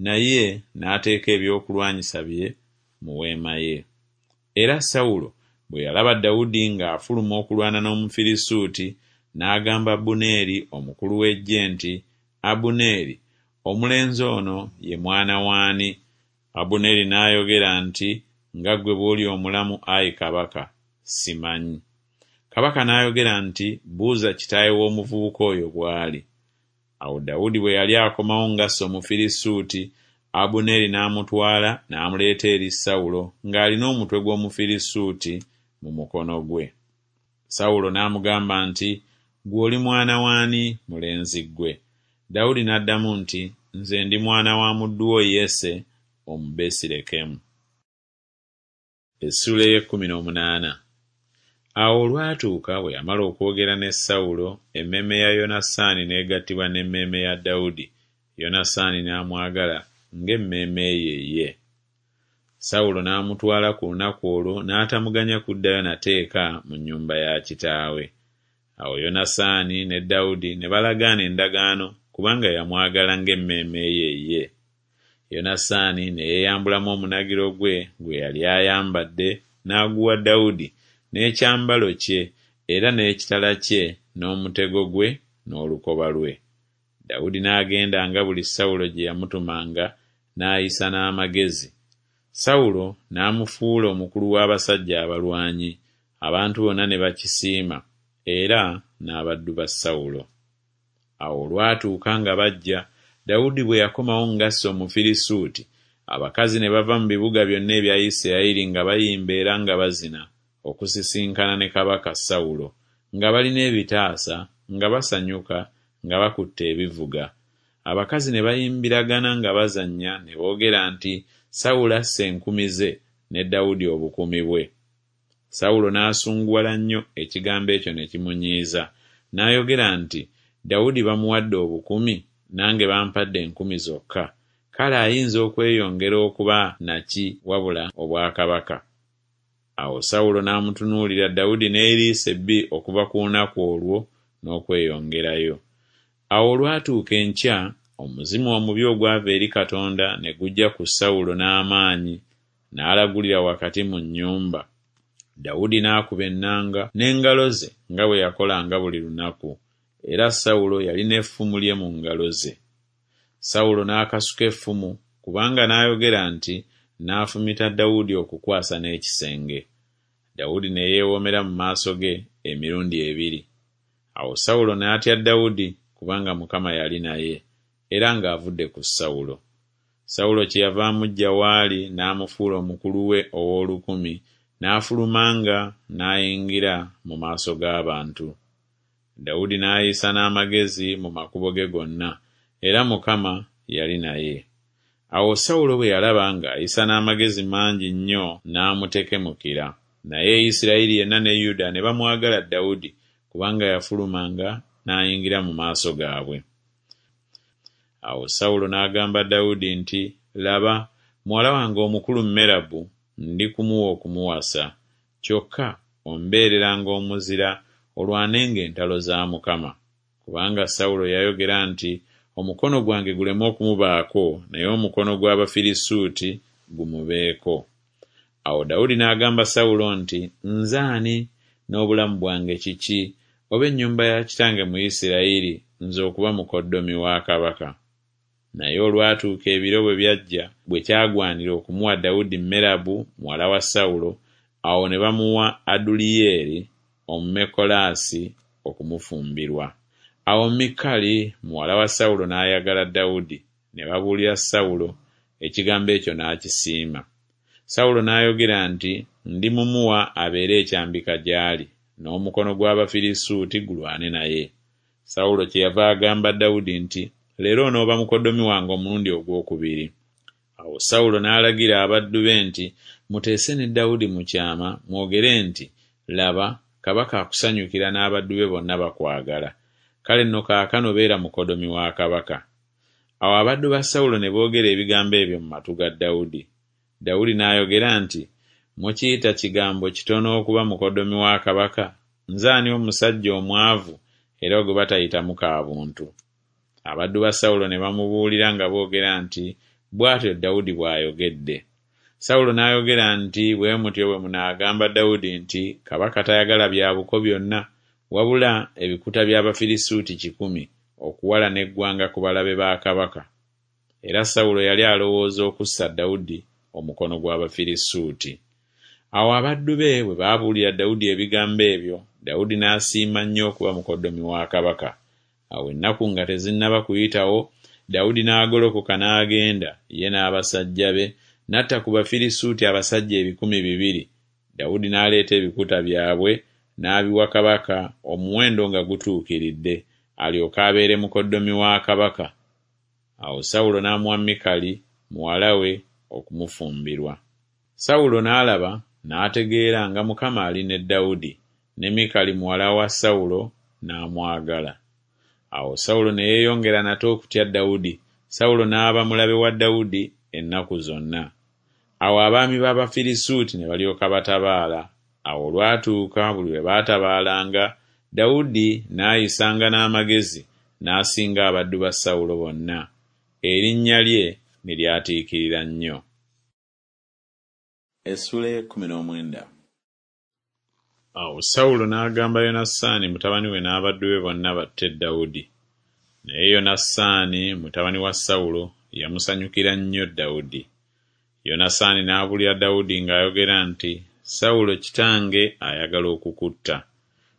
naye n'ateeka ebyokulwanyisa bye mu weema ye. Era Sawulo bwe yalaba Dawudi ng'afuluma okulwana n'Omufirisuuti, n'agamba Abuneeri omukulu w'eggye nti, Abuneeri, omulenzi ono ye mwana w'ani? Abuneeri n'ayogera nti, Nga ggwe bw'oli omulamu, ayi kabaka, simanyi. Kabaka n'ayogera nti, Buuza kitaawe w'omuvubuka oyo bw'ali. Awo Dawudi bwe yali akomawo ng'asse Omufirisuuti, Abuneeri n'amutwala n'amuleeta eri Sawulo ng'alina omutwe gw'Omufirisuuti mu mukono gwe. Sawulo n'amugamba nti, Ggwe oli mwana w'ani, mulenzi ggwe? Dawudi n'addamu nti, Nze ndi mwana wa muddu wo Yese Omubesirekemu. Essuula ey'ekkumi n'omunaana. Awo olwatuuka bwe yamala okwogera ne Sawulo, emmeeme ya Yonasaani n'egattibwa n'emmeeme ya Dawudi, Yonasaani n'amwagala ng'emmeeme ye ye. Sawulo n'amutwala ku lunaku olwo n'atamuganya kuddayo nate eka mu nnyumba ya kitaawe. Awo Yonasaani ne Dawudi ne balagaana endagaano kubanga yamwagala ng'emmeeme ye ye. Yonasaani ne yeeyambulamu omunagiro gwe gwe yali ayambadde n'aguwa Dawudi n'ekyambalo kye era n'ekitala kye n'omutego gwe n'olukoba lwe. Dawudi n'agendanga buli Sawulo gye yamutumanga n'ayisa n'amagezi. Sawulo n'amufuula omukulu w'abasajja abalwanyi, abantu bonna ne bakisiima, era n'abaddu ba Sawulo. Awo olwatuuka nga bajja, Dawudi bwe yakomawo ng'asse Omufirisuuti, abakazi ne bava mu bibuga byonna ebya Isirayiri nga bayimba era nga bazina okusisinkana ne kabaka Sawulo, nga balina ebitaasa, nga basanyuka, nga bakutte ebivuga. Abakazi ne bayimbiragana nga bazannya ne boogera nti, Sawulo asse enkumi ze, ne Dawudi obukumi bwe. Sawulo n'asunguwala nnyo ekigambo ekyo ne kimunyiiza. N'ayogera nti, Dawudi bamuwadde obukumi, nange bampadde enkumi zokka. Kale ayinza okweyongera okuba na ki wabula obwakabaka? Awo Sawulo n'amutunuulira Dawudi n'eriiso ebbi okuva ku lunaku olwo n'okweyongerayo. Awo olwatuuka enkya, omuzimu omubi ogwava eri Katonda ne gujja ku Sawulo n'amaanyi, n'alagulira wakati mu nnyumba. Dawudi n'akuba ennanga n'engalo ze nga bwe yakolanga buli lunaku, era Sawulo yalina effumu lye mu ngalo ze. Sawulo n'akasuka effumu, kubanga n'ayogera nti, Nnaafumita Dawudi okukwasa n'ekisenge. Dawudi ne yeewomera mu maaso ge emirundi ebiri. Awo Sawulo n'atya Dawudi, kubanga Mukama yali naye, era ng'avudde ku Sawulo. Sawulo kyeyava amuggya w'ali n'amufuula omukulu we ow'olukumi, n'afulumanga n'ayingira mu maaso g'abantu. Dawudi n'ayisa n'amagezi mu makubo ge gonna, era Mukama yali naye. Awo Sawulo bwe yalaba ng'ayisa n'amagezi mangi nnyo n'amutekemukira. Naye Isirayiri yenna ne Yuda ne bamwagala Dawudi, kubanga yafulumanga n'ayingira mu maaso gaabwe. Awo Sawulo n'agamba Dawudi nti, Laba, muwala wange omukulu Merabu ndi kumuwa okumuwasa, kyokka ombeereranga omuzira olwanenga entalo za Mukama. Kubanga Sawulo yayogera nti, Omukono gwange guleme okumubaako, naye omukono gw'Abafirisuuti gumubeeko. Awo Dawudi n'agamba Sawulo nti, Nze ani, n'obulamu bwange kiki, oba ennyumba ya kitange mu Isirayiri, nze okuba mukoddomi wa kabaka? Naye olwatuuka ebiro bwe byajja bwe kyagwanira okumuwa Dawudi Merabu muwala wa Sawulo, awo ne bamuwa Aduliyeri Omumekolaasi okumufumbirwa. Awo Mikali muwala wa Sawulo n'ayagala Dawudi, ne babuulira Sawulo, ekigambo ekyo n'akisiima. Sawulo n'ayogera nti, Ndimumuwa abeere ekyambika gy'ali, n'omukono gw'Abafirisuuti gulwane naye. Sawulo kyeyava agamba Dawudi nti, Leero onooba mukoddomi wange omulundi ogwokubiri. Awo Sawulo n'alagira abaddu be nti, Muteese ne Dawudi mu kyama, mwogere nti, Laba, kabaka akusanyukira n'abaddu be bonna bakwagala. Kale nno kaakano beera mukoddomi wa kabaka. Awo abaddu ba Sawulo ne boogera ebigambo ebyo mu matu ga Dawudi. Dawudi n'ayogera nti, Mukiyita kigambo kitono okuba mukoddomi wa kabaka? Nze ani omusajja omwavu era gwe batayitamu ka buntu? Abaddu ba Sawulo ne bamubuulira nga boogera nti, Bw'atyo Dawudi bw'ayogedde. Sawulo n'ayogera nti, Bwe mutyo bwe munaagamba Dawudi nti, Kabaka tayagala bya buko byonna, wabula ebikuta by'Abafirisuuti kikumi, okuwalana eggwanga ku balabe ba kabaka. Era Sawulo yali alowooza okussa Dawudi omukono gw'Abafirisuuti. Awo abaddu be bwe baabuulira Dawudi ebigambo ebyo, Dawudi n'asiima nnyo okuba mukoddomi wa kabaka. Awo ennaku nga tezinnaba kuyitawo, Dawudi n'agolokoka n'agenda, ye n'abasajja be, n'atta ku Bafirisuuti abasajja ebikumi bibiri. Dawudi n'aleeta ebikuta byabwe, n'abiwa kabaka, omuwendo nga gutuukiridde, alyoke abeere mukoddomi wa kabaka. Awo Sawulo n'amuwa Mikali muwala we okumufumbirwa. Sawulo n'alaba n'ategeera nga Mukama ali ne Dawudi, ne Mikali muwala wa Sawulo n'amwagala. Awo Sawulo ne yeeyongera nate okutya Dawudi, Sawulo n'aba mulabe wa Dawudi ennaku zonna. Awo abaami b'Abafirisuuti ne balyoka batabaala. Awo olwatuuka buli lwe baatabaalanga, Dawudi n'ayisanga n'amagezi, n'asinga abaddu ba Sawulo bonna. Erinnya lye ne lyatiikirira nnyo. Essula ey'ekkumi n'omwenda. Awo Sawulo n'agamba Yonasaani mutabani we n'abaddu be bonna batte Dawudi. Naye Yonasaani mutabani wa Sawulo yamusanyukira nnyo Dawudi. Yonasaani n'abuulira Dawudi ng'ayogera nti, Sawulo kitange ayagala okukutta.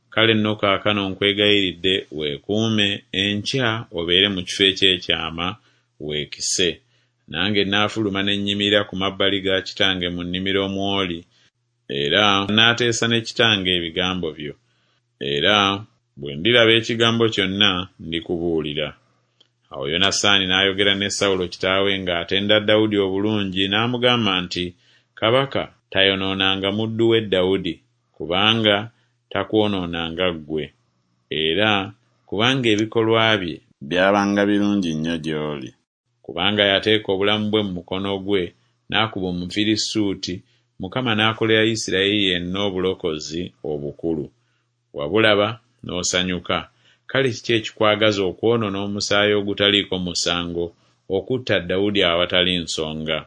Kale nno kaakano nkwegayiridde weekuume, enkya obeere mu kifo eky'ekyama, weekise. Nange nnaafuluma ne nnyimirira ku mabbali ga kitange mu nnimiro mw'oli, era naateesa ne kitange ebigambo byo. Era bwe ndiraba ekigambo kyonna ndikubuulira. Awo Yonasaani n'ayogera ne Sawulo kitaawe ng'atenda Dawudi obulungi, n'amugamba nti, Kabaka tayonoonanga muddu we Dawudi, kubanga takwonoonanga ggwe, era kubanga ebikolwa bye byabanga birungi nnyo gy'oli. Kubanga yateeka obulamu bwe mu mukono gwe, n'akuba Omufirisuuti, Mukama n'akolera Isirayiri yenna obulokozi obukulu. Wabulaba n'osanyuka. Kale kiki ekikwagaza okwonoona omusaayi ogutaliiko musango, okutta Dawudi awatali nsonga?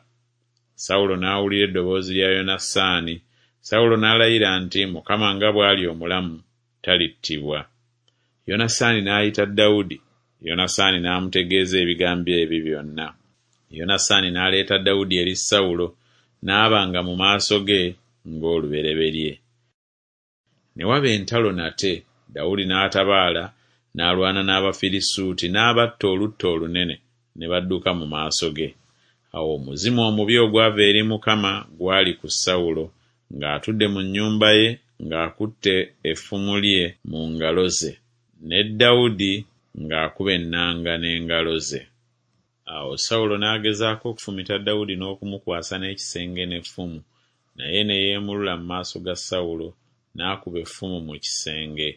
Sawulo n'awulira eddoboozi lya Yonasaani. Sawulo n'alayira nti, Mukama nga bw'ali omulamu, talittibwa. Yonasaani n'ayita Dawudi, Yonasaani n'amutegeeza ebigambo ebyo byonna. Yonasaani n'aleeta Dawudi eri Sawulo, n'abanga mu maaso ge ng'olubereberye. Ne waba entalo nate, Dawudi n'atabaala, n'alwana n'Abafirisuuti, n'abatta olutta olunene, ne badduka mu maaso ge. Awo omuzimu omubi ogwava eri Mukama gwali ku Sawulo, ng'atudde mu nnyumba ye ng'akutte effumu lye mu ngalo ze, ne Dawudi ng'akuba ennanga n'engalo ze. Awo Sawulo n'agezaako okufumita Dawudi n'okumukwasa n'ekisenge n'effumu, naye ne yeemulula mu maaso ga Sawulo, n'akuba effumu mu kisenge.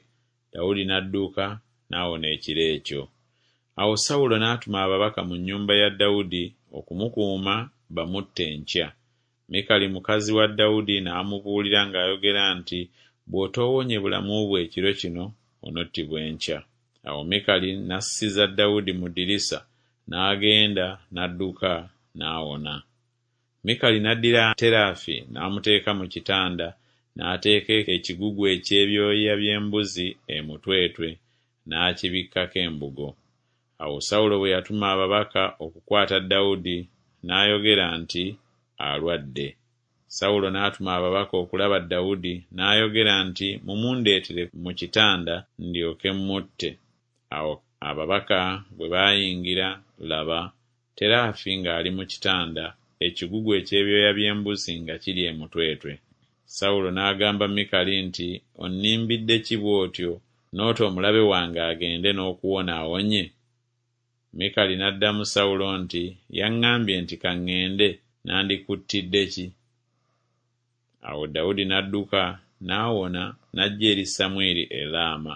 Dawudi n'adduka n'awona ekiro ekyo. Awo Sawulo n'atuma ababaka mu nnyumba ya Dawudi okumukuuma bamutte enkya. Mikali mukazi wa Dawudi n'amubuulira ng'ayogera nti, Bw'otoowonye bulamu bwo ekiro kino, onottibwa enkya. Awo Mikali n'assiza Dawudi mu ddirisa, n'agenda n'adduka n'awona. Mikali n'addira terafi n'amuteeka mu kitanda, n'ateeka ekigugu eky'ebyoya by'embuzi emutwetwe, n'akibikkako embugo. Awo Sawulo bwe yatuma ababaka okukwata Dawudi, n'ayogera nti, Alwadde. Sawulo n'atuma ababaka okulaba Dawudi, n'ayogera nti, Mumundeetere mu kitanda ndyoke mmutte. Awo ababaka bwe baayingira, laba, terafi ng'ali mu kitanda, ekigugu eky'ebyoya by'embuzi nga kiri emutwetwe. Sawulo n'agamba Mikali nti, Onnimbidde ki bw'otyo, n'ota omulabe wange agende n'okuwona awonye? Mikali n'addamu Sawulo nti, Yaŋŋambye nti ka ŋŋende, nandikuttidde ki? Awo Dawudi n'adduka n'awona n'ajja eri Samwiri e Laama,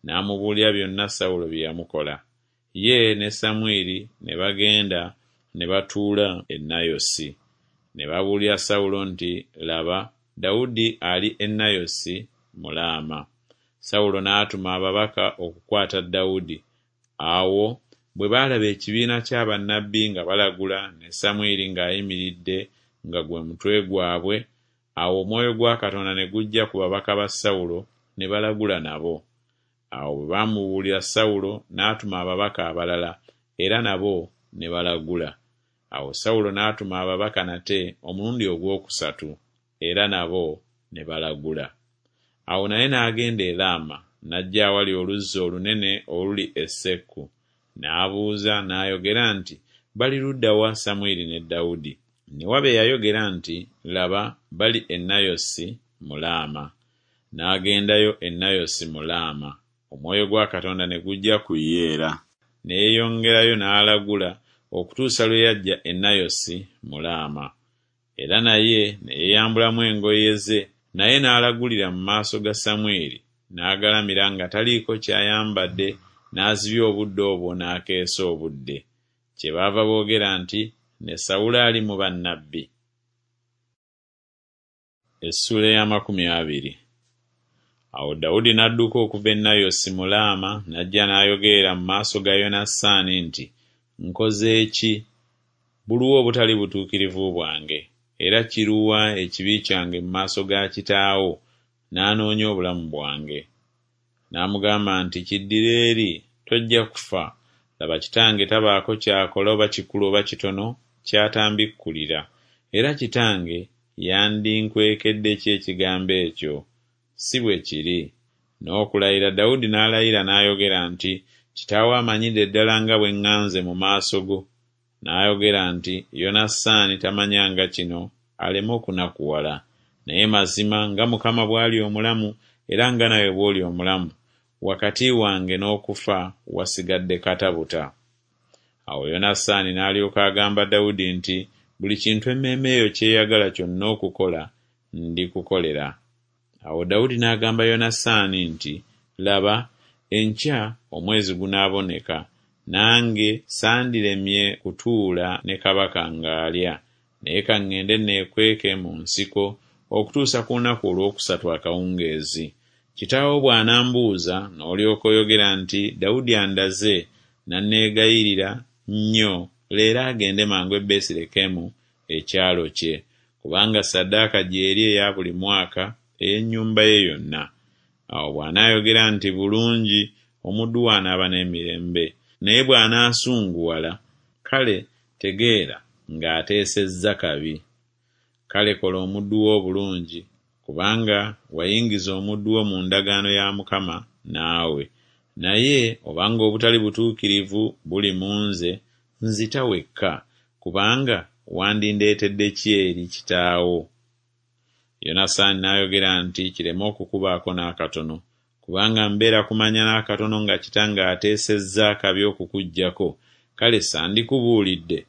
n'amubuulira byonna Sawulo bye yamukola. Ye ne Samwiri ne bagenda ne batuula e Nayosi. Ne babuulira Sawulo nti, Laba, Dawudi ali e Nayosi mu Laama. Sawulo n'atuma ababaka okukwata Dawudi. Awo bwe baalaba ekibiina kya bannabbi nga balagula ne Samwiri ng'ayimiridde nga gwe mutwe gwabwe, awo omwoyo gwa Katonda ne gujja ku babaka ba Sawulo ne balagula nabo. Awo bwe baamubuulira Sawulo n'atuma ababaka abalala, era nabo ne balagula. Awo Sawulo n'atuma ababaka nate omulundi ogwokusatu, era nabo ne balagula. Awo naye n'agenda e Laama, n'ajja awali oluzzi olunene oluli e Sekku. N'abuuza n'ayogera nti, Bali ludda wa Samwiri ne Dawudi? Ne waba eyayogera nti, Laba, bali e Nayosi mu Laama. N'agendayo e Nayosi mu Laama. Omwoyo gwa Katonda ne gujja ku ye era, ne yeeyongerayo n'alagula okutuusa lwe yajja e Nayosi mu Laama. Era naye ne yeeyambulamu engoye ze, naye n'alagulira mu maaso ga Samwiri, n'agalamira nga taliiko ky'ayambadde, n'azibya obudde obwo n'akeesa obudde. Kyebaava boogera nti, Ne Sawulo ali mu bannabbi? Essuula ey'amakumi abiri. Awo Dawudi n'adduka okuva e Nayosi mu Laama, n'ajja n'ayogerera mu maaso ga Yonasaani nti, Nkoze ki? Buluwa obutali butuukirivu bwange? Era kiruwa ekibi kyange mu maaso ga kitaawo, n'anoonya obulamu bwange? N'amugamba nti, Kiddire eri, tojja kufa. Laba, kitange tabaako ky'akola oba kikulu oba kitono ky'atambikkulira. Era kitange yandinkwekedde ki ekigambo ekyo? Si bwe kiri. N'okulayira Dawudi n'alayira n'ayogera nti, Kitaawo amanyidde ddala nga bwe ŋŋanze mu maaso go. N'ayogera nti, Yonasaani tamanyanga kino, aleme okunakuwala. Naye mazima nga Mukama bw'ali omulamu, era nga nawe bw'oli omulamu, wakati wange n'okufa wasigadde katabuta. Awo Yonasaani n'alyoka agamba Dawudi nti, Buli kintu emmeeme yo ky'eyagala kyonna okukola, ndikukolera. Awo Dawudi n'agamba Yonasaani nti, Laba, enkya omwezi gunaaboneka, nange sandiremye kutuula ne kabaka ng'alya, naye ka ŋŋende neekweke mu nsiko okutuusa ku lunaku olwokusatu akawungeezi. Kitaawo bw'anambuuza, n'olyoka oyogera nti, Dawudi andaze n'anneegayirira nnyo leero agende mangu e Besirekemu ekyalo kye, kubanga ssaddaaka gy'eri eya buli mwaka ey'ennyumba ye yonna. Awo bw'anaayogera nti, Bulungi, omuddu wo anaaba n'emirembe. Naye bw'anaasunguwala, kale tegeera ng'ateesezza kabi. Kale kola omuddu wo obulungi, kubanga wayingiza omuddu wo mu ndagaano ya Mukama naawe. Naye obanga obutali butuukirivu buli mu nze, nzita wekka, kubanga wandindeetedde ki eri kitaawo? Yonasaani n'ayogera nti, Kireme okukubaako n'akatono, kubanga mbeera kumanya n'akatono nga kitange ateesezza akabi okukuggyako, kale sandikubuulidde.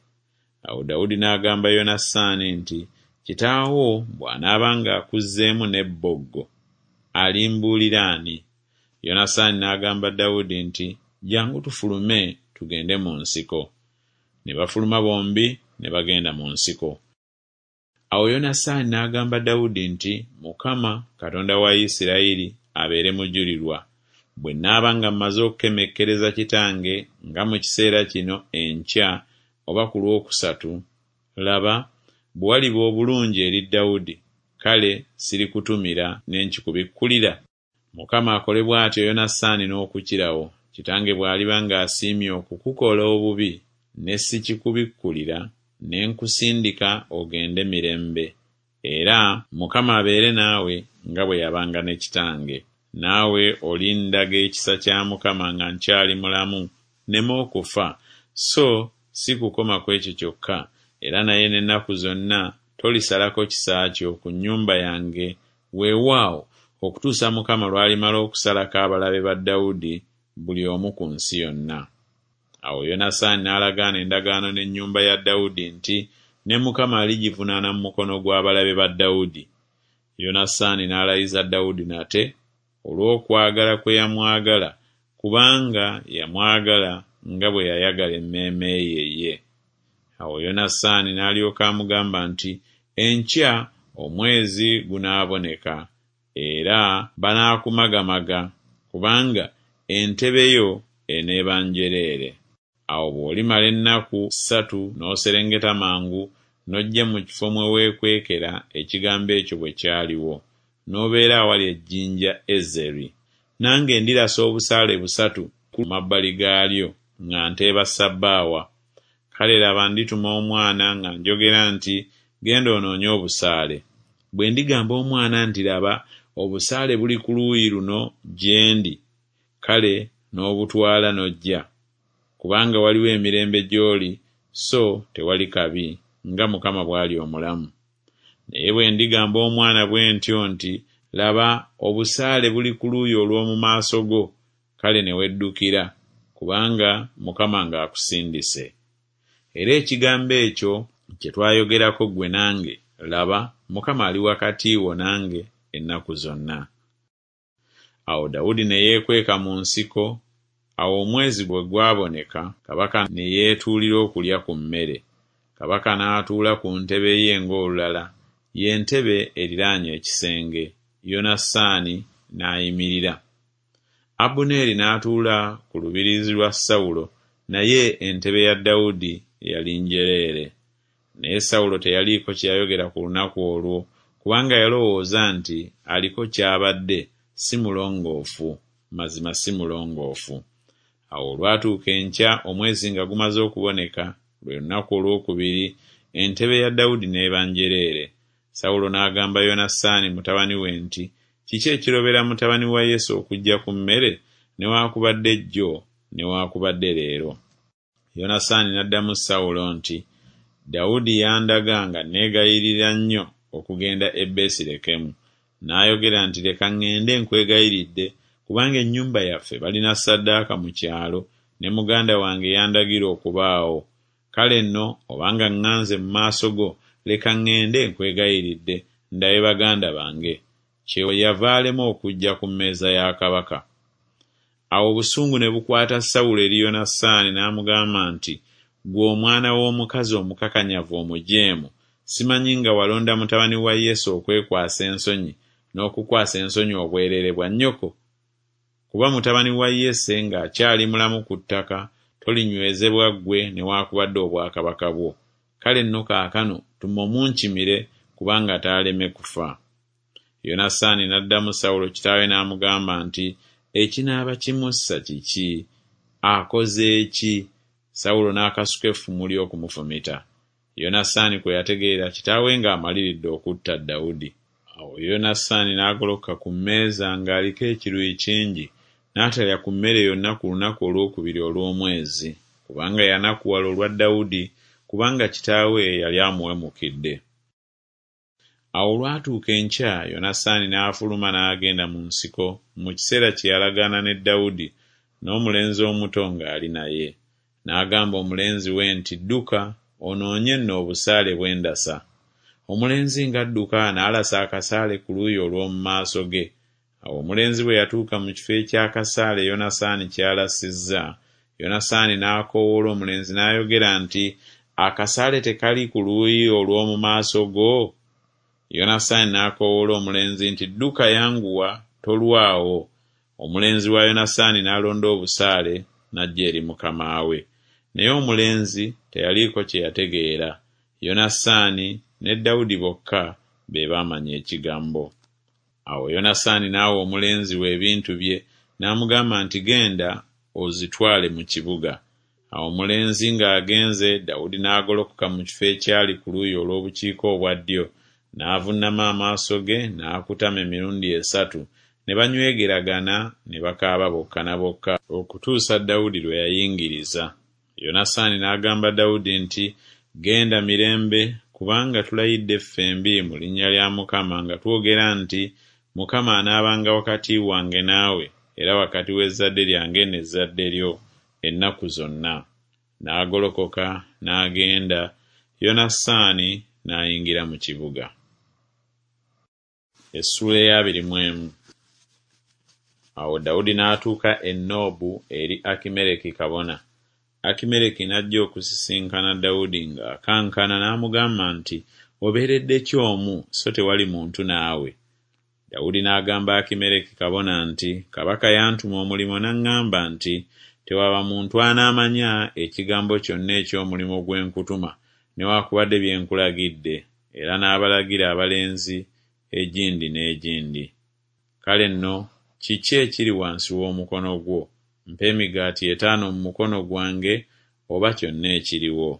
Awo Dawudi n'agamba Yonasaani nti, Kitaawo bw'anaaba ng'akuzzeemu n'ebboggo, alimbuulira ani? Yonasaani n'agamba Dawudi nti, Jjangu tufulume tugende mu nsiko. Ne bafuluma bombi ne bagenda mu nsiko. Awo Yonasaani n'agamba Dawudi nti, Mukama, Katonda wa Isirayiri, abeere mujulirwa, bwe nnaaba nga mmaze okukemekkereza kitange nga mu kiseera kino enkya oba ku lwokusatu, laba, bwe waliba obulungi eri Dawudi, kale sirikutumira ne nkikubikkulira. Mukama akole bw'atyo Yonasaani n'okukirawo, kitange bw'aliba ng'asiimye okukukola obubi, ne sikikubikkulira, ne nkusindika ogende mirembe. Era Mukama abeere naawe nga bwe yabanga ne kitange. Naawe olindaga ekisa kya Mukama nga nkyali mulamu, nneme okufa, so si kukoma ku ekyo kyokka, era naye n'ennaku zonna tolisalako kisa kyo ku nnyumba yange, weewaawo, okutuusa Mukama lw'alimala okusalako abalabe ba Dawudi buli omu ku nsi yonna. Awo Yonasaani n'alagaana endagaano n'ennyumba ya Dawudi nti, Ne Mukama aligivunaana mu mukono gw'abalabe ba Dawudi. Yonasaani n'alayiza Dawudi nate olw'okwagala kwe yamwagala, kubanga yamwagala nga bwe yayagala emmeeme ye ye. Awo Yonasaani n'alyoka amugamba nti, Enkya omwezi gunaaboneka, era banaakumagamaga, kubanga entebe yo eneeba njereere. Awo bw'olimala ennaku ssatu n'oserengeta mangu n'ojja mu kifo mwe weekwekera ekigambo ekyo bwe kyaliwo, n'obeera awali ejjinja Ezeri. Nange ndirasa obusaale busatu ku mabbali gaalyo nga nteeba ssabbaawa. Kale laba ndituma omwana nga njogera nti Genda onoonye obusaale. Bwe ndigamba omwana nti Laba, obusaale buli ku luuyi luno gye ndi, kale n'obutwala n'ojja, kubanga waliwo emirembe gy'oli so tewali kabi, nga Mukama bw'ali omulamu. Naye bwe ndigamba omwana bwe ntyo nti Laba, obusaale buli ku luuyi olw'omu maaso go, kale ne weddukira, kubanga Mukama ng'akusindise. Era ekigambo ekyo kye twayogerako ggwe nange, laba, Mukama ali wakati wo nange ennaku zonna. Awo Dawudi ne yeekweka mu nsiko. Awo omwezi bwe gwaboneka, kabaka ne yeetuulira okulya ku mmere. Kabaka n'atuula ku ntebe ye ng'olulala, ye ntebe eriraanye ekisenge, Yonasaani n'ayimirira. Abuneeri n'atuula ku lubiriizi lwa Sawulo, naye entebe ya Dawudi yali njereere. Naye Sawulo teyaliiko kye yayogera ku lunaku olwo, kubanga yalowooza nti Aliko ky'abadde, si mulongoofu, mazima si mulongoofu. Awo olwatuuka enkya omwezi nga gumaze okuboneka, lwe lunaku olwokubiri, entebe ya Dawudi n'eba njereere. Sawulo n'agamba Yonasaani mutabani we nti Kiki ekirobera mutabani wa Yese okujja ku mmere newaakubadde jjo newaakubadde leero? Yonasaani n'addamu Sawulo nti Dawudi yandaga nga neegayirira nnyo okugenda e Besirekemu. N'ayogera nti Leka ŋŋende nkwegayiridde, kubanga ennyumba yaffe balina ssaddaaka mu kyalo, ne muganda wange yandagira okubaawo. Kale nno obanga ŋŋanze mu maaso go, leka ŋŋende nkwegayiridde, ndabe baganda bange. Kyeyava alema okujja ku mmeeza ya kabaka. Awo obusungu ne bukwata Sawulo eri Yonasaani n'amugamba nti Ggwe omwana w'omukazi omukakanyavu omujeemu, simanyi nga walonda mutabani wa Yese okwekwasa ensonyi n'okukwasa ensonyi obwereere bwa nnyoko? Kuba mutabani wa Yese ng'akyali mulamu ku ttaka, tolinywezebwa ggwe newaakubadde obwakabaka bwo. Kale nno kaakano tuma omunkimire, kubanga taaleme kufa. Yonasaani n'addamu Sawulo kitaawe n'amugamba nti Ekinaaba kimussa kiki? Akoze ki? Sawulo n'akasuka effumu lye okumufumita. Yonasaani kwe yategeerera kitaawe ng'amaliridde okutta Dawudi. Awo Yonasaani n'agolokoka ku mmeeza ng'aliko ekiruyi kingi, n'atalya ku mmere yonna ku lunaku olwokubiri olw'omwezi, kubanga yanakuwala olwa Dawudi, kubanga kitaawe yali amuwemukidde. Awo olwatuuka enkya Yonasaani n'afuluma n'agenda mu nsiko mu kiseera kye yalagaana ne Dawudi, n'omulenzi omuto ng'ali naye. N'agamba omulenzi we nti, Dduka, onoonye nno obusaale bwe ndasa. Omulenzi ng'adduka n'alasa akasaale ku luuyi olw'omu maaso ge. Awo omulenzi bwe yatuuka mu kifo eky'akasaale Yonasaani ky'alasizza, Yonasaani n'akoowoola omulenzi n'ayogera nti, Akasaale tekali ku luuyi olw'omu maaso go? Yonasaani n'akoowoola omulenzi nti, Dduka, yanguwa, tolwawo. Omulenzi wa Yonasaani n'alonda obusaale n'ajja eri mukama we. Naye omulenzi teyaliiko kye yategeera. Yonasaani ne Dawudi bokka be baamanya ekigambo. Awo Yonasaani n'awa omulenzi we ebintu bye, n'amugamba nti, Genda ozitwale mu kibuga. Awo omulenzi ng'agenze, Dawudi n'agolokoka mu kifo ekyali ku luuyi olw'obukiika obwa ddyo, n'avuunama amaaso ge n'akutama emirundi esatu, ne banywegeragana ne bakaaba bokka na bokka okutuusa Dawudi lwe yayingiriza. Yonasaani n'agamba Dawudi nti, Genda mirembe, kubanga tulayidde ffembi mu linnya lya Mukama nga twogera nti, Mukama anaabanga wakati wange naawe, era wakati w'ezzadde lyange n'ezzadde lyo ennaku zonna. N'agolokoka n'agenda, Yonasaani n'ayingira mu kibuga. Essuula ey'abiri mu emu. Awo Dawudi n'atuuka e Noobu eri Akimereki kabona. Akimereki n'ajja okusisinkana Dawudi ng'akankana n'amugamba nti, Obeeredde ki omu, so tewali muntu naawe? Dawudi n'agamba Akimereki kabona nti, Kabaka yantuma omulimu n'aŋŋamba nti, Tewaba muntu anaamanya ekigambo kyonna eky'omulimu gwe nkutuma, newaakubadde bye nkulagidde, era n'abalagira abalenzi egindi n'egindi. Kale nno kiki ekiri wansi w'omukono gwo? Mpa emigaati etaano mu mukono gwange, oba kyonna ekiriwo.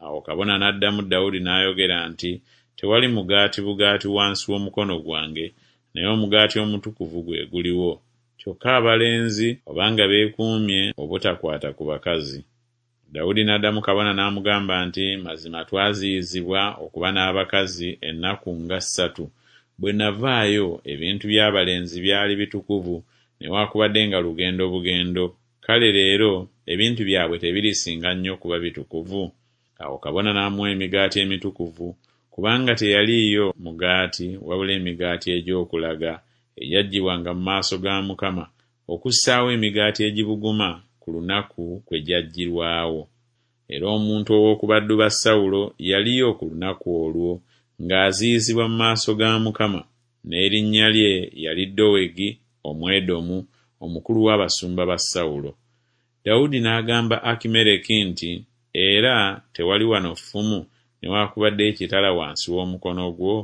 Awo kabona n'addamu Dawudi n'ayogera nti, Tewali mugaati bugaati wansi w'omukono gwange, naye omugaati omutukuvu gwe guliwo. Kyokka abalenzi obanga beekuumye obutakwata ku bakazi. Dawudi n'addamu kabona n'amugamba nti, Mazima twaziyizibwa okuba n'abakazi ennaku nga ssatu. Bwe navaayo ebintu by'abalenzi byali bitukuvu, newaakubadde nga lugendo bugendo. Kale leero ebintu byabwe tebirisinga nnyo kuba bitukuvu? Awo kabona n'amuwa emigaati emitukuvu, kubanga teyaliiyo mugaati wabula emigaati egy'okulaga, egyaggyibwanga mu maaso ga Mukama, okussaawo emigaati egibuguma ku lunaku kwe gyaggyirwawo. Era omuntu ow'oku baddu ba Sawulo yaliyo ku lunaku olwo, ng'aziyizibwa mu maaso ga Mukama, n'erinnya lye yali Dowegi Omwedomu, omukulu w'abasumba ba Sawulo. Dawudi n'agamba Akimereki nti, Era tewali wano ffumu newaakubadde ekitala wansi w'omukono gwo?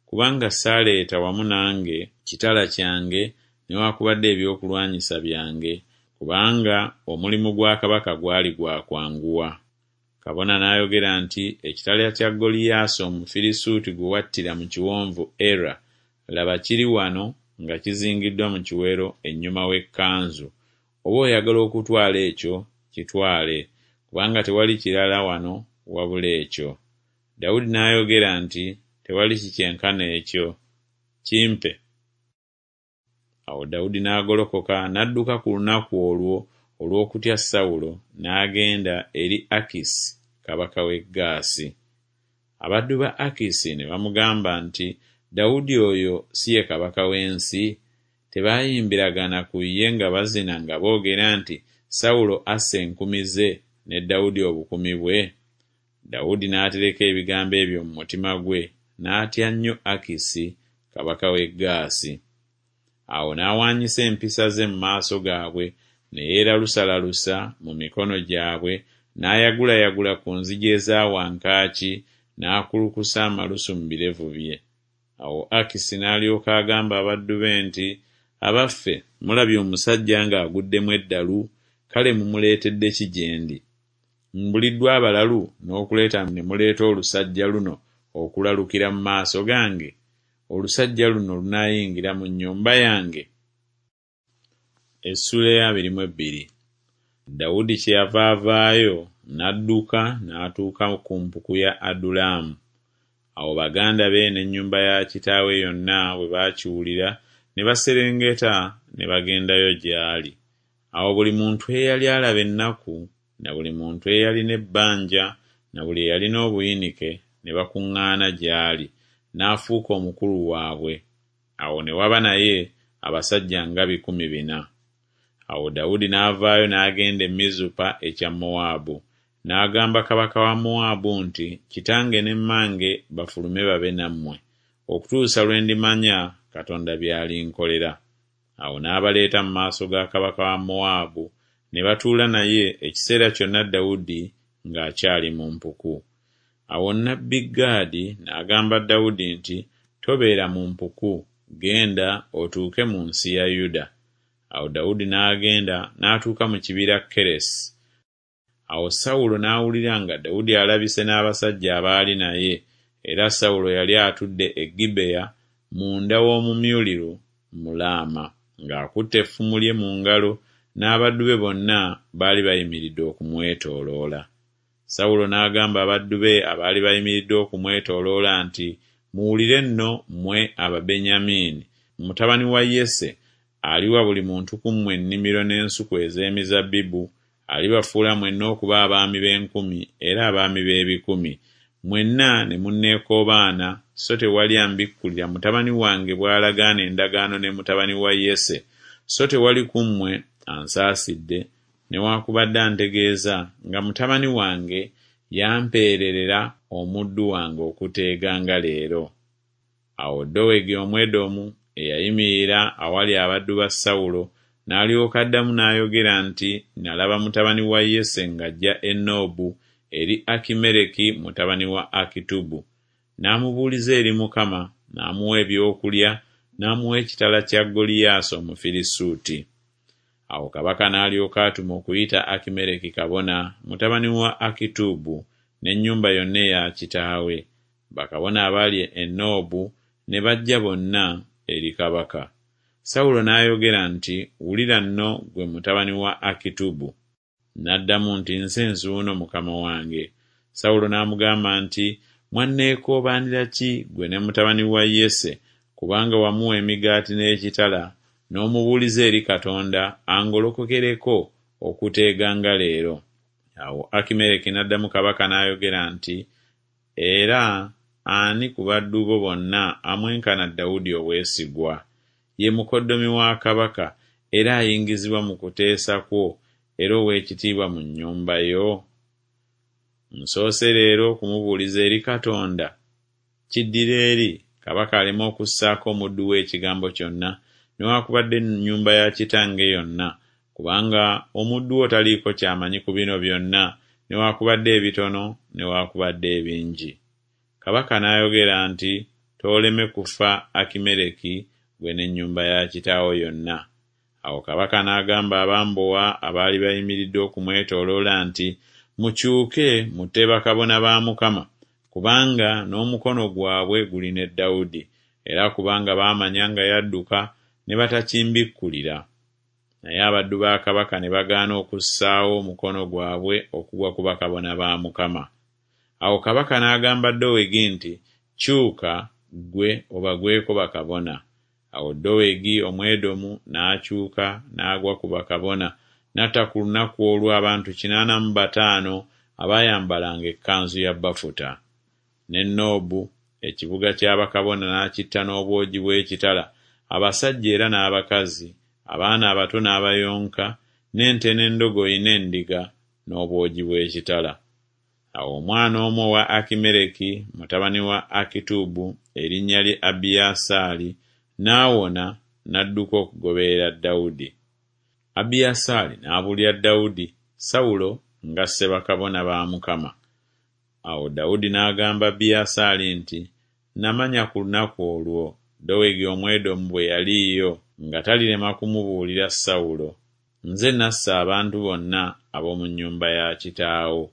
Kubanga saaleeta wamu nange kitala kyange newaakubadde ebyokulwanyisa byange, kubanga omulimu gwa kabaka gwali gwa kwanguwa. Kabona n'ayogera nti, Ekitala kya Goliyaasi Omufirisuuti gwe wattira mu kiwonvu Era, laba kiri wano nga kizingiddwa mu kiwero ennyuma w'ekkanzu. Oba oyagala okutwala ekyo, kitwale, kubanga tewali kirala wano wabula ekyo. Dawudi n'ayogera nti, Tewali kikyenkana ekyo, kimpe. Awo Dawudi n'agolokoka n'adduka ku lunaku olwo olw'okutya Sawulo, n'agenda eri Akisi kabaka w'e Gaasi. Abaddu ba Akisi ne bamugamba nti, Dawudi oyo si ye kabaka w'ensi? Tebaayimbiragana ku ye nga bazina nga boogera nti, Sawulo asse enkumi ze, ne Dawudi obukumi bwe? Dawudi n'atereka ebigambo ebyo mu mutima gwe, n'atya nnyo Akisi kabaka w'e Gaasi. Awo n'awaanyisa empisa ze mu maaso gaabwe, ne yeeralusalalusa mu mikono gyabwe, n'ayagulayagula ku nzigi eza wankaaki, n'akulukusa amalusu mu birevu bye. Awo Akisi n'alyoka agamba abaddu be nti, Abaffe, mulabye omusajja ng'aguddemu eddalu? Kale mumuleetedde ki gye ndi? Mbuliddwa abalalu n'okuleeta ne muleeta olusajja luno okulalukira mu maaso gange? Olusajja luno lunaayingira mu nnyumba yange? Essuula ey'abiri mu ebbiri. Dawudi kyeyava avaayo n'adduka n'atuuka ku mpuku ya Adulamu. Awo baganda be n'ennyumba ya kitaawe yonna bwe baakiwulira ne baserengeta ne bagendayo gy'ali. Awo buli muntu eyali alaba ennaku, na buli muntu eyalina ebbanja, na buli eyalina obuyinike ne bakuŋŋaana gy'ali, n'afuuka omukulu waabwe. Awo ne waba naye abasajja nga bikumi bina. Awo Dawudi n'avaayo n'agenda e Mizupa ekya Mowaabu. N'agamba kabaka wa Mowaabu nti, Kitange ne mmange bafulume babe nammwe, okutuusa lwe ndimanya Katonda by'alinkolera. Awo n'abaleeta mu maaso ga kabaka wa Mowaabu, ne batuula naye ekiseera kyonna Dawudi ng'akyali mu mpuku. Awo nnabbi Gaadi n'agamba Dawudi nti, Tobeera mu mpuku, genda otuuke mu nsi ya Yuda. Awo Dawudi n'agenda n'atuuka mu kibira Keresi. Awo Sawulo n'awulira nga Dawudi alabise n'abasajja abaali naye, era Sawulo yali atudde e Gibeya munda w'omumyuliru mu Laama, ng'akutte effumu lye mu ngalo, n'abaddu be bonna baali bayimiridde okumwetooloola. Sawulo n'agamba abaddu be abaali bayimiridde okumwetooloola nti, Muwulire nno mmwe Ababenyamini, mutabani wa Yese aliwa buli muntu ku mmwe ennimiro n'ensuku ez'emizabbibu, alibafuula mwenna okuba abaami b'enkumi era abaami b'ebikumi, mwenna ne munneekoobaana, so tewali ambikkulira mutabani wange bw'alagaana endagaano ne mutabani wa Yese, so tewali ku mmwe ansaasidde, newaakubadde antegeeza nga mutabani wange yampeererera omuddu wange okuteega nga leero. Awo Dowegi Omwedomu eyayimirira awali abaddu ba Sawulo n'alyoka addamu n'ayogera nti, Nalaba mutabani wa Yese ng'ajja e Noobu eri Akimereki mutabani wa Akitubu. N'amubuuliza eri Mukama, n'amuwa ebyokulya, n'amuwa ekitala kya Goliyaasi Omufirisuuti. Awo kabaka n'alyoka atuma okuyita Akimereki kabona, mutabani wa Akitubu, n'ennyumba yonna eya kitaawe. Bakabona abaali e Noobu ne bajja bonna eri kabaka. Sawulo n'ayogera nti, Wulira nno ggwe mutabani wa Akitubu. N'addamu nti, Nze nzuuno mukama wange. Sawulo n'amugamba nti, Mwanneekoobaanira ki ggwe ne mutabani wa Yese, kubanga wamuwa emigaati n'ekitala, n'omubuuliza eri Katonda angolokokereko okuteega nga leero? Awo Akimereki n'addamu kabaka n'ayogera nti, Era ani ku baddu bo bonna amwenkana Dawudi obwesigwa? Ye mukoddomi wa kabaka, era ayingizibwa mu kuteesa kwo, era ow'ekitiibwa mu nnyumba yo? Nsoose leero okumubuuliza eri Katonda? Kiddira eri kabaka aleme okussaako omuddu we ekigambo kyonna, newaakubadde ennyumba ya kitange yonna, kubanga omuddu wo taliiko ky'amanyi ku bino byonna, newaakubadde ebitono newaakubadde ebingi. Kabaka n'ayogera nti, Tooleme kufa Akimereki, ggwe n'ennyumba ya kitaawo yonna. Awo kabaka n'agamba abambowa abaali bayimiridde okumwetooloola nti, Mukyuke mutte bakabona ba Mukama, kubanga n'omukono gwabwe guli ne Dawudi, era kubanga baamanya nga yadduka ne batakimbikkulira. Naye abaddu ba kabaka ne bagaana okussaawo omukono gwabwe okugwa ku bakabona ba Mukama. Awo kabaka n'agamba Dowegi nti, Kyuka ggwe obagweko bakabona. Awo Dowegi Omwedomu n'akyuka n'agwa ku bakabona, n'atta ku lunaku olwo abantu kinaana mu bataano abaayambalanga ekkanzu ya bafuta. Ne Noobu ekibuga kya bakabona n'akitta n'obwogi bw'ekitala, abasajja era n'abakazi, abaana abato n'abayonka, n'ente n'endogoyi n'endiga, n'obwogi bw'ekitala. Awo omwana omu owa Akimereki mutabani wa Akitubu, erinnya lye Abiyasaali, n'awona n'adduka okugoberera Dawudi. Abiyasaali n'abuulira Dawudi, Sawulo ng'asse bakabona ba Mukama. Awo Dawudi n'agamba Abiyasaali nti, Namanya ku lunaku olwo Dowegi Omwedomu bwe yaliiyo nga talirema kumubuulira Sawulo. Nze nassa abantu bonna ab'omu nnyumba ya kitaawo.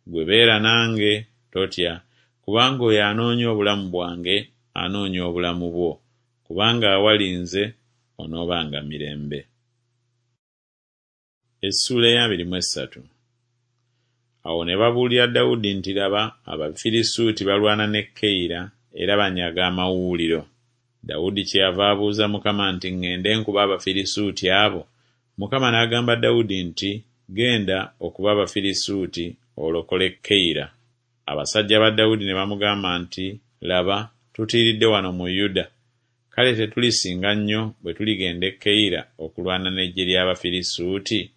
Ggwe beera nange, totya, kubanga oyo anoonya obulamu bwange anoonya obulamu bwo, kubanga awali nze onoobanga mirembe. Essuula ey'abiri mu essatu. Awo ne babuulira Dawudi nti, Laba, Abafirisuuti balwana ne Keyira era banyaga amawuuliro. Dawudi kyeyava abuuza Mukama nti, Ŋŋende nkube Abafirisuuti abo? Mukama n'agamba Dawudi nti, Genda okube Abafirisuuti olokole Keyira. Abasajja ba Dawudi ne bamugamba nti, Laba, tutiiridde wano mu Yuda. Kale tetulisinga nnyo bwe tuligenda e Keyira okulwana n'eggye ly'Abafirisuuti?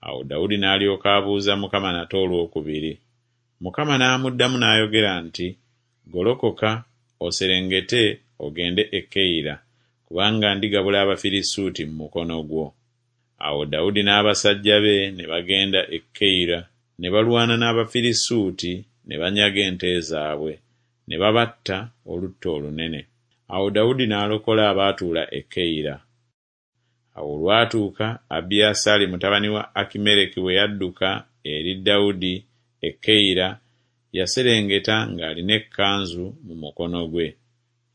Awo Dawudi n'alyoka abuuza Mukama nate olwokubiri. Mukama n'amuddamu n'ayogera nti, Golokoka, oserengete ogende e Keyira, kubanga ndigabula Abafirisuuti mu mukono gwo. Awo Dawudi n'abasajja be ne bagenda e Keyira, ne balwana n'Abafirisuuti, ne banyaga ente zaabwe, ne babatta olutta olunene. Awo Dawudi n'alokola abaatuula e Keyira. Awo olwatuuka Abiyasaali mutabani wa Akimereki bwe yadduka eri Dawudi e Keyira, yaserengeta ng'alina ekkanzu mu mukono gwe.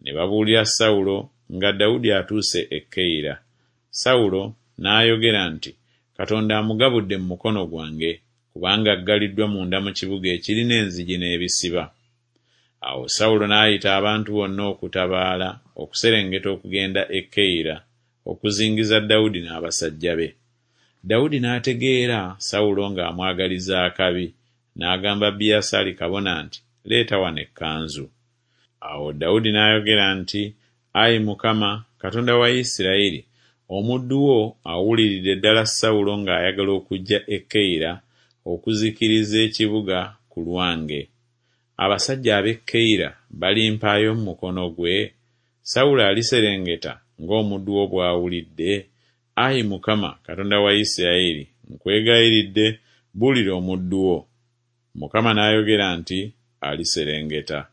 Ne babuulira Sawulo nga Dawudi atuuse e Keyira. Sawulo n'ayogera nti, Katonda amugabudde mu mukono gwange, kubanga aggaliddwa munda mu kibuga ekirina enzigi n'ebisiba. Awo Sawulo n'ayita abantu bonna okutabaala okuserengeta okugenda e Keyira, okuzingiza Dawudi n'abasajja be. Dawudi n'ategeera Sawulo ng'amwagaliza akabi, n'agamba Abiyasaali kabona nti, Leeta wano ekkanzu. Awo Dawudi n'ayogera nti, Ayi Mukama, Katonda wa Isirayiri, omuddu wo awuliridde ddala Sawulo ng'ayagala okujja e Keyira okuzikiriza ekibuga ku lwange. Abasajja ab'e Keyira balimpaayo mu mukono gwe? Sawulo aliserengeta ng'omuddu wo bw'awulidde? Ayi Mukama, Katonda wa Isirayiri, nkwegayiridde, buulira omuddu wo. Mukama n'ayogera nti, Aliserengeta.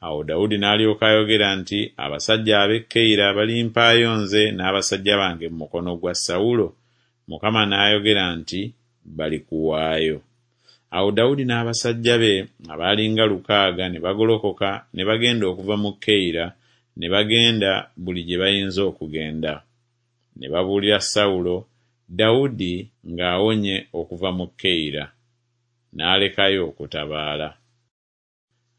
Awo Dawudi n'alyoka ayogera nti, Abasajja ab'e Keyira balimpaayo nze n'abasajja bange mu mukono gwa Sawulo? Mukama n'ayogera nti, Balikuwaayo. Awo Dawudi n'abasajja be abaalinga lukaaga ne bagolokoka ne bagenda okuva mu Keyira, ne bagenda buli gye bayinza okugenda. Ne babuulira Sawulo, Dawudi ng'awonye okuva mu Keyira. N'alekayo okutabaala.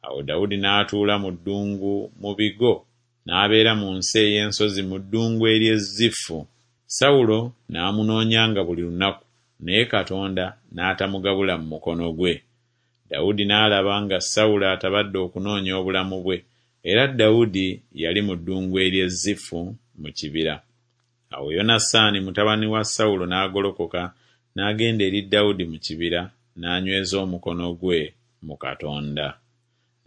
Awo Dawudi n'atuula mu ddungu mu bigo, n'abeera mu nsi ey'ensozi mu ddungu ery'e Zifu. Sawulo n'amunoonyanga buli lunaku, naye Katonda n'atamugabula mu mukono gwe. Dawudi n'alaba nga Sawulo atabadde okunoonya obulamu bwe, era Dawudi yali mu ddungu ery'e Zifu mu kibira. Awo Yonasaani mutabani wa Sawulo n'agolokoka n'agenda eri Dawudi mu kibira, n'anyweza omukono gwe mu Katonda.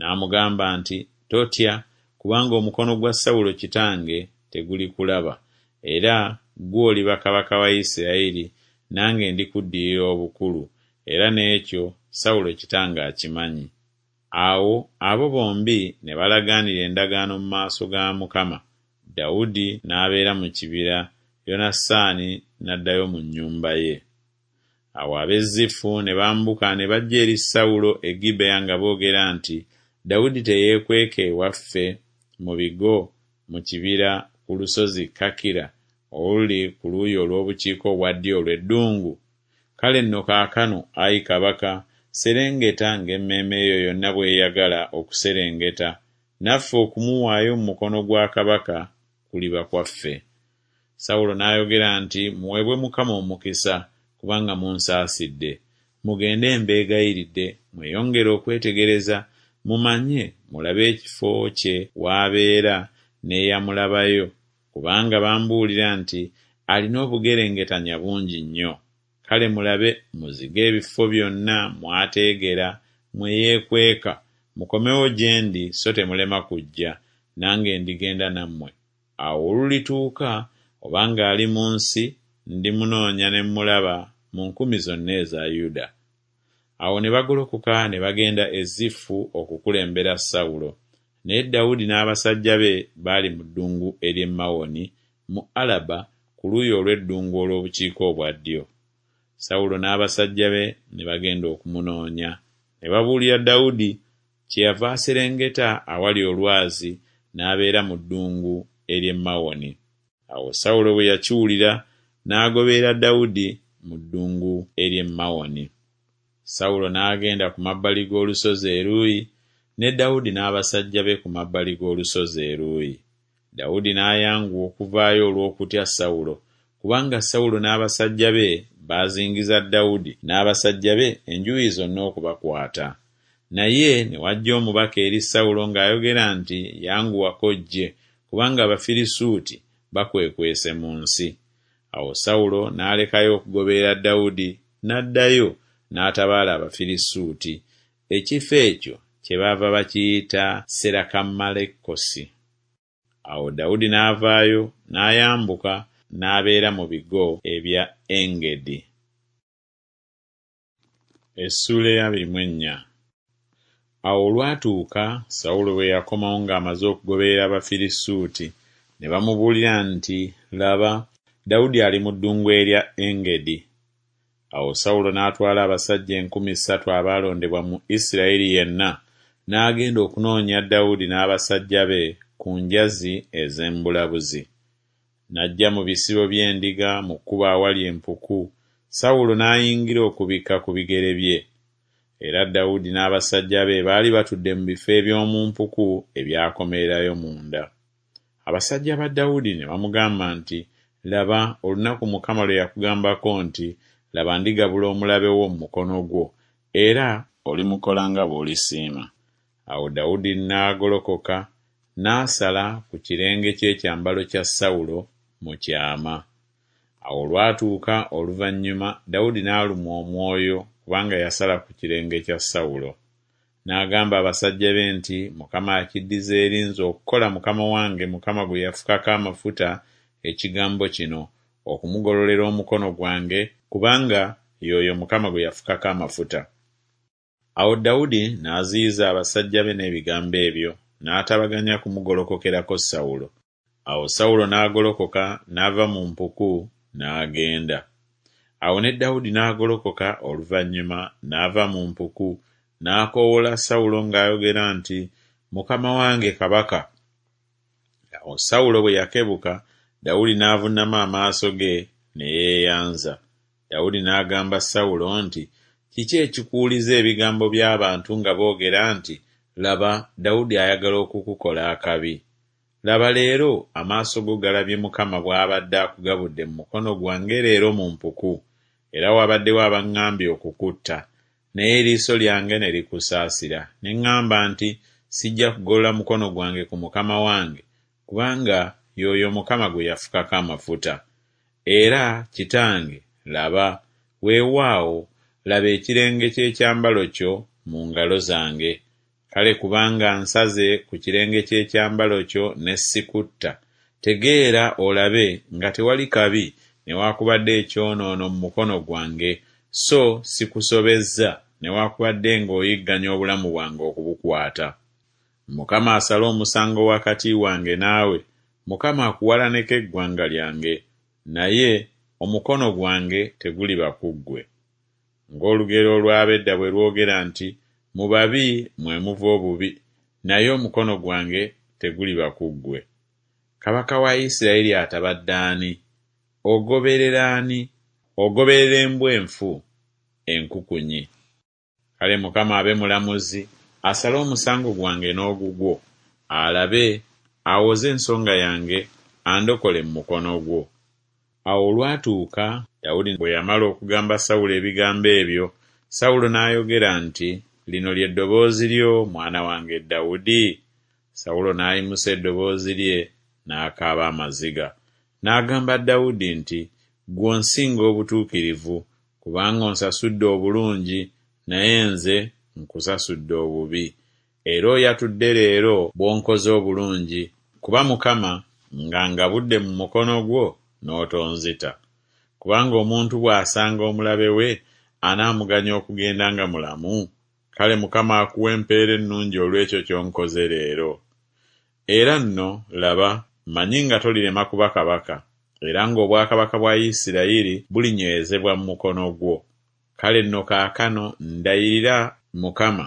N'amugamba nti, Totya, kubanga omukono gwa Sawulo kitange tegulikulaba, era ggwe oliba kabaka wa Isirayiri, nange ndikuddirira obukulu, era n'ekyo Sawulo kitange akimanyi. Awo abo bombi ne balagaanira endagaano mu maaso ga Mukama. Dawudi n'abeera mu kibira, Yonasaani n'addayo mu nnyumba ye. Awo ab'e Zifu ne bambuka ne bajja eri Sawulo e Gibeya nga boogera nti, Dawudi teyeekweka ewaffe mu bigo mu kibira ku lusozi Kakira oluli ku luuyi olw'obukiika obwa ddyo olw'eddungu? Kale nno kaakano, ayi kabaka, serengeta ng'emmeeme yo yonna bw'eyagala okuserengeta, naffe okumuwaayo mu mukono gwa kabaka kuliba kwaffe. Sawulo n'ayogera nti, Muweebwe Mukama omukisa, kubanga munsaasidde. Mugende mbeegayiridde, mweyongere okwetegereza, mumanye, mulabe ekifo kye w'abeera n'eyamulabayo, kubanga bambuulira nti alina obugerengetanya bungi nnyo. Kale mulabe muzige ebifo byonna mw'ateegera, mwe yeekweka, mukomewo gye ndi so temulema kujja, nange ndigenda nammwe. Awo olulituuka, obanga ali mu nsi, ndimunoonya ne mmulaba mu nkumi zonna eza Yuda. Awo ne bagolokoka ne bagenda e Zifu okukulembera Sawulo. Naye Dawudi n'abasajja be baali mu ddungu ery'e Mawoni mu Alaba ku luuyi olw'eddungu olw'obukiika obwa ddyo. Sawulo n'abasajja be ne bagenda okumunoonya. Ne babuulira Dawudi, kyeyava aserengeta awali olwazi n'abeera mu ddungu ery'e Mawoni. Awo Sawulo bwe yakiwulira n'agoberera Dawudi mu ddungu ery'e Mawoni. Sawulo n'agenda ku mabbali g'olusozi eruuyi, ne Dawudi n'abasajja be ku mabbali g'olusozi eruuyi. Dawudi n'ayanguwa okuvaayo olw'okutya Sawulo, kubanga Sawulo n'abasajja be baazingiza Dawudi n'abasajja be enjuuyi zonna okubakwata. Naye ne wajja omubaka eri Sawulo ng'ayogera nti, Yanguwako ojje, kubanga Abafirisuuti bakwekwese mu nsi. Awo Sawulo n'alekayo okugoberera Dawudi, n'addayo n'atabaala Abafirisuuti. Ekifo ekyo kyebaava bakiyita Serakammalekosi. Awo Dawudi n'avaayo n'ayambuka n'abeera mu bigo ebya Engedi. Essuula ey'abiri mu ennya. Awo olwatuuka Sawulo bwe yakomawo ng'amaze okugoberera Abafirisuuti, ne bamubuulira nti, Laba, Dawudi ali mu ddungu erya Engedi. Awo Sawulo n'atwala abasajja enkumi ssatu abaalondebwa mu Isirayiri yenna, n'agenda okunoonya Dawudi n'abasajja be ku njazi ez'embulabuzi. N'ajja mu bisibo by'endiga mu kkubo awali empuku, Sawulo n'ayingira okubikka ku bigere bye. Era Dawudi n'abasajja be baali batudde mu bifo eby'omu mpuku ebyakomererayo munda. Abasajja ba Dawudi ne bamugamba nti, Laba, olunaku Mukama lwe yakugambako nti, Laba, ndigabula omulabe wo mu mukono gwo, era olimukola nga bw'olisiima. Awo Dawudi n'agolokoka n'asala ku kirenge ky'ekyambalo kya Sawulo mu kyama. Awo olwatuuka oluvannyuma Dawudi n'alumwa omwoyo kubanga yasala ku kirenge kya Sawulo. N'agamba abasajja be nti, Mukama akiddize eri nze okukola mukama wange Mukama gwe yafukako amafuta ekigambo kino, okumugololera omukono gwange, kubanga y'oyo Mukama gwe yafukako amafuta. Awo Dawudi n'aziyiza abasajja be n'ebigambo ebyo, n'atabaganya kumugolokokerako Sawulo. Awo Sawulo n'agolokoka n'ava mu mpuku n'agenda. Awo ne Dawudi n'agolokoka oluvannyuma n'ava mu mpuku, n'akoowoola Sawulo ng'ayogera nti, Mukama wange kabaka. Awo Sawulo bwe yakebuka, Dawudi n'avuunama amaaso ge ne yeeyanza. Dawudi n'agamba Sawulo nti, Kiki ekikuwuliza ebigambo by'abantu nga boogera nti, Laba, Dawudi ayagala okukukola akabi? Laba leero amaaso go galabye Mukama bw'abadde akugabudde mu mukono gwange leero mu mpuku, era wabaddewo abaŋŋambye okukutta, naye eriiso lyange ne likusaasira, ne ŋŋamba nti, Sijja kugolola mukono gwange ku mukama wange, kubanga y'oyo Mukama gwe yafukako amafuta. Era, kitange, laba, weewaawo, laba ekirenge ky'ekyambalo kyo mu ngalo zange. Kale kubanga nsaze ku kirenge ky'ekyambalo kyo ne sikutta, tegeera olabe nga tewali kabi newaakubadde ekyonoono mu mukono gwange, so sikusobezza newaakubadde ng'oyigganya obulamu bwange okubukwata. Mukama asale omusango wakati wange naawe, Mukama akuwalaneko eggwanga lyange, naye omukono gwange teguliba ku ggwe. Ng'olugero olw'ab'edda bwe lwogera nti, Mu babi mwe muva obubi, naye omukono gwange teguliba ku ggwe. Kabaka wa Isirayiri atabadde ani? Ogoberera ani? Ogoberera embwa enfu, enkukunyi. Kale Mukama abe mulamuzi, asale omusango gwange n'ogugwo, alabe, awoze ensonga yange, andokole mu mukono gwo. Awo olwatuuka Dawudi bwe yamala okugamba Sawulo ebigambo ebyo, Sawulo n'ayogera nti, Lino lye ddoboozi lyo, mwana wange Dawudi? Sawulo n'ayimusa eddoboozi lye n'akaaba amaziga. N'agamba Dawudi nti, Ggwe onsinga obutuukirivu, kubanga onsasudde obulungi, naye nze nkusasudde obubi. Era oyatudde leero bw'onkoze obulungi, kuba Mukama ng'angabudde mu mukono gwo n'otonzita. Kubanga omuntu bw'asanga omulabe we, anaamuganya okugenda nga mulamu? Kale Mukama akuwe empeera ennungi olw'ekyo ky'onkoze leero. Era nno, laba, mmanyi nga tolirema kuba kabaka, era ng'obwakabaka bwa Isirayiri bulinywezebwa mu mukono gwo. Kale nno kaakano ndayirira Mukama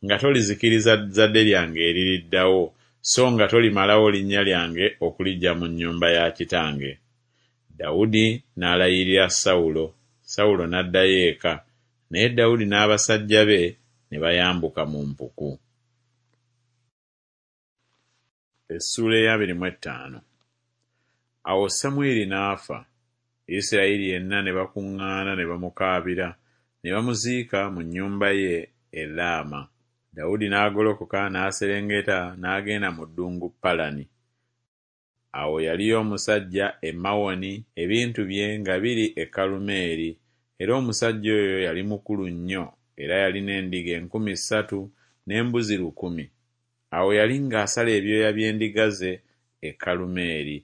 nga tolizikiriza zzadde lyange eririddawo, so nga tolimalawo linnya lyange okuliggya mu nnyumba ya kitange. Dawudi n'alayirira Sawulo. Sawulo n'addayo eka, naye Dawudi n'abasajja be ne bayambuka mu mpuku. Essuula ey'abiri mu ettaano. Awo Samwiri n'afa, Isirayiri yenna ne bakuŋŋaana ne bamukaabira, ne bamuziika mu nnyumba ye e Laama. Dawudi n'agolokoka n'aserengeta n'agenda mu ddungu Palani. Awo yaliyo omusajja e Mawoni ebintu bye nga biri e Kalumeeri, era omusajja oyo yali mukulu nnyo era yalina endiga enkumi ssatu n'embuzi lukumi. Awo yali ng'asala ebyoya by'endiga ze e Kalumeeri,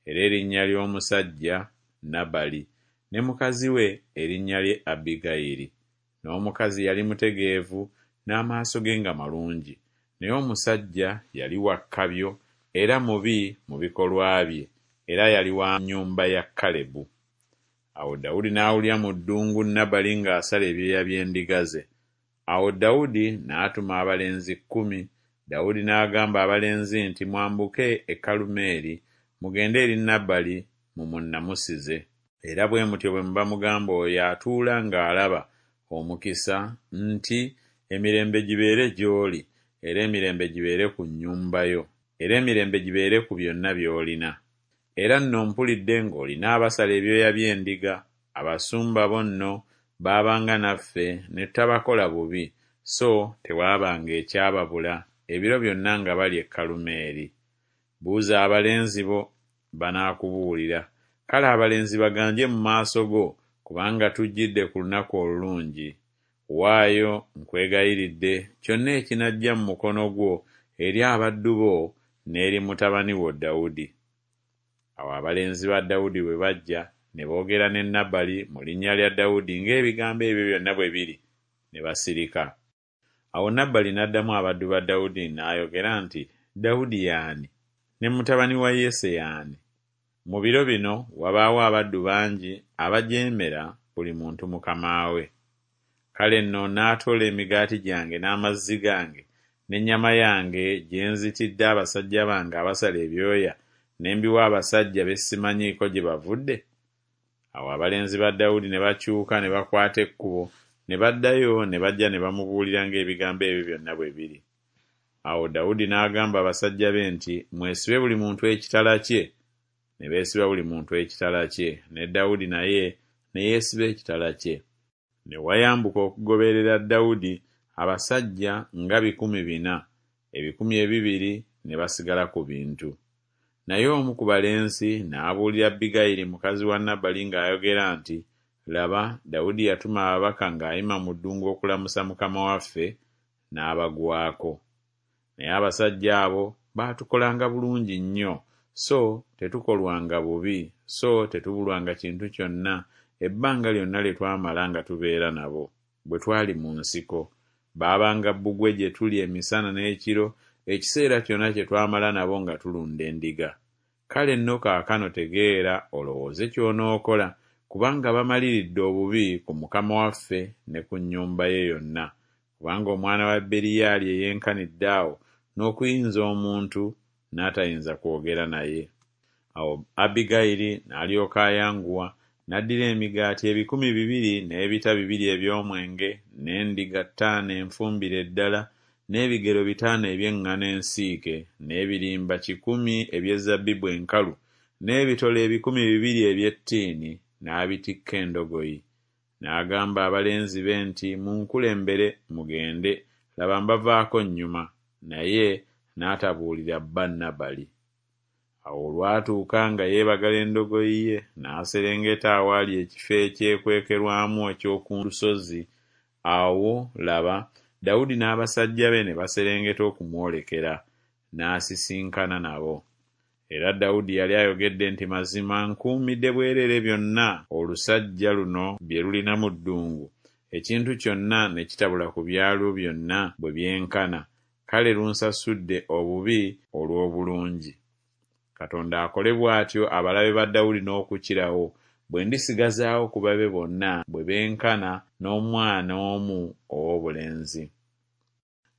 era erinnya ly'omusajja Nabali, ne mukazi we erinnya lye Abbigayiri. N'omukazi yali mutegeevu n'amaaso ge nga malungi, naye omusajja yali wa kkabyo era mubi mu bikolwa bye, era yali wa nnyumba ya Kalebu. Awo Dawudi n'awulira mu ddungu Nabali ng'asala ebyoya by'endiga ze. Awo Dawudi n'atuma abalenzi kkumi. Dawudi n'agamba abalenzi nti, Mwambuke e Kalumeeri, mugende eri Nabali mumunnamusize. Era bwe mutyo bwe muba mugamba oyo atuula ng'alaba omukisa nti, Emirembe gibeere gy'oli, era emirembe gibeere ku nnyumba yo, era emirembe gibeere ku byonna by'olina. Era nno mpulidde ng'olina abasala ebyoya by'endiga, abasumba bo nno baabanga naffe ne tutabakola bubi, so tewaabanga ekyababula ebiro byonna nga bali e Kalumeeri. Buuza abalenzi bo, banaakubuulira. Kale abalenzi baganje mu maaso go, kubanga tujjidde ku lunaku olulungi. Waayo, nkwegayiridde, kyonna ekinajja mu mukono gwo eri abaddu bo n'eri mutabani wo Dawudi. Awo abalenzi ba Dawudi bwe bajja ne boogera ne Nabali mu linnya lya Dawudi ng'ebigambo ebyo byonna bwe biri, ne basirika. Awo Nabali n'addamu abaddu ba Dawudi n'ayogera nti, Dawudi y'ani? Ne mutabani wa Yese y'ani? Mu biro bino wabaawo abaddu bangi abajeemera buli muntu mukama we. Kale nno naatoola emigaati gyange n'amazzi gange n'ennyama yange gye nzitidde abasajja bange abasala ebyoya, ne mbiwa abasajja be simanyiiko gye bavudde? Awo abalenzi ba Dawudi ne bakyuka ne bakwata ekkubo ne baddayo ne bajja ne bamubuulira ng'ebigambo ebyo byonna bwe biri. Awo Dawudi n'agamba abasajja be nti, Mwesibe buli muntu ekitala kye. Ne beesiba buli muntu ekitala kye, ne Dawudi naye ne yeesiba ekitala kye. Ne wayambuka okugoberera Dawudi abasajja nga bikumi bina, ebikumi ebibiri ne basigala ku bintu. Naye omu ku balenzi n'abuulira Abbigayiri mukazi wa Nabali ng'ayogera nti, Laba, Dawudi yatuma ababaka ng'ayima mu ddungu okulamusa mukama waffe, n'abagwako. Naye abasajja abo baatukolanga bulungi nnyo, so tetukolwanga bubi, so tetubulwanga kintu kyonna ebbanga lyonna lye twamala nga tubeera nabo, bwe twali mu nsiko. Baabanga bbugwe gye tuli emisana n'ekiro, ekiseera kyonna kye twamala nabo nga tulunda endiga. Kale nno kaakano tegeera olowooze ky'onookola, kubanga bamaliridde obubi ku mukama waffe ne ku nnyumba ye yonna, kubanga omwana wa Beriyaali eyenkanidde awo n'okuyinza omuntu n'atayinza kwogera naye. Awo Abbigayiri n'alyoka ayanguwa, n'addira emigaati ebikumi bibiri n'ebita bibiri eby'omwenge, n'endiga ttaano enfumbire ddala, n'ebigero bitaano eby'eŋŋano ensiike, n'ebirimba kikumi eby'ezabbibu enkalu, n'ebitole ebikumi bibiri eby'ettiini, n'abitikka endogoyi. N'agamba abalenzi be nti, Munkulembere mugende, laba mbavaako nnyuma. Naye n'atabuulira bba Nabali. Awo olwatuuka nga yeebagala endogoyi ye, n'aserengeta awaali ekifo ekyekwekerwamu eky'oku lusozi. Awo laba, Dawudi n'abasajja be ne baserengeta okumwolekera, n'asisinkana nabo. Era Dawudi yali ayogedde nti, Mazima nkuumidde bwereere byonna olusajja luno bye lulina mu ddungu, ekintu kyonna ne kitabula ku byalwo byonna bwe byenkana, kale lunsasudde obubi olw'obulungi. Katonda akole bw'atyo abalabe ba Dawudi n'okukirawo, bwe ndisigazaawo ku babe bonna bwe benkana n'omwana omu ow'obulenzi.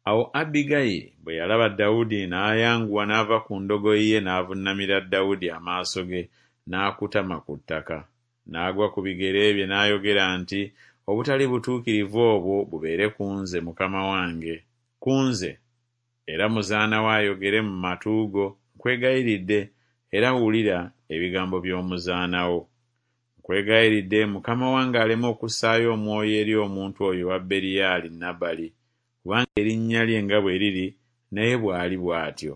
Awo Abbigayiri bwe yalaba Dawudi n'ayanguwa n'ava ku ndogoyi ye n'avunnamira Dawudi amaaso ge n'akutama ku ttaka. N'agwa ku bigere bye n'ayogera nti, Obutali butuukirivu obwo bubeere ku nze mukama wange, ku nze. Era muzaana wo ayogere mu matu go, nkwegayiridde, era wulira ebigambo by'omuzaana wo. Nkwegayiridde mukama wange aleme okussaayo omwoyo eri omuntu oyo owa Beriyali Nabali, kubanga erinnya lye nga bwe liri, naye bw'ali bw'atyo.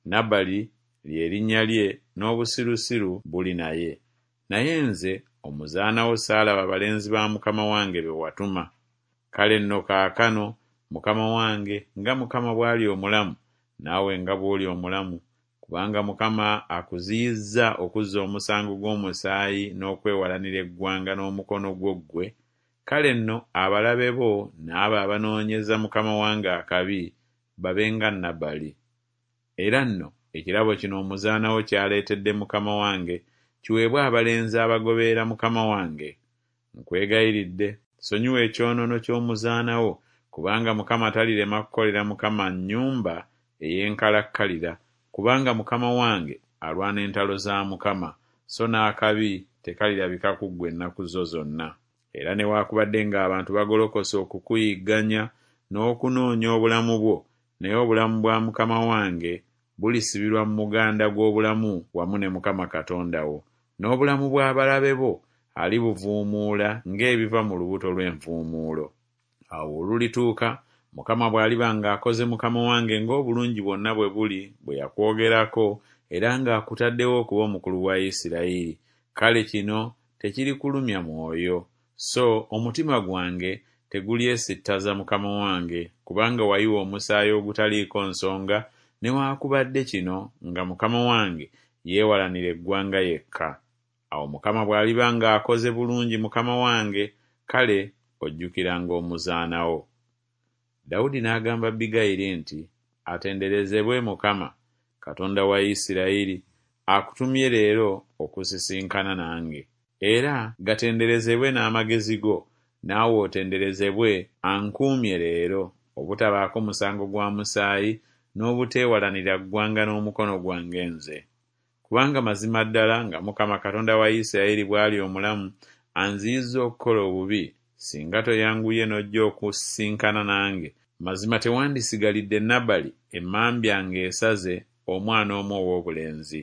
Nabali lye linnya lye n'obusirusiru buli naye. Naye nze omuzaana wo saalaba balenzi ba mukama wange be watuma. Kale nno kaakano, mukama wange, nga Mukama bw'ali omulamu, naawe nga bw'oli omulamu, kubanga Mukama akuziyizza okuzza omusango gw'omusaayi n'okwewalanira eggwanga n'omukono gwo ggwe, kale nno abalabe bo n'abo abanoonyeza mukama wange akabi babe nga Nabali. Era nno ekirabo kino omuzaana wo ky'aleetedde mukama wange kiweebwe abalenzi abagoberera mukama wange. Nkwegayiridde, sonyiwa ekyonoono ky'omuzaana wo, kubanga Mukama talirema kukolera mukama nnyumba ey'enkalakkalira, kubanga mukama wange alwana entalo za Mukama, so n'akabi tekalirabika ku ggwe ennaku zo zonna. Era newaakubadde ng'abantu bagolokose okukuyigganya n'okunoonya obulamu bwo, naye obulamu bwa mukama wange bulisibirwa mu muganda gw'obulamu wamu ne Mukama Katonda wo, n'obulamu bw'abalabe bo alibuvuumuula ng'ebiva mu lubuto lw'envuumuulo. Awo olulituuka, Mukama bw'aliba ng'akoze mukama wange ng'obulungi bwonna bwe buli bwe yakwogerako, era ng'akutaddewo okuba omukulu wa Isirayiri, kale kino tekirikulumya mwoyo, so omutima gwange tegulyesittaza mukama wange, kubanga wayiwa omusaayi ogutaliiko nsonga, newaakubadde kino nga mukama wange yeewalanira eggwanga yekka. Awo Mukama bw'aliba ng'akoze bulungi mukama wange, kale ojjukiranga omuzaana wo. Dawudi n'agamba Abbigayiri nti, Atenderezebwe Mukama, Katonda wa Isirayiri, akutumye leero okusisinkana nange. Era gatenderezebwe n'amagezi go, naawe otenderezebwe ankuumye leero, obutabaako musango gwa musaayi, n'obuteewalanira ggwanga n'omukono gwange nze. Kubanga mazima ddala nga Mukama Katonda wa Isirayiri bw'ali omulamu, anziyizza okukola obubi, singa toyanguye n'ojja okusisinkana nange, mazima tewandisigalidde Nabali emmambya ng'esaze omwana omu ow'obulenzi.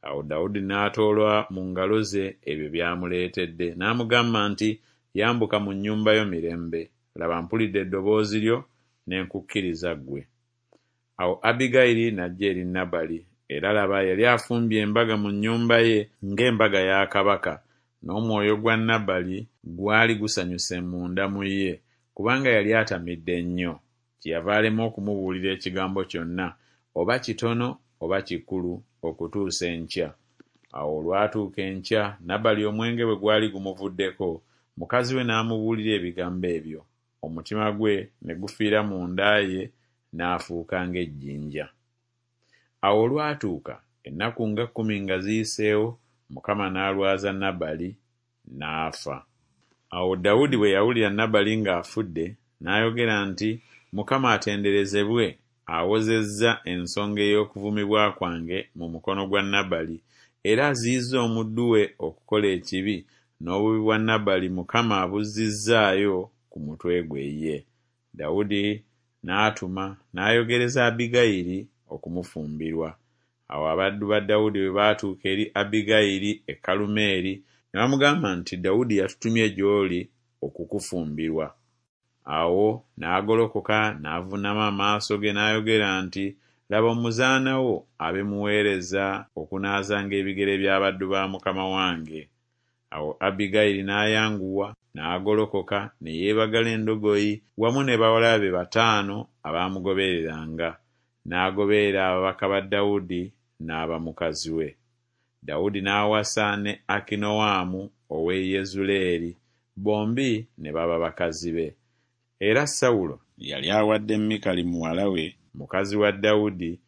Awo Dawudi n'atoola mu ngalo ze ebyo by'amuleetedde, n'amugamba nti, Yambuka mu nnyumba yo mirembe, laba mpulidde eddoboozi lyo, ne nkukkiriza ggwe. Awo Abbigayiri n'ajja eri Nabali, era laba yali afumbye embaga mu nnyumba ye ng'embaga ya kabaka, n'omwoyo gwa Nabali gwali gusanyuse munda mu ye, kubanga yali atamidde nnyo. Kyeyava alema okumubuulira ekigambo kyonna, oba kitono oba kikulu, okutuusa enkya. Awo olwatuuka enkya, Nabali omwenge bwe gwali gumuvuddeko, mukazi we n'amubuulira ebigambo ebyo, omutima gwe ne gufiira munda ye, n'afuuka ng'ejjinja. Awo olwatuuka, ennaku nga kkumi nga ziyiseewo, Mukama n'alwaza Nabali, n'afa. Awo Dawudi bwe yawulira Nabali ng'afudde, n'ayogera nti, Mukama atenderezebwe, awozezza ensonga ey'okuvumibwa kwange mu mukono gwa Nabali, era aziyizza omuddu we okukola ekibi, n'obubi bwa Nabali Mukama abuzzizzaayo ku mutwe gwe ye. Dawudi n'atuma n'ayogereza Abbigayiri okumufumbirwa. Awo abaddu ba Dawudi bwe baatuuka eri Abbigayiri e Kalumeeri, ne bamugamba nti, Dawudi yatutumye gy'oli okukufumbirwa. Awo n'agolokoka n'avuunama amaaso ge n'ayogera nti, Laba omuzaana wo abe muweereza okunaazanga ebigere by'abaddu ba mukama wange. Awo Abbigayiri n'ayanguwa n'agolokoka ne yeebagala endogoyi wamu ne bawala be bataano abaamugobereranga, n'agoberera ababaka ba Dawudi n'aba mukazi we. Dawudi n'awasa ne Akinoamu ow'e Yezuleeri, bombi ne baba bakazi be. Era Sawulo yali awadde Mikali muwala we, mukazi wa Dawudi,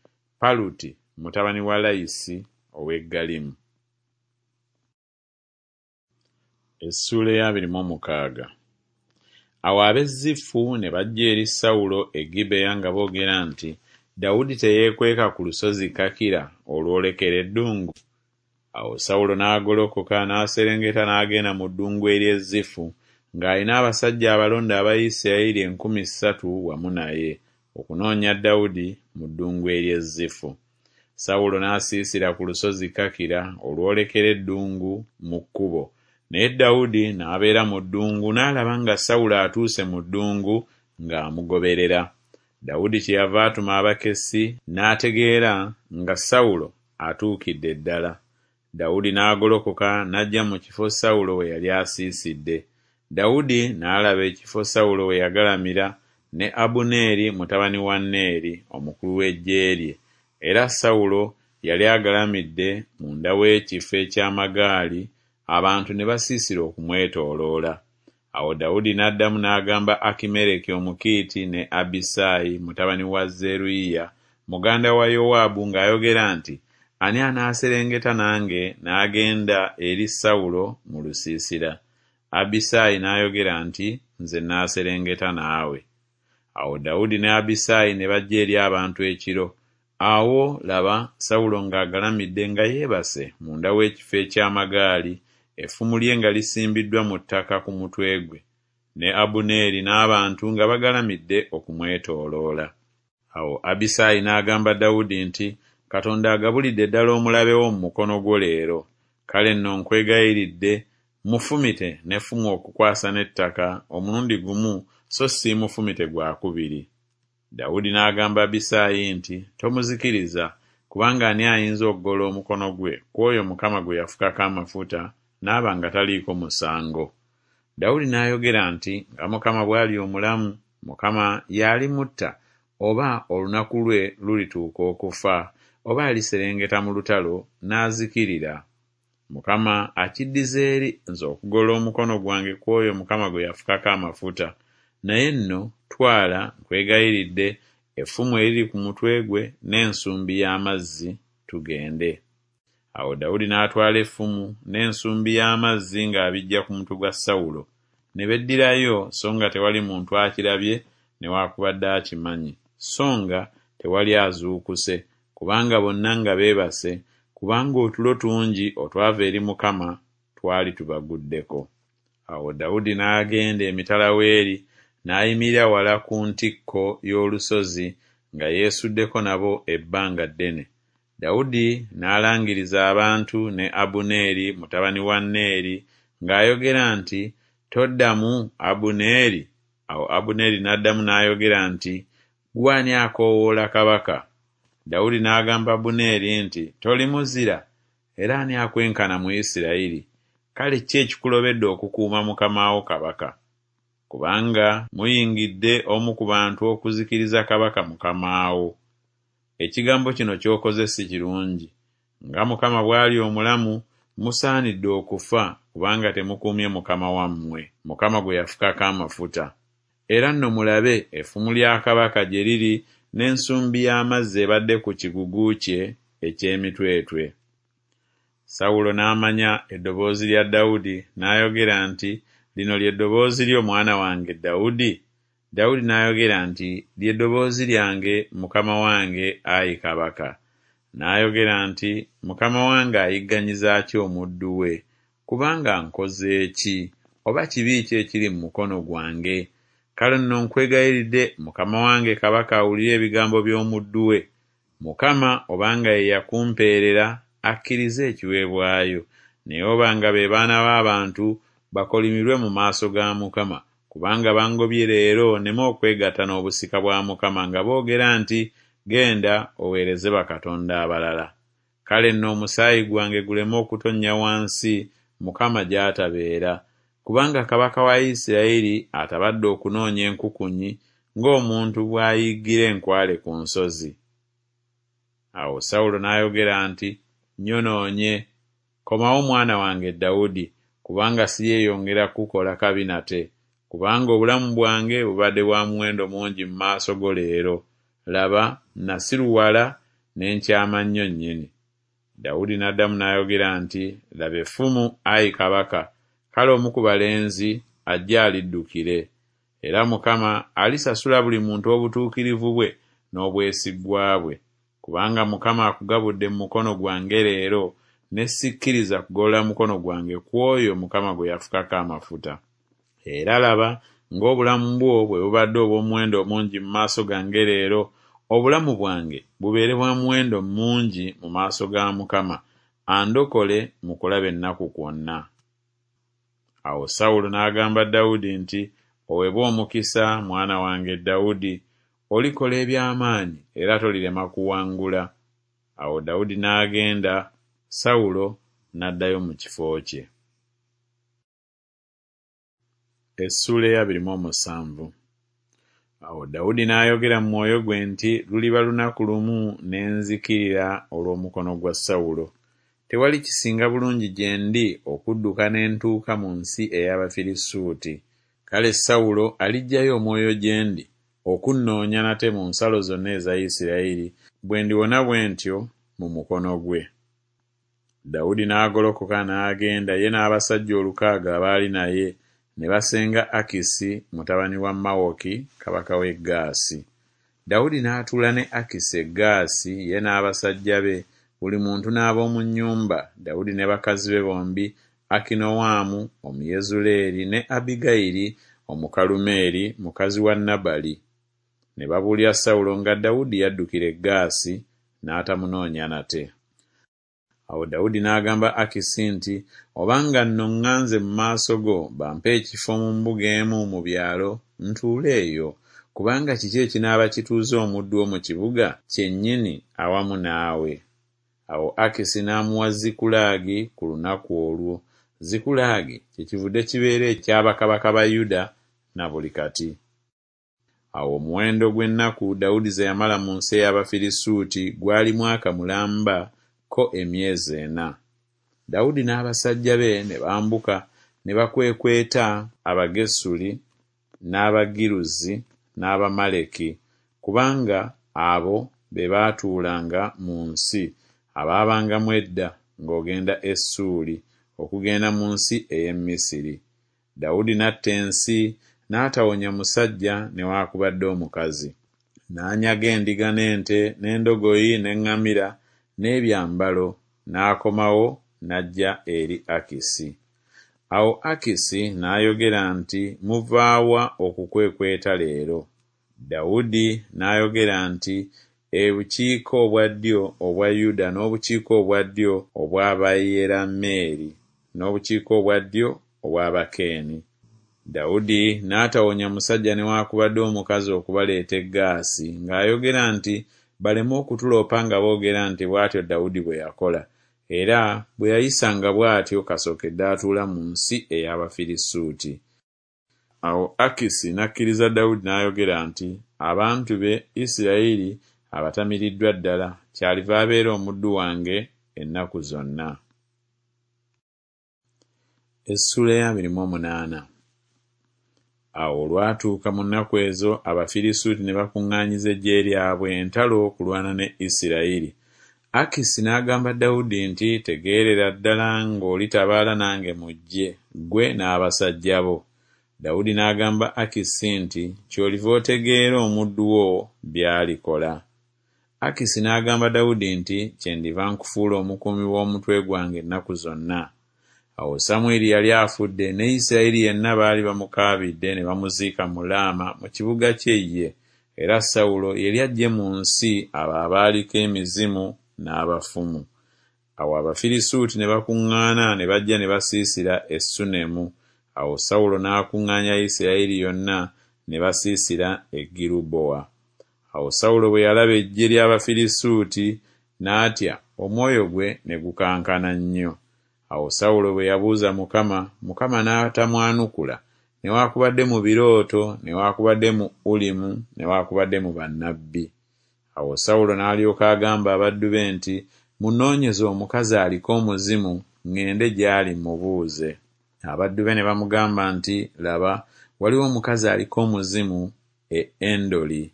Paluti mutabani wa Layisi ow'e Galimu. Essuula ey'abiri mu mukaaga. Awo ab'e Zifu ne bajja eri Sawulo e Gibeya nga boogera nti, Dawudi teyeekweka ku lusozi Kakira olwolekera eddungu? Awo Sawulo n'agolokoka n'aserengeta n'agenda mu ddungu ery'e Zifu, ng'alina abasajja abalonde aba Isirayiri enkumi ssatu wamu naye, okunoonya Dawudi mu ddungu ery'e Zifu. Sawulo n'asiisira ku lusozi Kakira olwolekera eddungu mu kkubo, naye Dawudi n'abeera mu ddungu n'alaba nga Sawulo atuuse mu ddungu ng'amugoberera. Dawudi kyeyava atuma abakessi n'ategeera nga Sawulo atuukidde ddala. Dawudi n'agolokoka n'ajja mu kifo Sawulo we yali asiisidde. Dawudi n'alaba ekifo Sawulo we yagalamira ne Abuneeri mutabani wa Neeri omukulu w'eggye lye, era Sawulo yali agalamidde munda w'ekifo eky'amagaali, abantu ne basiisira okumwetooloola. Awo Dawudi n'addamu n'agamba Akimereki Omukiiti ne Abisaayi mutabani wa Zeruyiya muganda wa Yowaabu ng'ayogera nti, Ani anaaserengeta nange n'agenda eri Sawulo mu lusiisira? Abisaayi n'ayogera nti, Nze naaserengeta naawe. Awo Dawudi ne Abisaayi ne bajja eri abantu ekiro. Awo laba, Sawulo ng'agalamidde nga yeebase munda w'ekifo eky'amagaali, effumu lye nga lisimbiddwa mu ttaka ku mutwe gwe, ne Abuneeri n'abantu nga bagalamidde okumwetooloola. Awo Abisaayi n'agamba Dawudi nti, Katonda agabulidde ddala omulabe wo mu mukono gwo leero. Kale nno nkwegayiridde, mufumite n'effumu okukwasa n'ettaka omulundi gumu so siimufumite gwa kubiri. Dawudi n'agamba Abisaayi nti, Tomuzikiriza, kubanga ani ayinza okugolola omukono gwe ku oyo Mukama gwe yafukako amafuta n'aba nga taliiko musango? Dawudi n'ayogera nti, Nga Mukama bw'ali omulamu, Mukama y'alimutta, oba olunaku lwe lulituuka okufa, oba aliserengeta mu lutalo n'azikirira. Mukama akiddize eri nze okugolola omukono gwange ku oyo Mukama gwe yafukako amafuta. Naye nno twala, nkwegayiridde, effumu eriri ku mutwe gwe n'ensumbi y'amazzi, tugende. Awo Dawudi n'atwala effumu n'ensumbi y'amazzi ng'abiggya ku mutwe gwa Sawulo, ne beddirayo so nga tewali muntu akirabye newaakubadde akimanyi, so nga tewali azuukuse, kubanga bonna nga beebase, kubanga otulo tungi otwava eri Mukama twali tubaguddeko. Awo Dawudi n'agenda emitala w'eri, n'ayimirira wala ku ntikko y'olusozi nga yeesuddeko nabo ebbanga ddene. Dawudi n'alangiriza abantu ne Abuneeri mutabani wa Neeri ng'ayogera nti, Toddamu, Abuneeri? Awo Abuneeri n'addamu n'ayogera nti, Ggwe ani akoowoola kabaka? Dawudi n'agamba Abuneeri nti, Toli muzira? Era ani akwenkana mu Isirayiri? Kale ki ekikulobedde okukuuma mukama wo kabaka? Kubanga muyingidde omu ku bantu okuzikiriza kabaka mukama wo. Ekigambo kino ky'okoze si kirungi. Nga Mukama bw'ali omulamu, musaanidde okufa, kubanga temukuumye mukama wammwe, Mukama gwe yafukako amafuta. Era nno mulabe, effumu lya kabaka gye liri n'ensumbi y'amazzi ebadde ku kigugu kye eky'emitwetwe. Sawulo n'amanya eddoboozi lya Dawudi, n'ayogera nti, Lino lye ddoboozi lyo, mwana wange Dawudi? Dawudi n'ayogera nti, Lye ddoboozi lyange, mukama wange, ayi kabaka. N'ayogera nti, Mukama wange ayigganyiza ki omuddu we? Kubanga nkoze ki, oba kibi ki ekiri mu mukono gwange? Kale nno nkwegayiridde, mukama wange kabaka awulire ebigambo by'omuddu we. Mukama obanga ye yakumpeerera, akkirize ekiweebwayo, naye obanga be baana b'abantu, bakolimirwe mu maaso ga Mukama, kubanga bangobye leero nneme okwegatta n'obusika bwa Mukama nga boogera nti, Genda oweereze bakatonda abalala. Kale nno omusaayi gwange guleme okutonnya wansi Mukama gy'atabeera, kubanga kabaka wa Isirayiri atabadde okunoonya enkukunyi ng'omuntu bw'ayiggira enkwale ku nsozi. Awo Sawulo n'ayogera nti, Nnyonoonye. Komawo mwana wange Dawudi, kubanga siryeyongera kukukola kabi nate, kubanga obulamu bwange bubadde bwa muwendo mungi mu maaso go leero. Laba, nasiruwala ne nkyama nnyo nnyini. Dawudi n'addamu n'ayogera nti, Laba effumu, ayi kabaka, kale omu ku balenzi ajje aliddukire. Era Mukama alisasula buli muntu obutuukirivu bwe n'obwesigwa bwe, kubanga Mukama akugabudde mu mukono gwange leero, ne sikkiriza kugolola mukono gwange ku oyo Mukama gwe yafukako amafuta. Era laba, ng'obulamu bwo bwe bubadde obw'omuwendo omungi mu maaso gange leero, obulamu bwange bubeere bwa muwendo mungi mu maaso ga Mukama, andokole mu kulaba ennaku kwonna. Awo Sawulo n'agamba Dawudi nti, Oweebwe omukisa, mwana wange Dawudi, olikola eby'amaanyi era tolirema kuwangula. Awo Dawudi n'agenda, Sawulo n'addayo mu kifo kye. Essuula ey'abiri mu omusanvu. Awo Dawudi n'ayogera mu mwoyo gwe nti, Luliba lunaku lumu ne nzikirira olw'omukono gwa Sawulo. Tewali kisinga bulungi gye ndi okudduka ne ntuuka mu nsi ey'Abafirisuuti. Kale Sawulo aliggyayo omwoyo gye ndi okunnoonya nate mu nsalo zonna eza Isirayiri, bwe ndiwona bwe ntyo mu mukono gwe. Dawudi n'agolokoka n'agenda ye n'abasajja olukaaga abaali naye, ne basenga Akisi mutabani wa Mawoki kabaka w'e Gaasi. Dawudi n'atuula ne Akisi e Gaasi ye n'abasajja be, buli muntu n'ab'omu nnyumba, Dawudi ne bakazi be bombi, Akinoamu Omuyezuleeri ne Abbigayiri Omukalumeeri mukazi wa Nabali. Ne babuulira Sawulo nga Dawudi yaddukira e Gaasi, n'atamunoonya nate. Awo Dawudi n'agamba Akisi nti, Obanga nno ŋŋanze mu maaso go, bampe ekifo mu mbuga emu mu byalo, ntuule eyo, kubanga kiki ekinaaba kituuza omuddu wo mu kibuga kyennyini awamu naawe? Awo Akisi n'amuwa Zikulaagi ku lunaku olwo. Zikulaagi kyekivudde kibeera ekya bakabaka ba Yuda na buli kati. Awo omuwendo gw'ennaku Dawudi ze yamala mu nsi ey'Abafirisuuti gwali mwaka mulamba ko emyezi ena. Dawudi n'abasajja be ne bambuka ne bakwekweta Abagesuli n'Abagiruzi n'Abamaleki, kubanga abo be baatuulanga mu nsi abaabangamu edda ng'ogenda e Ssuuli, okugenda mu nsi ey'e Misiri. Dawudi n'atta ensi, n'atawonya musajja newaakubadde omukazi. N'anyaga endiga n'ente n'endogoyi n'eŋŋamira n'ebyambalo, n'akomawo n'ajja eri Akisi. Awo Akisi n'ayogera nti, Muva wa okukwekweta leero? Dawudi n'ayogera nti, Ebukiika obwa ddyo obwa Yuda n'obukiika obwa ddyo obw'Abayerameeri n'obukiika obwa ddyo obw'Abakeeni. Dawudi n'atawonya musajja newaakubadde omukazi okubaleeta e Gaasi, ng'ayogera nti, Baleme okutuloopa nga boogera nti Bw'atyo Dawudi bwe yakola, era bwe yayisanga bw'atyo kasookedde atuula mu nsi ey'Abafirisuuti. Awo Akisi n'akkiriza Dawudi n'ayogera nti, Abantu be Isirayiri abatamiriddwa ddala, kyaliva abeera omuddu wange ennaku zonna. Essuula ey'abiri mu omunaana. Awo olwatuuka mu nnaku ezo Abafirisuuti ne bakuŋŋaanyiza eggye lyabwe entalo okulwana ne Isirayiri. Akisi n'agamba Dawudi nti, Tegeerera ddala ng'olitabaala nange mu ggye, ggwe n'abasajja bo. Dawudi n'agamba Akisi nti, Ky'oliva otegeera omuddu wo by'alikola. Akisi n'agamba Dawudi nti, Kyendiva nkufuula omukuumi w'omutwe gwange ennaku zonna. Awo Samwiri yali afudde, ne Isirayiri yenna baali bamukaabidde ne bamuziika mu Laama mu kibuga kye ye, era Sawulo yali aggye mu nsi abo abaaliko emizimu n'abafumu. Awo Abafirisuuti ne bakuŋŋaana ne bajja ne basiisira e Sunemu. Awo Sawulo n'akuŋŋaanya Isirayiri yonna ne basiisira e Girubowa. Awo Sawulo bwe yalaba eggye ly'Abafirisuuti, n'atya, omwoyo gwe ne gukankana nnyo. Awo Sawulo bwe yabuuza Mukama, Mukama n'atamwanukula, newaakubadde mu birooto, newaakubadde mu Ulimu, newaakubadde mu bannabbi. Awo Sawulo n'alyoka agamba abaddu be nti, Munnoonyeze omukazi aliko omuzimu, ŋŋende gy'ali mmubuuze. Abaddu be ne bamugamba nti, Laba, waliwo omukazi aliko omuzimu e Endoli.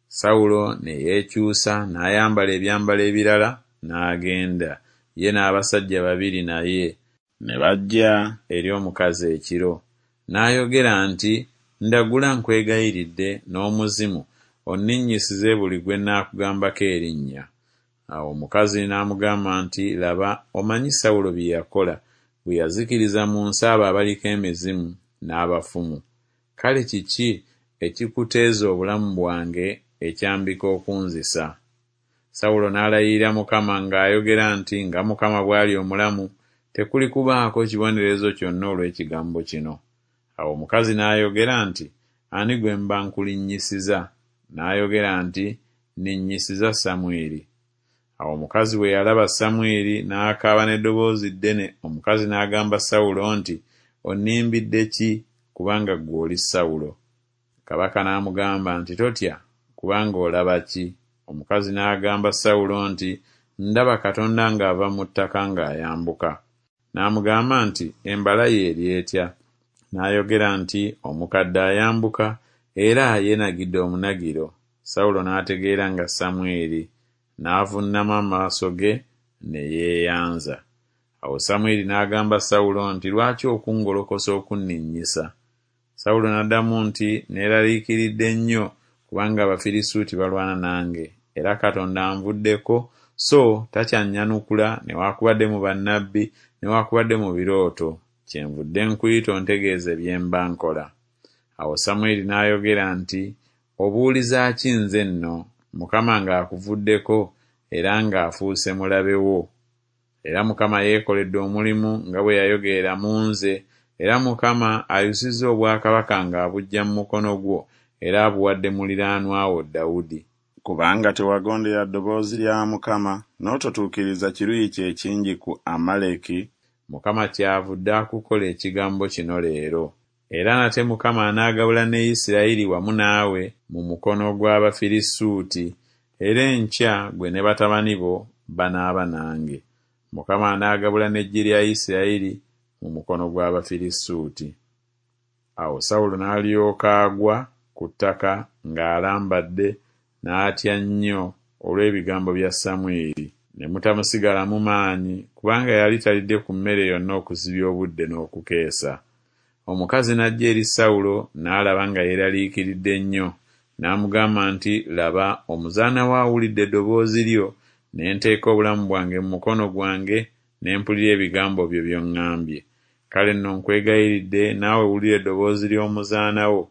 Sawulo ne yeekyusa n'ayambala ebyambalo ebirala n'agenda, ye n'abasajja babiri naye, ne bajja eri omukazi ekiro. N'ayogera nti, Ndagula nkwegayiridde n'omuzimu, onninnyisize buli gwe nnaakugambako erinnya. Awo omukazi n'amugamba nti, Laba, omanyi Sawulo bye yakola, bwe yazikiriza mu nsi abo abaliko emizimu n'abafumu. Kale kiki ekikuteeza obulamu bwange ekyambika okunzisa? Sawulo n'alayirira Mukama ng'ayogera nti, Nga Mukama bw'ali omulamu, tekuli kubaako kibonerezo kyonna olw'ekigambo kino. Awo omukazi n'ayogera nti, Ani gwe mba nkulinnyisiza? N'ayogera nti, Nninnyisiza Samwiri. Awo omukazi bwe yalaba Samwiri n'akaaba n'eddoboozi ddene. Omukazi n'agamba Sawulo nti, Onnimbidde ki, kubanga ggwe oli Sawulo? Kabaka n'amugamba nti, Totya, kubanga olaba ki? Omukazi n'agamba Sawulo nti, Ndaba Katonda ng'ava mu ttaka ng'ayambuka. N'amugamba nti, Embala ye eri etya? N'ayogera nti, Omukadde ayambuka, era yeenagidde omunagiro. Sawulo n'ategeera nga Samwiri, n'avuunama amaaso ge ne yeeyanza. Awo Samwiri n'agamba Sawulo nti, Lwaki okungolokosa okunninnyisa? Sawulo n'addamu nti, Neeraliikiridde nnyo, kubanga Abafirisuuti balwana nange, era Katonda anvuddeko, so takyannyanukula newaakubadde mu bannabbi newaakubadde mu birooto, kyenvudde nkuyita ontegeeze bye mba nkola. Awo Samwiri n'ayogera nti, Obuuliza ki nze nno, Mukama ng'akuvuddeko era ng'afuuse mulabe wo? Era Mukama yeekoledde omulimu nga bwe yayogerera mu nze, era Mukama ayusizza obwakabaka ng'abuggya mu mukono gwo, era abuwadde muliraanwa wo Dawudi. Kubanga tewagondera ddoboozi lya Mukama, n'ototuukiriza kiruyi kye ekingi ku Amaleki, Mukama kyavudde akukola ekigambo kino leero. Era nate Mukama anaagabula ne Isirayiri wamu naawe mu mukono gw'Abafirisuuti, era enkya ggwe ne batabani bo banaaba nange. Mukama anaagabula n'eggye lya Isirayiri mu mukono gw'Abafirisuuti. Awo Sawulo n'alyoka agwa ku ttaka ng'alambadde, n'atya nnyo olw'ebigambo bya Samwiri. Ne mutamusigalamu maanyi, kubanga yali talidde ku mmere yonna okuzibya obudde n'okukeesa. Omukazi n'ajja eri Sawulo n'alaba nga yeeraliikiridde nnyo, n'amugamba nti, Laba, omuzaana wo awulidde eddoboozi lyo, ne nteeka obulamu bwange mu mukono gwange, ne mpulira ebigambo byo by'oŋŋambye. Kale nno nkwegayiridde naawe wulira eddoboozi ly'omuzaana wo,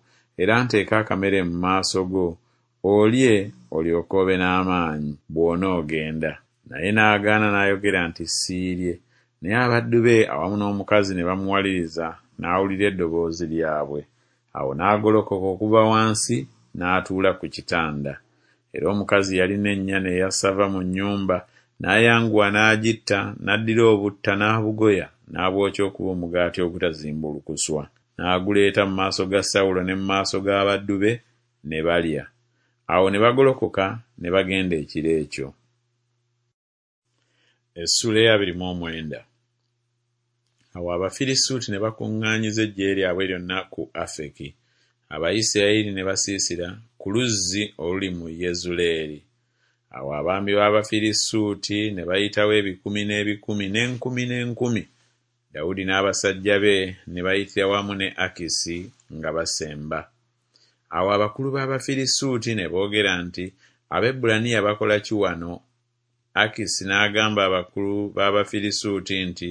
era nteeke akamere mu maaso go, olye olyoke obe n'amaanyi bw'onoogenda. Naye n'agaana n'ayogera nti, Siirye. Naye abaddu be awamu n'omukazi ne bamuwaliriza, n'awulira eddoboozi lyabwe. Awo n'agolokoka okuva wansi n'atuula ku kitanda. Era omukazi yalina ennyana eya ssava mu nnyumba, n'ayanguwa n'agitta, n'addira obutta n'abugoya, n'abwokya okuba omugaati ogutazimbulukuswa. N'aguleeta mu maaso ga Sawulo ne mu maaso g'abaddu be, ne balya. Awo ne bagolokoka ne bagenda ekiro ekyo. Essuula ey'abiri mu omwenda. Awo Abafirisuuti ne bakuŋŋaanyiza eggye lyabwe lyonna ku Afeki. Abayisirayiri ne basiisira ku luzzi oluli mu Yezuleeri. Awo abaami b'Abafirisuuti ne bayitawo ebikumi n'ebikumi n'enkumi n'enkumi. Dawudi n'abasajja be ne bayitira wamu ne Akisi nga basemba. Awo abakulu b'Abafirisuuti ne boogera nti, Abaebbulaniya bakola ki wano? Akisi n'agamba abakulu b'Abafirisuuti nti,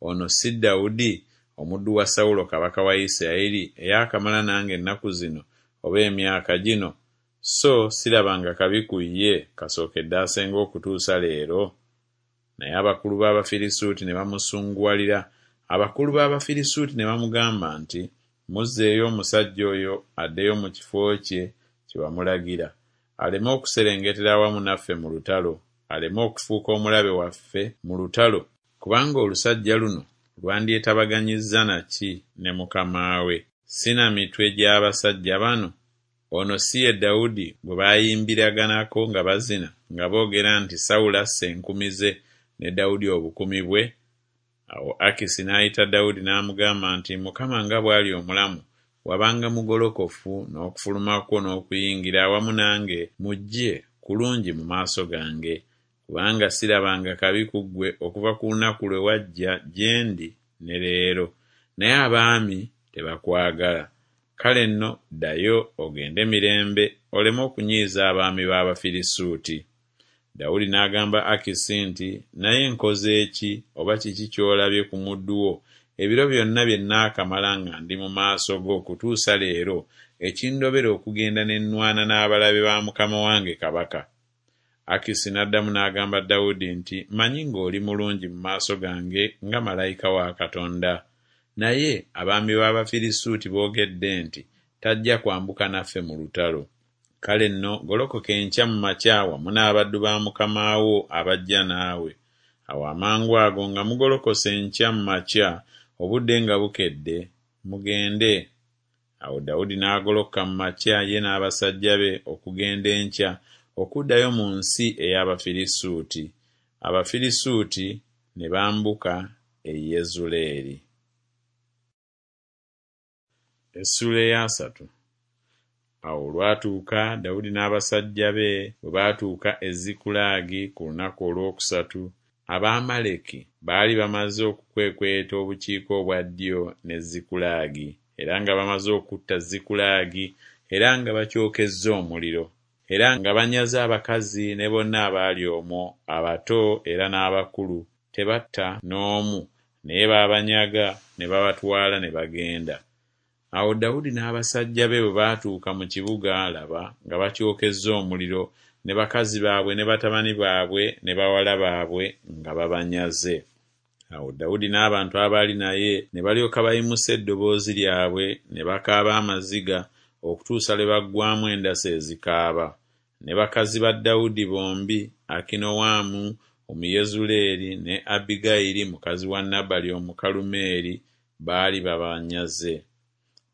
Ono si Dawudi, omuddu wa Sawulo kabaka wa Isirayiri, eyaakamala nange ennaku zino oba emyaka gino, so sirabanga kabi ku ye kasookedde asenga okutuusa leero? Naye abakulu b'Abafirisuuti ne bamusunguwalira, abakulu b'Abafirisuuti ne bamugamba nti, Muzzeeyo omusajja oyo addeyo mu kifo kye kye wamulagira, aleme okuserengetera awamu naffe mu lutalo, aleme okufuuka omulabe waffe mu lutalo, kubanga olusajja luno lwandyetabaganyizza na ki ne mukama we, si na mitwe gy'abasajja bano? Ono si ye Dawudi gwe baayimbiraganako nga bazina, nga boogera nti Sawulo asse enkumi ze ne Dawudi obukumi bwe? Awo Akisi n'ayita Dawudi n'amugamba nti, Mukama nga bw'ali omulamu, wabanga mugolokofu n'okufuluma kwo n'okuyingira awamu nange mu ggye kulungi mu maaso gange, kubanga sirabanga kabi ku ggwe okuva ku lunaku lwe wajja gye ndi ne leero, naye abaami tebakwagala. Kale nno ddayo ogende mirembe, oleme okunyiiza abaami b'Abafirisuuti. Dawudi n'agamba Akisi nti, Naye nkoze ki, oba kiki ky'olabye ku muddu wo ebiro byonna bye nnaakamala nga ndi mu maaso go okutuusa leero, ekindobera okugenda ne nnwana n'abalabe ba mukama wange kabaka? Akisi n'addamu n'agamba Dawudi nti, Mmanyi ng'oli mulungi mu maaso gange nga malayika wa Katonda. Naye abaami b'Abafirisuuti boogedde nti, Tajja kwambuka naffe mu lutalo. Kale nno golokoka enkya mu makya wamu n'abaddu ba mukama wo abajja naawe. Awo amangu ago nga mugolokose enkya mu makya, obudde nga bukedde, mugende. Awo Dawudi n'agolokoka mu makya ye n'abasajja be okugenda enkya okuddayo mu nsi ey'Abafirisuuti. Abafirisuuti ne bambuka e Yezuleeri. Essuula eyasatu. Awo olwatuuka Dawudi n'abasajja be bwe baatuuka e Zikulaagi ku lunaku olwokusatu, Abaamaleki baali bamaze okukwekweta obukiika obwa ddyo ne Zikulaagi, era nga bamaze okutta Zikulaagi, era nga bakyokezza omuliro, era nga banyaze abakazi ne bonna abaali omwo, abato era n'abakulu, tebatta n'omu, naye baabanyaga ne babatwala ne bagenda. Awo Dawudi n'abasajja be bwe baatuuka mu kibuga, laba, nga bakyokezza omuliro, ne bakazi baabwe ne batabani baabwe ne bawala baabwe nga babanyaze. Awo Dawudi n'abantu abaali naye ne balyoka bayimusa eddoboozi lyabwe ne bakaaba amaziga okutuusa lwe baggwaamu endasi ezikaaba. Ne bakazi ba Dawudi bombi, Akinowamu Omuyezuleeri ne Abbigayiri mukazi wa Nabali Omukalumeeri, baali babanyaze.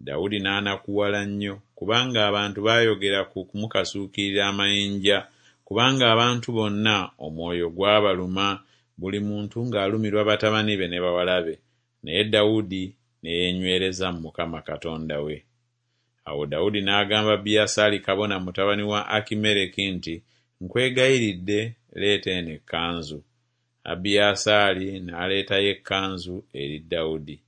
Dawudi n'anakuwala nnyo, kubanga abantu baayogera ku kumukasuukirira amayinja, kubanga abantu bonna omwoyo gwabaluma, buli muntu ng'alumirwa batabani be ne bawala be. Naye Dawudi ne yeenywereza mu Mukama Katonda we. Awo Dawudi n'agamba Abiyasaali kabona mutabani wa Akimereki nti, Nkwegayiridde, leeta eno ekkanzu. Abiyasaali n'aleetayo ekkanzu eri Dawudi.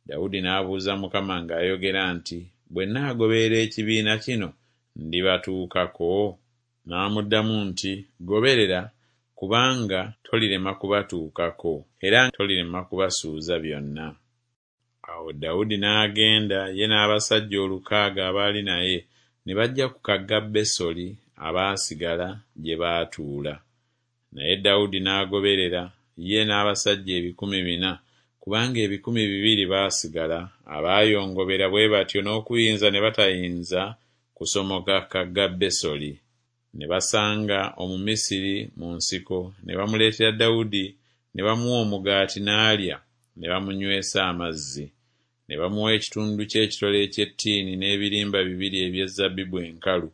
Dawudi n'abuuza Mukama ng'ayogera nti, Bwe nnaagoberera ekibiina kino, ndibatuukako? N'amuddamu nti, Goberera, kubanga tolirema kubatuukako, era tolirema kubasuuza byonna. Awo Dawudi n'agenda ye n'abasajja olukaaga abaali naye, ne bajja ku kagga Besoli abaasigala gye baatuula. Naye Dawudi n'agoberera, ye n'abasajja ebikumi bina, kubanga ebikumi bibiri baasigala, abaayongobera bwe batyo n'okuyinza ne batayinza kusomoka kagga Besoli. Ne basanga Omumisiri mu nsiko, ne bamuleetera Dawudi, ne bamuwa omugaati n'alya, ne bamunywesa amazzi. Ne bamuwa ekitundu ky'ekitole eky'ettiini n'ebirimba bibiri eby'ezabbibu enkalu.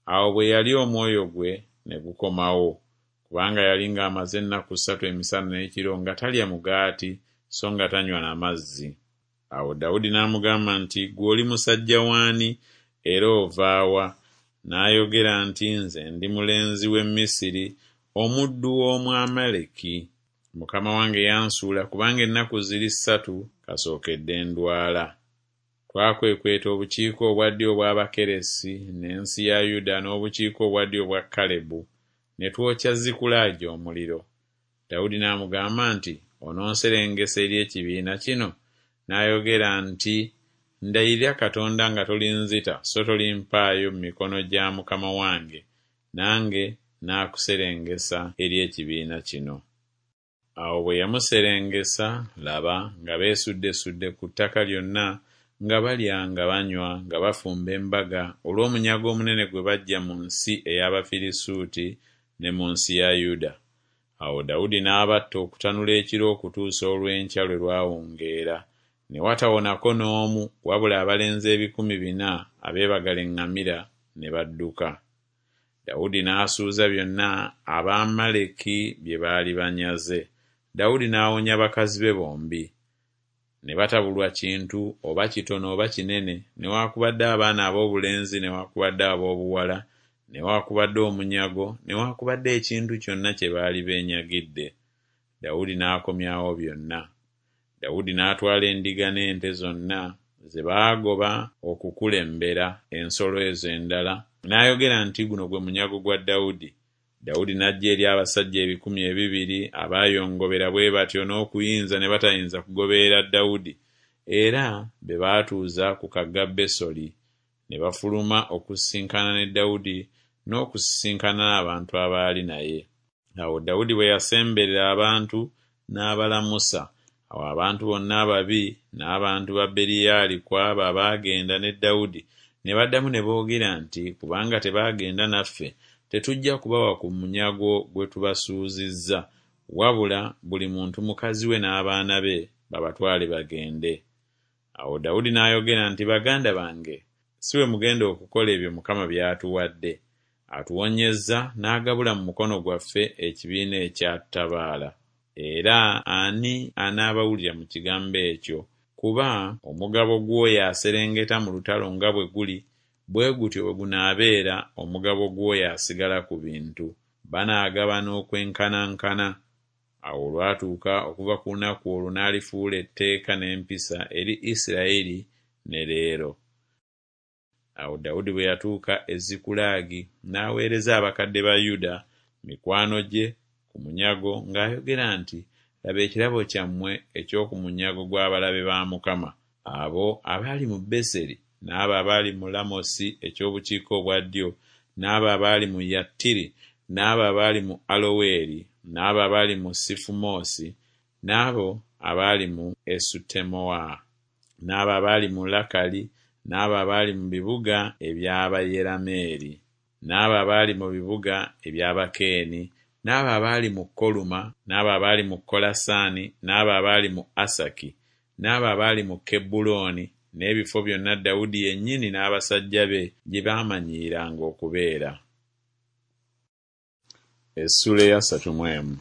Awo bwe yalya omwoyo gwe ne gukomawo, kubanga yali ng'amaze ennaku ssatu emisana n'ekiro nga talya mugaati so nga tanywa na mazzi. Awo Dawudi n'amugamba nti, Ggwe oli musajja w'ani, era ova wa? N'ayogera nti, Nze ndi mulenzi w'e Misiri, omuddu w'Omwamaleki. Mukama wange yansuula kubanga ennaku ziri ssatu kasookedde ndwala. Twakwekweta obukiika obwa ddyo obw'Abakeresi n'ensi ya Yuda n'obukiika obwa ddyo obwa Kalebu, ne twokya Zikulaagi omuliro. Dawudi n'amugamba nti, Ononserengesa eri ekibiina kino? N'ayogera nti, Ndayirira Katonda nga tolinzita so tolimpaayo mu mikono gya mukama wange, nange naakuserengesa eri ekibiina kino. Awo bwe yamuserengesa, laba, nga beesuddesudde ku ttaka lyonna, nga balya nga banywa nga bafumba embaga olw'omunyago omunene gwe baggya mu nsi ey'Abafirisuuti ne mu nsi ya Yuda. Awo Dawudi n'abatta okutanula ekiro okutuusa olw'enkya lwe lwawungeera, ne watawonako n'omu wabula abalenzi ebikumi bina abeebagala eŋŋamira ne badduka. Dawudi n'asuuza byonna Abamaleki bye baali banyaze. Dawudi n'awonya bakazi be bombi. Ne batabulwa kintu oba kitono oba kinene, newaakubadde abaana ab'obulenzi newaakubadde ab'obuwala, newaakubadde omunyago, newaakubadde ekintu kyonna kye baali beenyagidde. Dawudi n'akomyawo byonna. Dawudi n'atwala endiga n'ente zonna ze baagoba okukulembera ensolo ezo endala, n'ayogera nti guno gwe munyago gwa Dawudi. Dawudi n'ajja eri abasajja ebikumi ebibiri abaayongobera bwe batyo n'okuyinza ne batayinza kugoberera Dawudi, era be baatuuza ku kagga Besoli, ne bafuluma okusisinkana ne Dawudi n'okusisinkana n'abantu abaali naye. Awo Dawudi bwe yasemberera abantu n'abalamusa. Awo abantu bonna ababi n'abantu ba Beriyali ku abo abaagenda ne Dawudi ne baddamu ne boogera nti, Kubanga tebaagenda naffe, tetujja kubawa ku munyago gwe tubasuuzizza, wabula buli muntu mukazi we n'abaana be babatwale bagende. Awo Dawudi n'ayogera nti, Baganda bange, si bwe mugenda okukola ebyo Mukama by'atuwadde. Atuwonyezza n'agabula mu mukono gwaffe ekibiina ekyatabaala. Era ani anaabawulira mu kigambo ekyo? Kuba omugabo gw'oyo aserengeta mu lutalo nga bwe guli, bwe gutyo bwe gunaabeera omugabo gw'oyo asigala ku bintu. Banaagabana okwenkanankana. Awo olwatuuka okuva ku lunaku olwo n'alifuula etteeka n'empisa eri Isirayiri ne leero. Awo Dawudi bwe yatuuka e Zikulagi n'aweereza abakadde ba Yuda, mikwano gye, ku munyago ng'ayogera nti, Laba ekirabo kyammwe eky'oku munyago gw'abalabe ba Mukama, abo abaali mu Beseri n'abo abaali mu Lamosi eky'obukiika obwa ddyo, n'abo abaali mu Yattiri, n'abo abaali mu Aloweri, n'abo abaali mu Sifumoosi, n'abo abaali mu Esutemoa, n'abo abaali mu Lakali, n'abo abaali mu bibuga eby'Abayerameeri, n'abo abaali mu bibuga eby'Abakeeni, n'abo abaali mu Koluma, n'abo abaali mu Kolasaani, n'abo abaali mu Asaki, n'abo abaali mu Kebbulooni, n'ebifo byonna Dawudi yennyini n'abasajja be gye baamanyiiranga okubeera. Essuula eyasatu mu emu.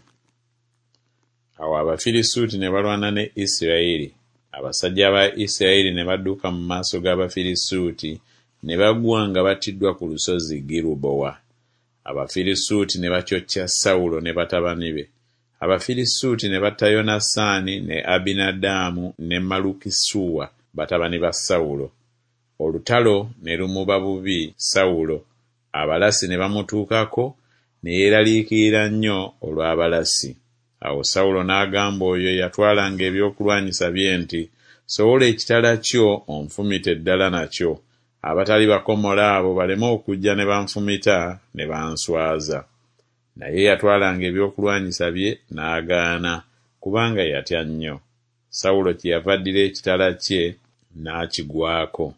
Awo Abafirisuuti ne balwana ne Isirayiri. Abasajja ba Isirayiri ne badduka mu maaso g'Abafirisuuti, ne bagwa nga battiddwa ku lusozi Girubowa. Abafirisuuti ne bakyokya Sawulo ne batabani be. Abafirisuuti ne batta Yonasaani ne Abinadaamu ne Malukisuwa batabani ba Sawulo. Olutalo ne lumuba bubi Sawulo, abalasi ne bamutuukako, ne yeeraliikirira nnyo olw'abalasi. Awo Sawulo n'agamba oyo eyatwalanga ebyokulwanyisa bye nti, Sowola ekitala kyo onfumite ddala nakyo, abatali bakomole abo baleme okujja ne banfumita ne banswaza. Naye eyatwalanga ebyokulwanyisa bye n'agaana, kubanga yatya nnyo. Sawulo kyeyava addira ekitala kye n'akigwako.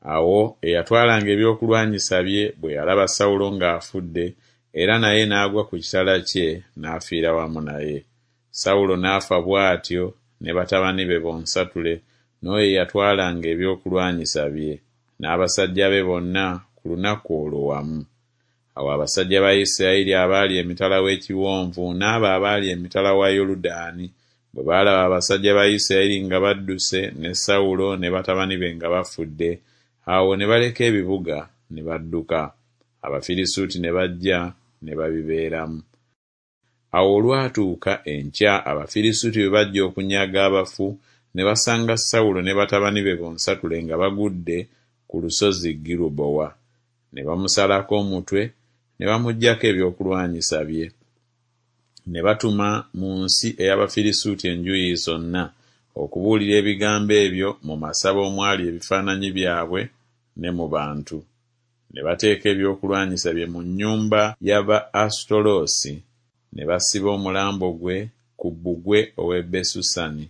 Awo eyatwalanga ebyokulwanyisa bye bwe yalaba Sawulo ng'afudde, era naye n'agwa ku kitala kye n'afiira wamu naye. Sawulo n'afa bw'atyo ne batabani be bonsatule n'oyo eyatwalanga ebyokulwanyisa bye, n'abasajja be bonna ku lunaku olwo wamu. Awo abasajja ba Isirayiri abaali emitala w'ekiwonvu n'abo abaali emitala wa Yoludaani bwe baalaba abasajja ba Isirayiri nga badduse ne Sawulo ne batabani be nga bafudde, awo ne baleka ebibuga ne badduka. Abafirisuuti ne bajja ne babibeeramu. Awo olwatuuka enkya Abafirisuuti bwe bajja okunyaga abafu, ne basanga Sawulo ne batabani be bonsatule nga bagudde ku lusozi Girubowa. Ne bamusalako omutwe, ne bamuggyako ebyokulwanyisa bye. Ne batuma mu nsi ey'Abafirisuuti enjuyi zonna okubuulira ebigambo ebyo mu masabo omwali ebifaananyi byabwe ne mu bantu. Ne bateeka ebyokulwanyisa bye mu nnyumba ya Ba-Asutoloosi, ne basiba omulambo gwe ku bbugwe ow'e Besusani.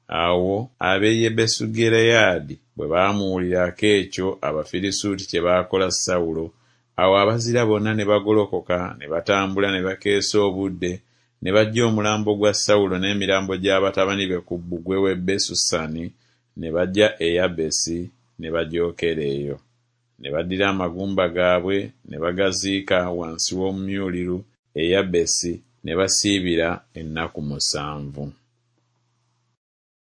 Awo ab'e Yebesugireyaadi bwe baamuwulirako ekyo Abafirisuuti kye baakola Sawulo, awo abazira bonna ne bagolokoka ne batambula ne bakeesa obudde, ne baggya omulambo gwa Sawulo n'emirambo gya batabani be ku bbugwe w'e Besusani, ne bajja e Yabesi ne bagyokera eyo. Ne baddira amagumba gaabwe ne bagaziika wansi w'omumyuliru e Yabesi, ne basiibira ennaku musanvu.